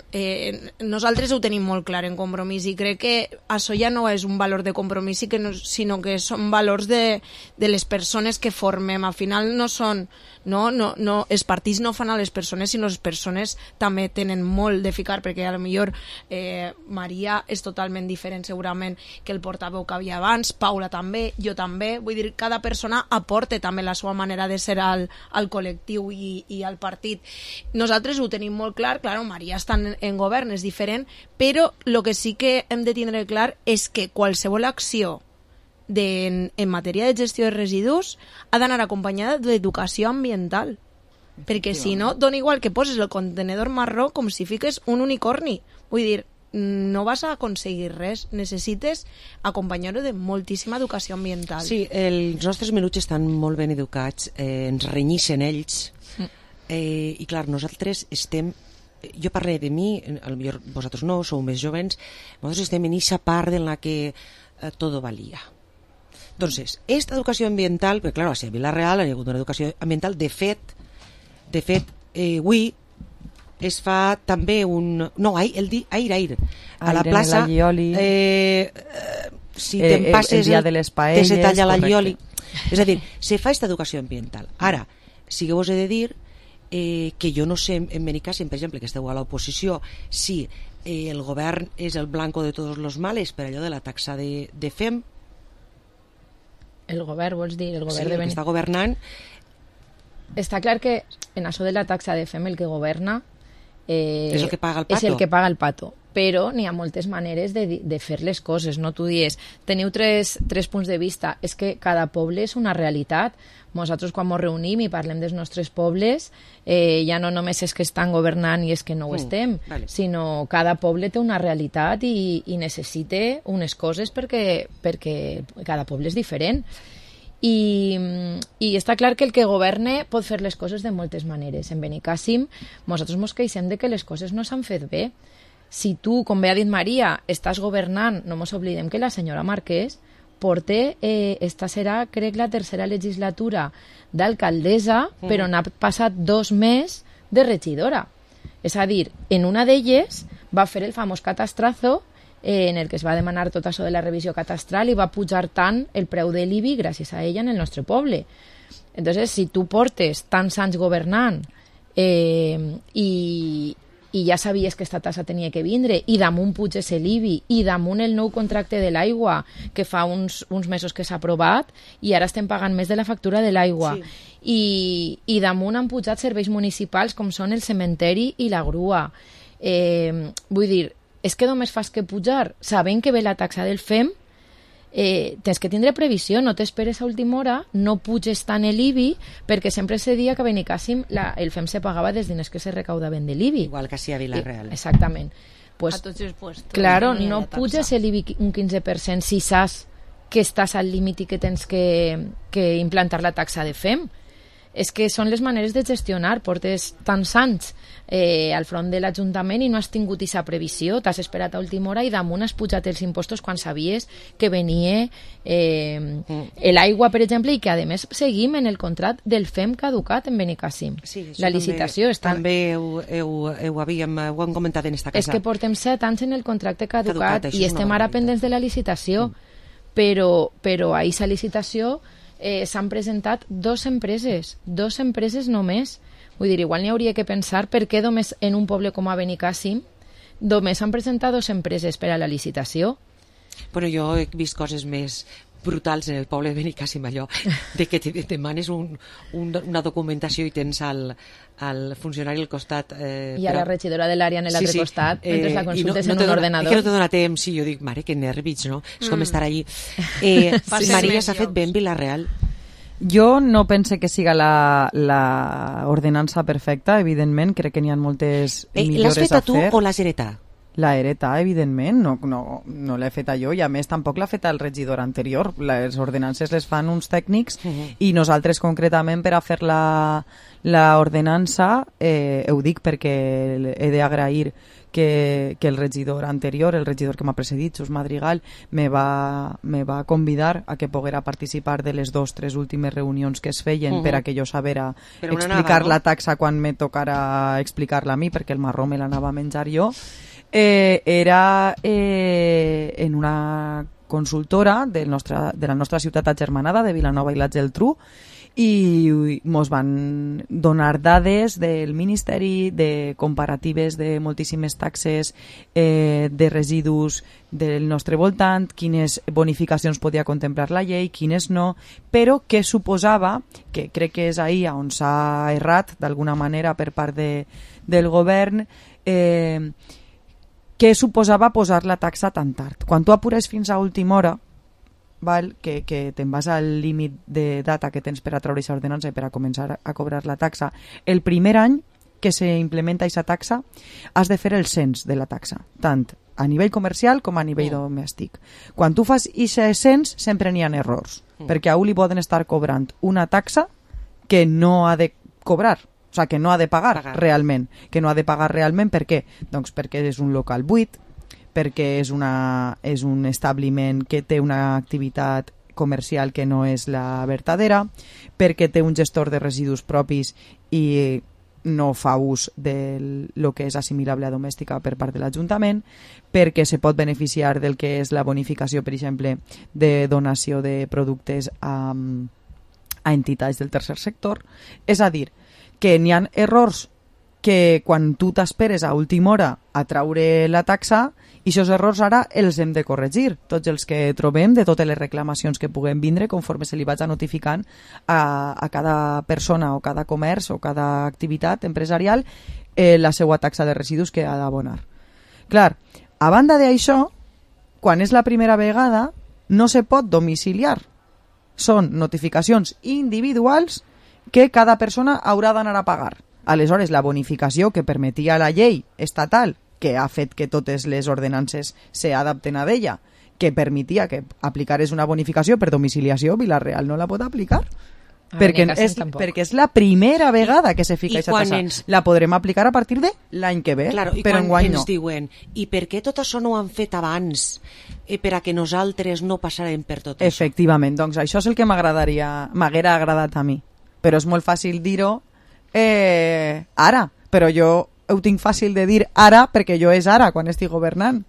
nosaltres ho tenim molt clar en Compromís, i crec que això ja no és un valor de Compromís, sinó que són valors de les persones que formem. Al final no són... No, els partits no fan a les persones, sinó les persones també tenen molt de ficar, perquè a lo millor Maria és totalment diferent segurament que el portaveu que havia abans, Paula també, jo també, vull dir, cada persona aporta també la seva manera de ser al col·lectiu i al partit. Nosaltres ho tenim molt clar, claro, Maria està en govern, és diferent, però el que sí que hem de tindre clar és que qualsevol acció en matèria de gestió de residus ha d'anar acompanyada d'educació ambiental, perquè si no, dona igual que poses el contenedor marró com si fiques un unicorni. Vull dir, no vas a aconseguir res, necessites acompanyar-ho de moltíssima educació ambiental. Sí, els nostres menuts estan molt ben educats, ens renyixen ells, i clar, nosaltres estem... Jo parlaré de mi, potser vosaltres no, sou més jovens, nosaltres estem en aquesta part en la que todo valía. Entonces, esta educació ambiental, perquè claro, a Vila-real hi ha hagut una educació ambiental, de fet, avui es fa també un... No, ahir, a la plaça, si te'n passes el dia de les paelles, se talla la llioli. És a dir, se fa aquesta educació ambiental. Ara, sí que vos he de dir que jo no sé, en Benicàssim, per exemple, que esteu a l'oposició, si el govern és el blanco de tots els males per allò de la taxa de FEM. El govern, vols dir? El govern sí, el que està governant. Està clar que en això de la taxa de FEM el que governa és el que paga el pato. És el que paga el pato. Però n'hi ha moltes maneres de fer les coses, no? Tu dius, teniu tres punts de vista, és que cada poble és una realitat. Nosaltres quan ens reunim i parlem dels nostres pobles, ja no només és que estan governant i és que no ho estem, sinó cada poble té una realitat i necessita unes coses perquè cada poble és diferent. I està clar que el que governe pot fer les coses de moltes maneres. En Benicàssim, nosaltres ens queixem de que les coses no s'han fet bé. Si tu, com bé ha dit Maria, estàs governant, no ens oblidem que la senyora Marquès porta, esta serà, crec, la tercera legislatura d'alcaldessa, però n'ha passat 2 mesos de regidora. És a dir, en una d'elles va fer el famós catastrazo, en el que es va demanar tot això de la revisió catastral i va pujar tant el preu de l'IBI gràcies a ella en el nostre poble. Entonces, si tu portes tants anys governant i i ja sabies que esta tassa tenia que vindre, i damunt puges l'IBI, i damunt el nou contracte de l'aigua, que fa uns mesos que s'ha aprovat, i ara estem pagant més de la factura de l'aigua. Sí. I damunt han pujat serveis municipals com són el cementeri i la grua. Vull dir, és que només fas que pujar, sabent que ve la taxa del FEM, tens que tindre previsió, no t'esperes a última hora, no puges tant l'IBI, perquè sempre se dia que a Benicàssim el FEM se pagava dels diners que se recaudaven de l'IBI. Igual que a Vila-real. Exactament. Pues, a tots els puestos. Claro, no puges l'IBI un 15% si saps que estàs al límit i que tens que implantar la taxa de FEM. És que són les maneres de gestionar. Portes tants anys al front de l'Ajuntament i no has tingut aquesta previsió, t'has esperat a última hora i damunt has pujat els impostos quan sabies que venia l'aigua, per exemple, i que a més seguim en el contracte del FEM caducat en Benicàssim. Sí, la licitació també ho hem comentat en esta casa. És que portem 7 anys en el contracte caducat i estem ara pendents de la licitació, però a aquesta licitació s'han presentat 2 empreses només. Vull dir, igual n'hi hauria que pensar per què només en un poble com a Benicàssim només han presentat 2 empreses per a la licitació. Bueno, jo he vist coses més brutals en el poble de Benicàssim, allò de que te demanes una documentació i tens al funcionari al costat i a la regidora de l'àrea en l'altre costat mentre la consultes en un ordenador. Que no te dona temps, i jo dic, mare, que nervis, no? És com estar allí. Maria, s'ha fet bé en Vila-real? Jo no pense que siga la ordenança perfecta, evidentment, crec que n'hi ha moltes millores a fer. L'has feta tu o l'has heretat? La hereta, evidentment, no l'he feta jo, i a més tampoc l'ha feta el regidor anterior. Les ordenances les fan uns tècnics i nosaltres concretament per a fer l'ordenança, ho dic perquè he d'agrair que el regidor anterior, el regidor que m'ha precedit, Jesús Madrigal, me va convidar a que poguera participar de les 2-3 últimes reunions que es feien per a que jo sabera explicar la taxa quan me tocara explicar-la a mi, perquè el marró me l'anava a menjar jo. Era en una consultora de la nostra ciutat agermanada, de Vilanova i la Geltrú, i mos van donar dades del Ministeri de comparatives de moltíssimes taxes de residus del nostre voltant, quines bonificacions podia contemplar la llei, quines no, però què suposava, que crec que és ahir on s'ha errat d'alguna manera per part del govern, què suposava posar la taxa tan tard. Quan tu apures fins a última hora, val, que te'n vas al límit de data que tens per a treure aquesta ordenança i per a començar a cobrar la taxa, el primer any que s'implementa aquesta taxa has de fer el cens de la taxa, tant a nivell comercial com a nivell domèstic. Quan tu fas aquest cens sempre n'hi ha errors, perquè a un li poden estar cobrant una taxa que no ha de cobrar, o sigui, que no ha de pagar realment. Que no ha de pagar realment, per què? Doncs perquè és un local buit, perquè és un establiment que té una activitat comercial que no és la vertadera, perquè té un gestor de residus propis i no fa ús del que és assimilable a domèstica per part de l'Ajuntament, perquè se pot beneficiar del que és la bonificació, per exemple, de donació de productes a entitats del tercer sector. És a dir, que n'hi ha errors que quan tu t'esperes a última hora a traure la taxa, i aquests errors ara els hem de corregir, tots els que trobem, de totes les reclamacions que puguem vindre conforme se li vaig notificant a cada persona o cada comerç o cada activitat empresarial la seva taxa de residus que ha d'abonar. Clar, a banda d'això, quan és la primera vegada no se pot domiciliar, són notificacions individuals que cada persona haurà d'anar a pagar. Aleshores, la bonificació que permetia la llei estatal, que ha fet que totes les ordenances s'adapten a d'ella, que permetia que aplicares una bonificació per domiciliació, Vila-real no la pot aplicar. Perquè és la primera vegada que se fica aquesta tassa. La podrem aplicar a partir de l'any que ve, claro, però enguany no. Ens diuen, i per què tot això no ho han fet abans per a que nosaltres no passarem per tot això? Efectivament, doncs això és el que m'haguera agradat a mi. Però és molt fàcil dir-ho ara, però jo ho tinc fàcil de dir ara perquè jo és ara quan estic governant.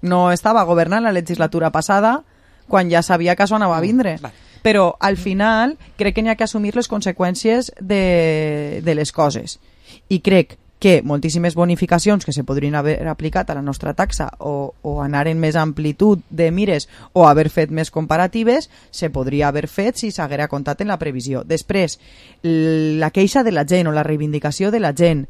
No estava governant la legislatura passada quan ja sabia que això anava a vindre. Però al final crec que n'hi ha que assumir les conseqüències de les coses. I crec que moltíssimes bonificacions que se podrien haver aplicat a la nostra taxa o anar en més amplitud de mires o haver fet més comparatives, se podria haver fet si s'haguera comptat en la previsió. Després, la queixa de la gent o la reivindicació de la gent,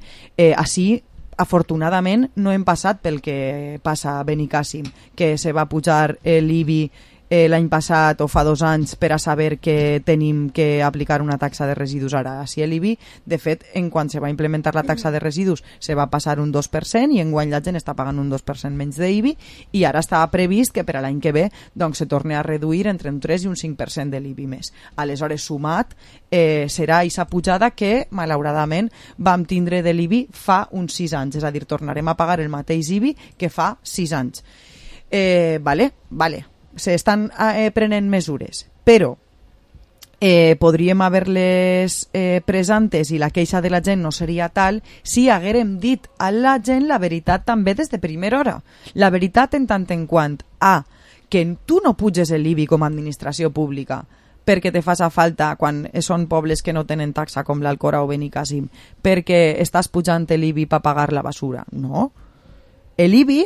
així afortunadament no hem passat pel que passa a Benicàssim, que se va pujar l'IBI l'any passat o fa 2 anys per a saber que tenim que aplicar una taxa de residus ara. Així l'IBI, de fet, en quan se va implementar la taxa de residus se va passar un 2% i enguany la gent està pagant un 2% menys d'IBI i ara està previst que per a l'any que ve doncs, se torni a reduir entre un 3 i un 5% de l'IBI més. Aleshores, sumat, serà aquesta pujada que, malauradament, vam tindre de l'IBI fa uns 6 anys, és a dir, tornarem a pagar el mateix IBI que fa 6 anys. Vale. S'estan prenent mesures, però podríem haver-les pres antes i la queixa de la gent no seria tal si haguérem dit a la gent la veritat també des de primera hora. La veritat en tant en quant a que tu no puges l'IBI com a administració pública perquè te fas a falta quan són pobles que no tenen taxa com l'Alcora o Benicàssim, perquè estàs pujant l'IBI per pagar la basura. No. L'IBI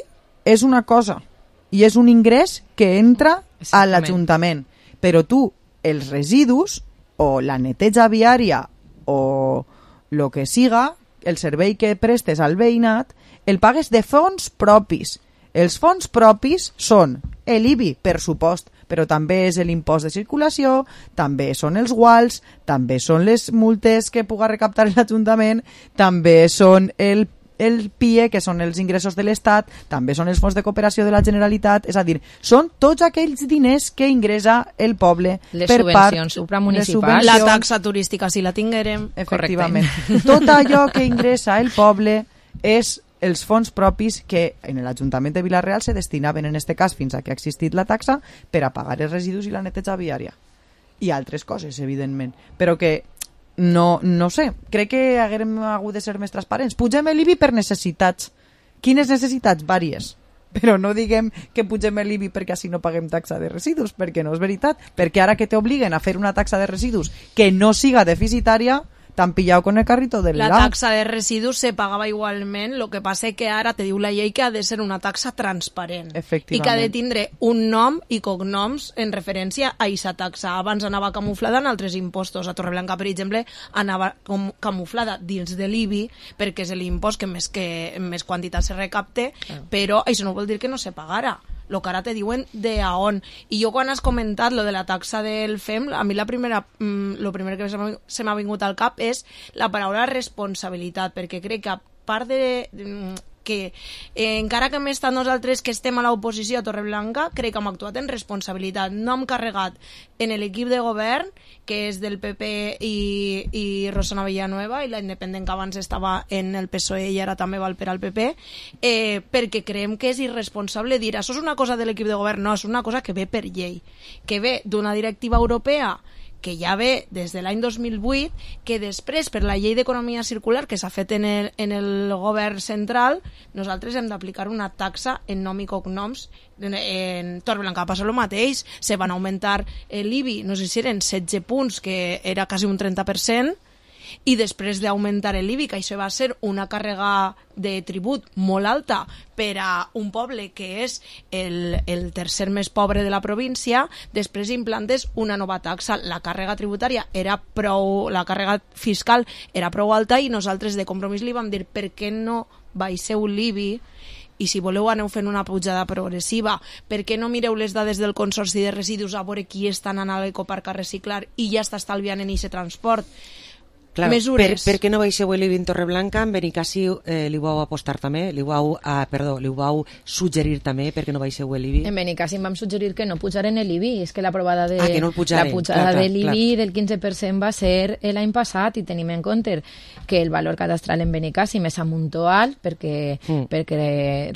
és una cosa i és un ingrés que entra a l'Ajuntament. Però tu, els residus, o la neteja viària, o el que siga, el servei que prestes al veïnat, el pagues de fons propis. Els fons propis són l'IBI, per supost, però també és l'impost de circulació, també són els guals, també són les multes que puga recaptar l'Ajuntament, també són el PIE, que són els ingressos de l'Estat, també són els fons de cooperació de la Generalitat, és a dir, són tots aquells diners que ingressa el poble les per subvencions supramunicipals, la taxa turística si la tinguérem. Efectivament. Tot allò que ingressa el poble és els fons propis que en l'Ajuntament de Vila-real se destinaven en este cas fins a que ha existit la taxa per a pagar els residus i la neteja viària i altres coses, evidentment, però que no sé, crec que haguem hagut de ser més transparents. Pugem l'IBI per necessitats. Quines necessitats? Vàries. Però no diguem que pugem l'IBI perquè així no paguem taxa de residus, perquè no és veritat. Perquè ara que t'obliguen a fer una taxa de residus que no siga deficitària, t'han pillat con el carrito del lado. La taxa de residus se pagava igualment, el que passa que ara te diu la llei que ha de ser una taxa transparent i que ha de tindre un nom i cognoms en referència a aquesta taxa. Abans anava camuflada en altres impostos. A Torreblanca, per exemple, anava camuflada dins de l'IBI perquè és l'impost que més quantitat se recapte, però això no vol dir que no se pagara. Lo que ara te diuen de a on. I jo quan has comentat lo de la taxa del FEM, a mi lo primer que se m'ha vingut al cap és la paraula responsabilitat, perquè crec que a part de que encara que hem estat nosaltres que estem a l'oposició a Torreblanca, crec que hem actuat en responsabilitat. No hem carregat en l'equip de govern, que és del PP i Rosana Villanueva, i la independent que abans estava en el PSOE i ara també val per al PP, perquè creiem que és irresponsable dir això és una cosa de l'equip de govern. No, és una cosa que ve per llei, que ve d'una directiva europea que ja ve des de l'any 2008, que després, per la llei d'economia circular que s'ha fet en el govern central, nosaltres hem d'aplicar una taxa en nom i cognoms. En Torreblanca passa el mateix, se van augmentar l'IBI, no sé si eren 16 punts, que era quasi un 30%, i després d'augmentar l'IBI, que això va ser una càrrega de tribut molt alta per a un poble que és el tercer més pobre de la província, després implantes una nova taxa. La càrrega tributària la càrrega fiscal era prou alta i nosaltres de Compromís li vam dir per què no baixeu l'IBI i si voleu aneu fent una pujada progressiva, per què no mireu les dades del Consorci de Residus a veure qui està anant a l'ecoparc a reciclar i ja està estalviant en aquest transport. Claro, mesures. Per què no baixeu l'IBI en Torreblanca? En Benicàssim li vau apostar també? Li vau suggerir també perquè no baixeu l'IBI? En Benicàssim vam suggerir que no pujaren l'IBI. És que la pujada de l'IBI del 15% va ser l'any passat i tenim en compte que el valor cadastral en Benicàssim és amunt alt perquè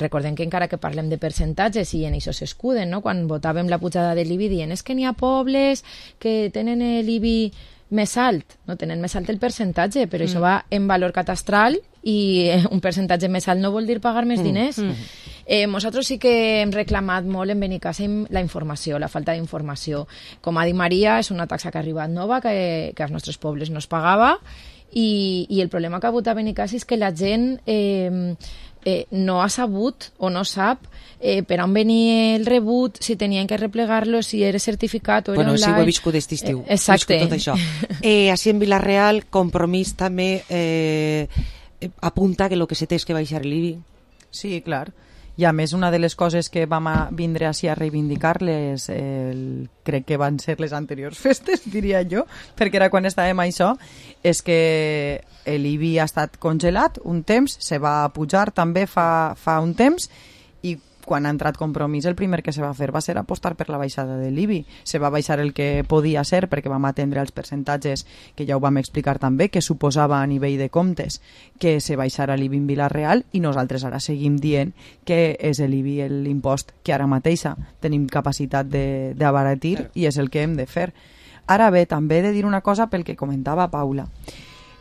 recordem que encara que parlem de percentatges i en això s'escuden, no? Quan votàvem la pujada de l'IBI dient és que n'hi ha pobles que tenen l'IBI més alt, no tenen més alt el percentatge, però això va en valor catastral i un percentatge més alt no vol dir pagar més diners. Nosaltres sí que hem reclamat molt en Benicàssim la informació, la falta d'informació. Com ha dit Maria, és una taxa que ha arribat nova, que als nostres pobles no es pagava, i el problema que ha hagut a Benicàssim és que la gent no ha sabut o no sap per on venia el rebut, si tenien que replegar-lo, si era certificat o era online. Bueno, si ho he viscut aquest estiu. Exacte. Tot això. Així en Vila-real, Compromís també apunta que el que se té és que baixar l'IBI. Sí, clar. I a més, una de les coses que vam vindre així a reivindicar-les, crec que van ser les anteriors festes, diria jo, perquè era quan estàvem a això, és que l'IBI ha estat congelat un temps, se va pujar també fa un temps, i quan ha entrat Compromís el primer que se va fer va ser apostar per la baixada de l'IBI. Se va baixar el que podia ser perquè vam atendre els percentatges que ja ho vam explicar també, que suposava a nivell de comptes que se baixara l'IBI en Vila-real, i nosaltres ara seguim dient que és l'IBI l'impost que ara mateixa tenim capacitat d'abaratir i és el que hem de fer. Ara bé, també he de dir una cosa pel que comentava Paula,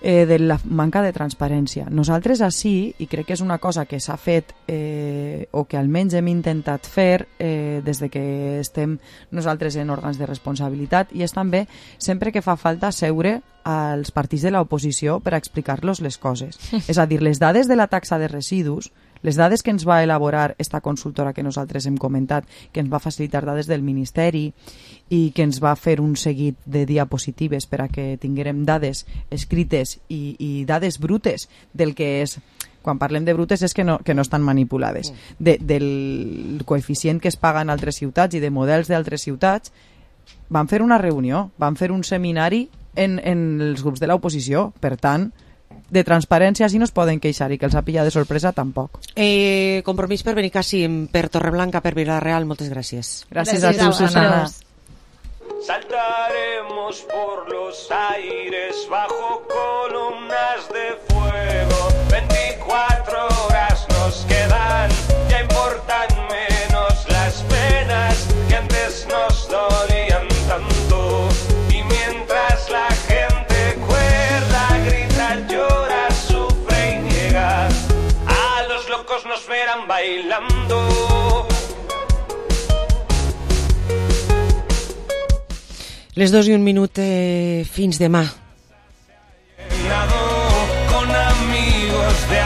de la manca de transparència. Nosaltres així, i crec que és una cosa que s'ha fet o que almenys hem intentat fer des de que estem nosaltres en òrgans de responsabilitat, i és també sempre que fa falta seure als partits de l'oposició per explicar-los les coses. És a dir, les dades de la taxa de residus, les dades que ens va elaborar esta consultora que nosaltres hem comentat, que ens va facilitar dades del Ministeri i que ens va fer un seguit de diapositives per a que tinguérem dades escrites i dades brutes del que és, quan parlem de brutes és que no estan manipulades, del coeficient que es paga en altres ciutats i de models d'altres ciutats. Van fer una reunió, van fer un seminari en els grups de l'oposició, per tant, de transparència si no es poden queixar, i que els ha pillat de sorpresa tampoc. Compromís per Benicàssim, per Torreblanca, per Vila-real, moltes gràcies. Gràcies a tu, Susana. Saltaremos por los aires bajo columnas de fuego. 24 horas nos quedan, ya importan menos las penas que antes nos dolían tanto. Y mientras la gente cuerda, grita, llora, sufre y niega, a los locos nos verán bailando. Les 2:01, fins demà. Con amigos de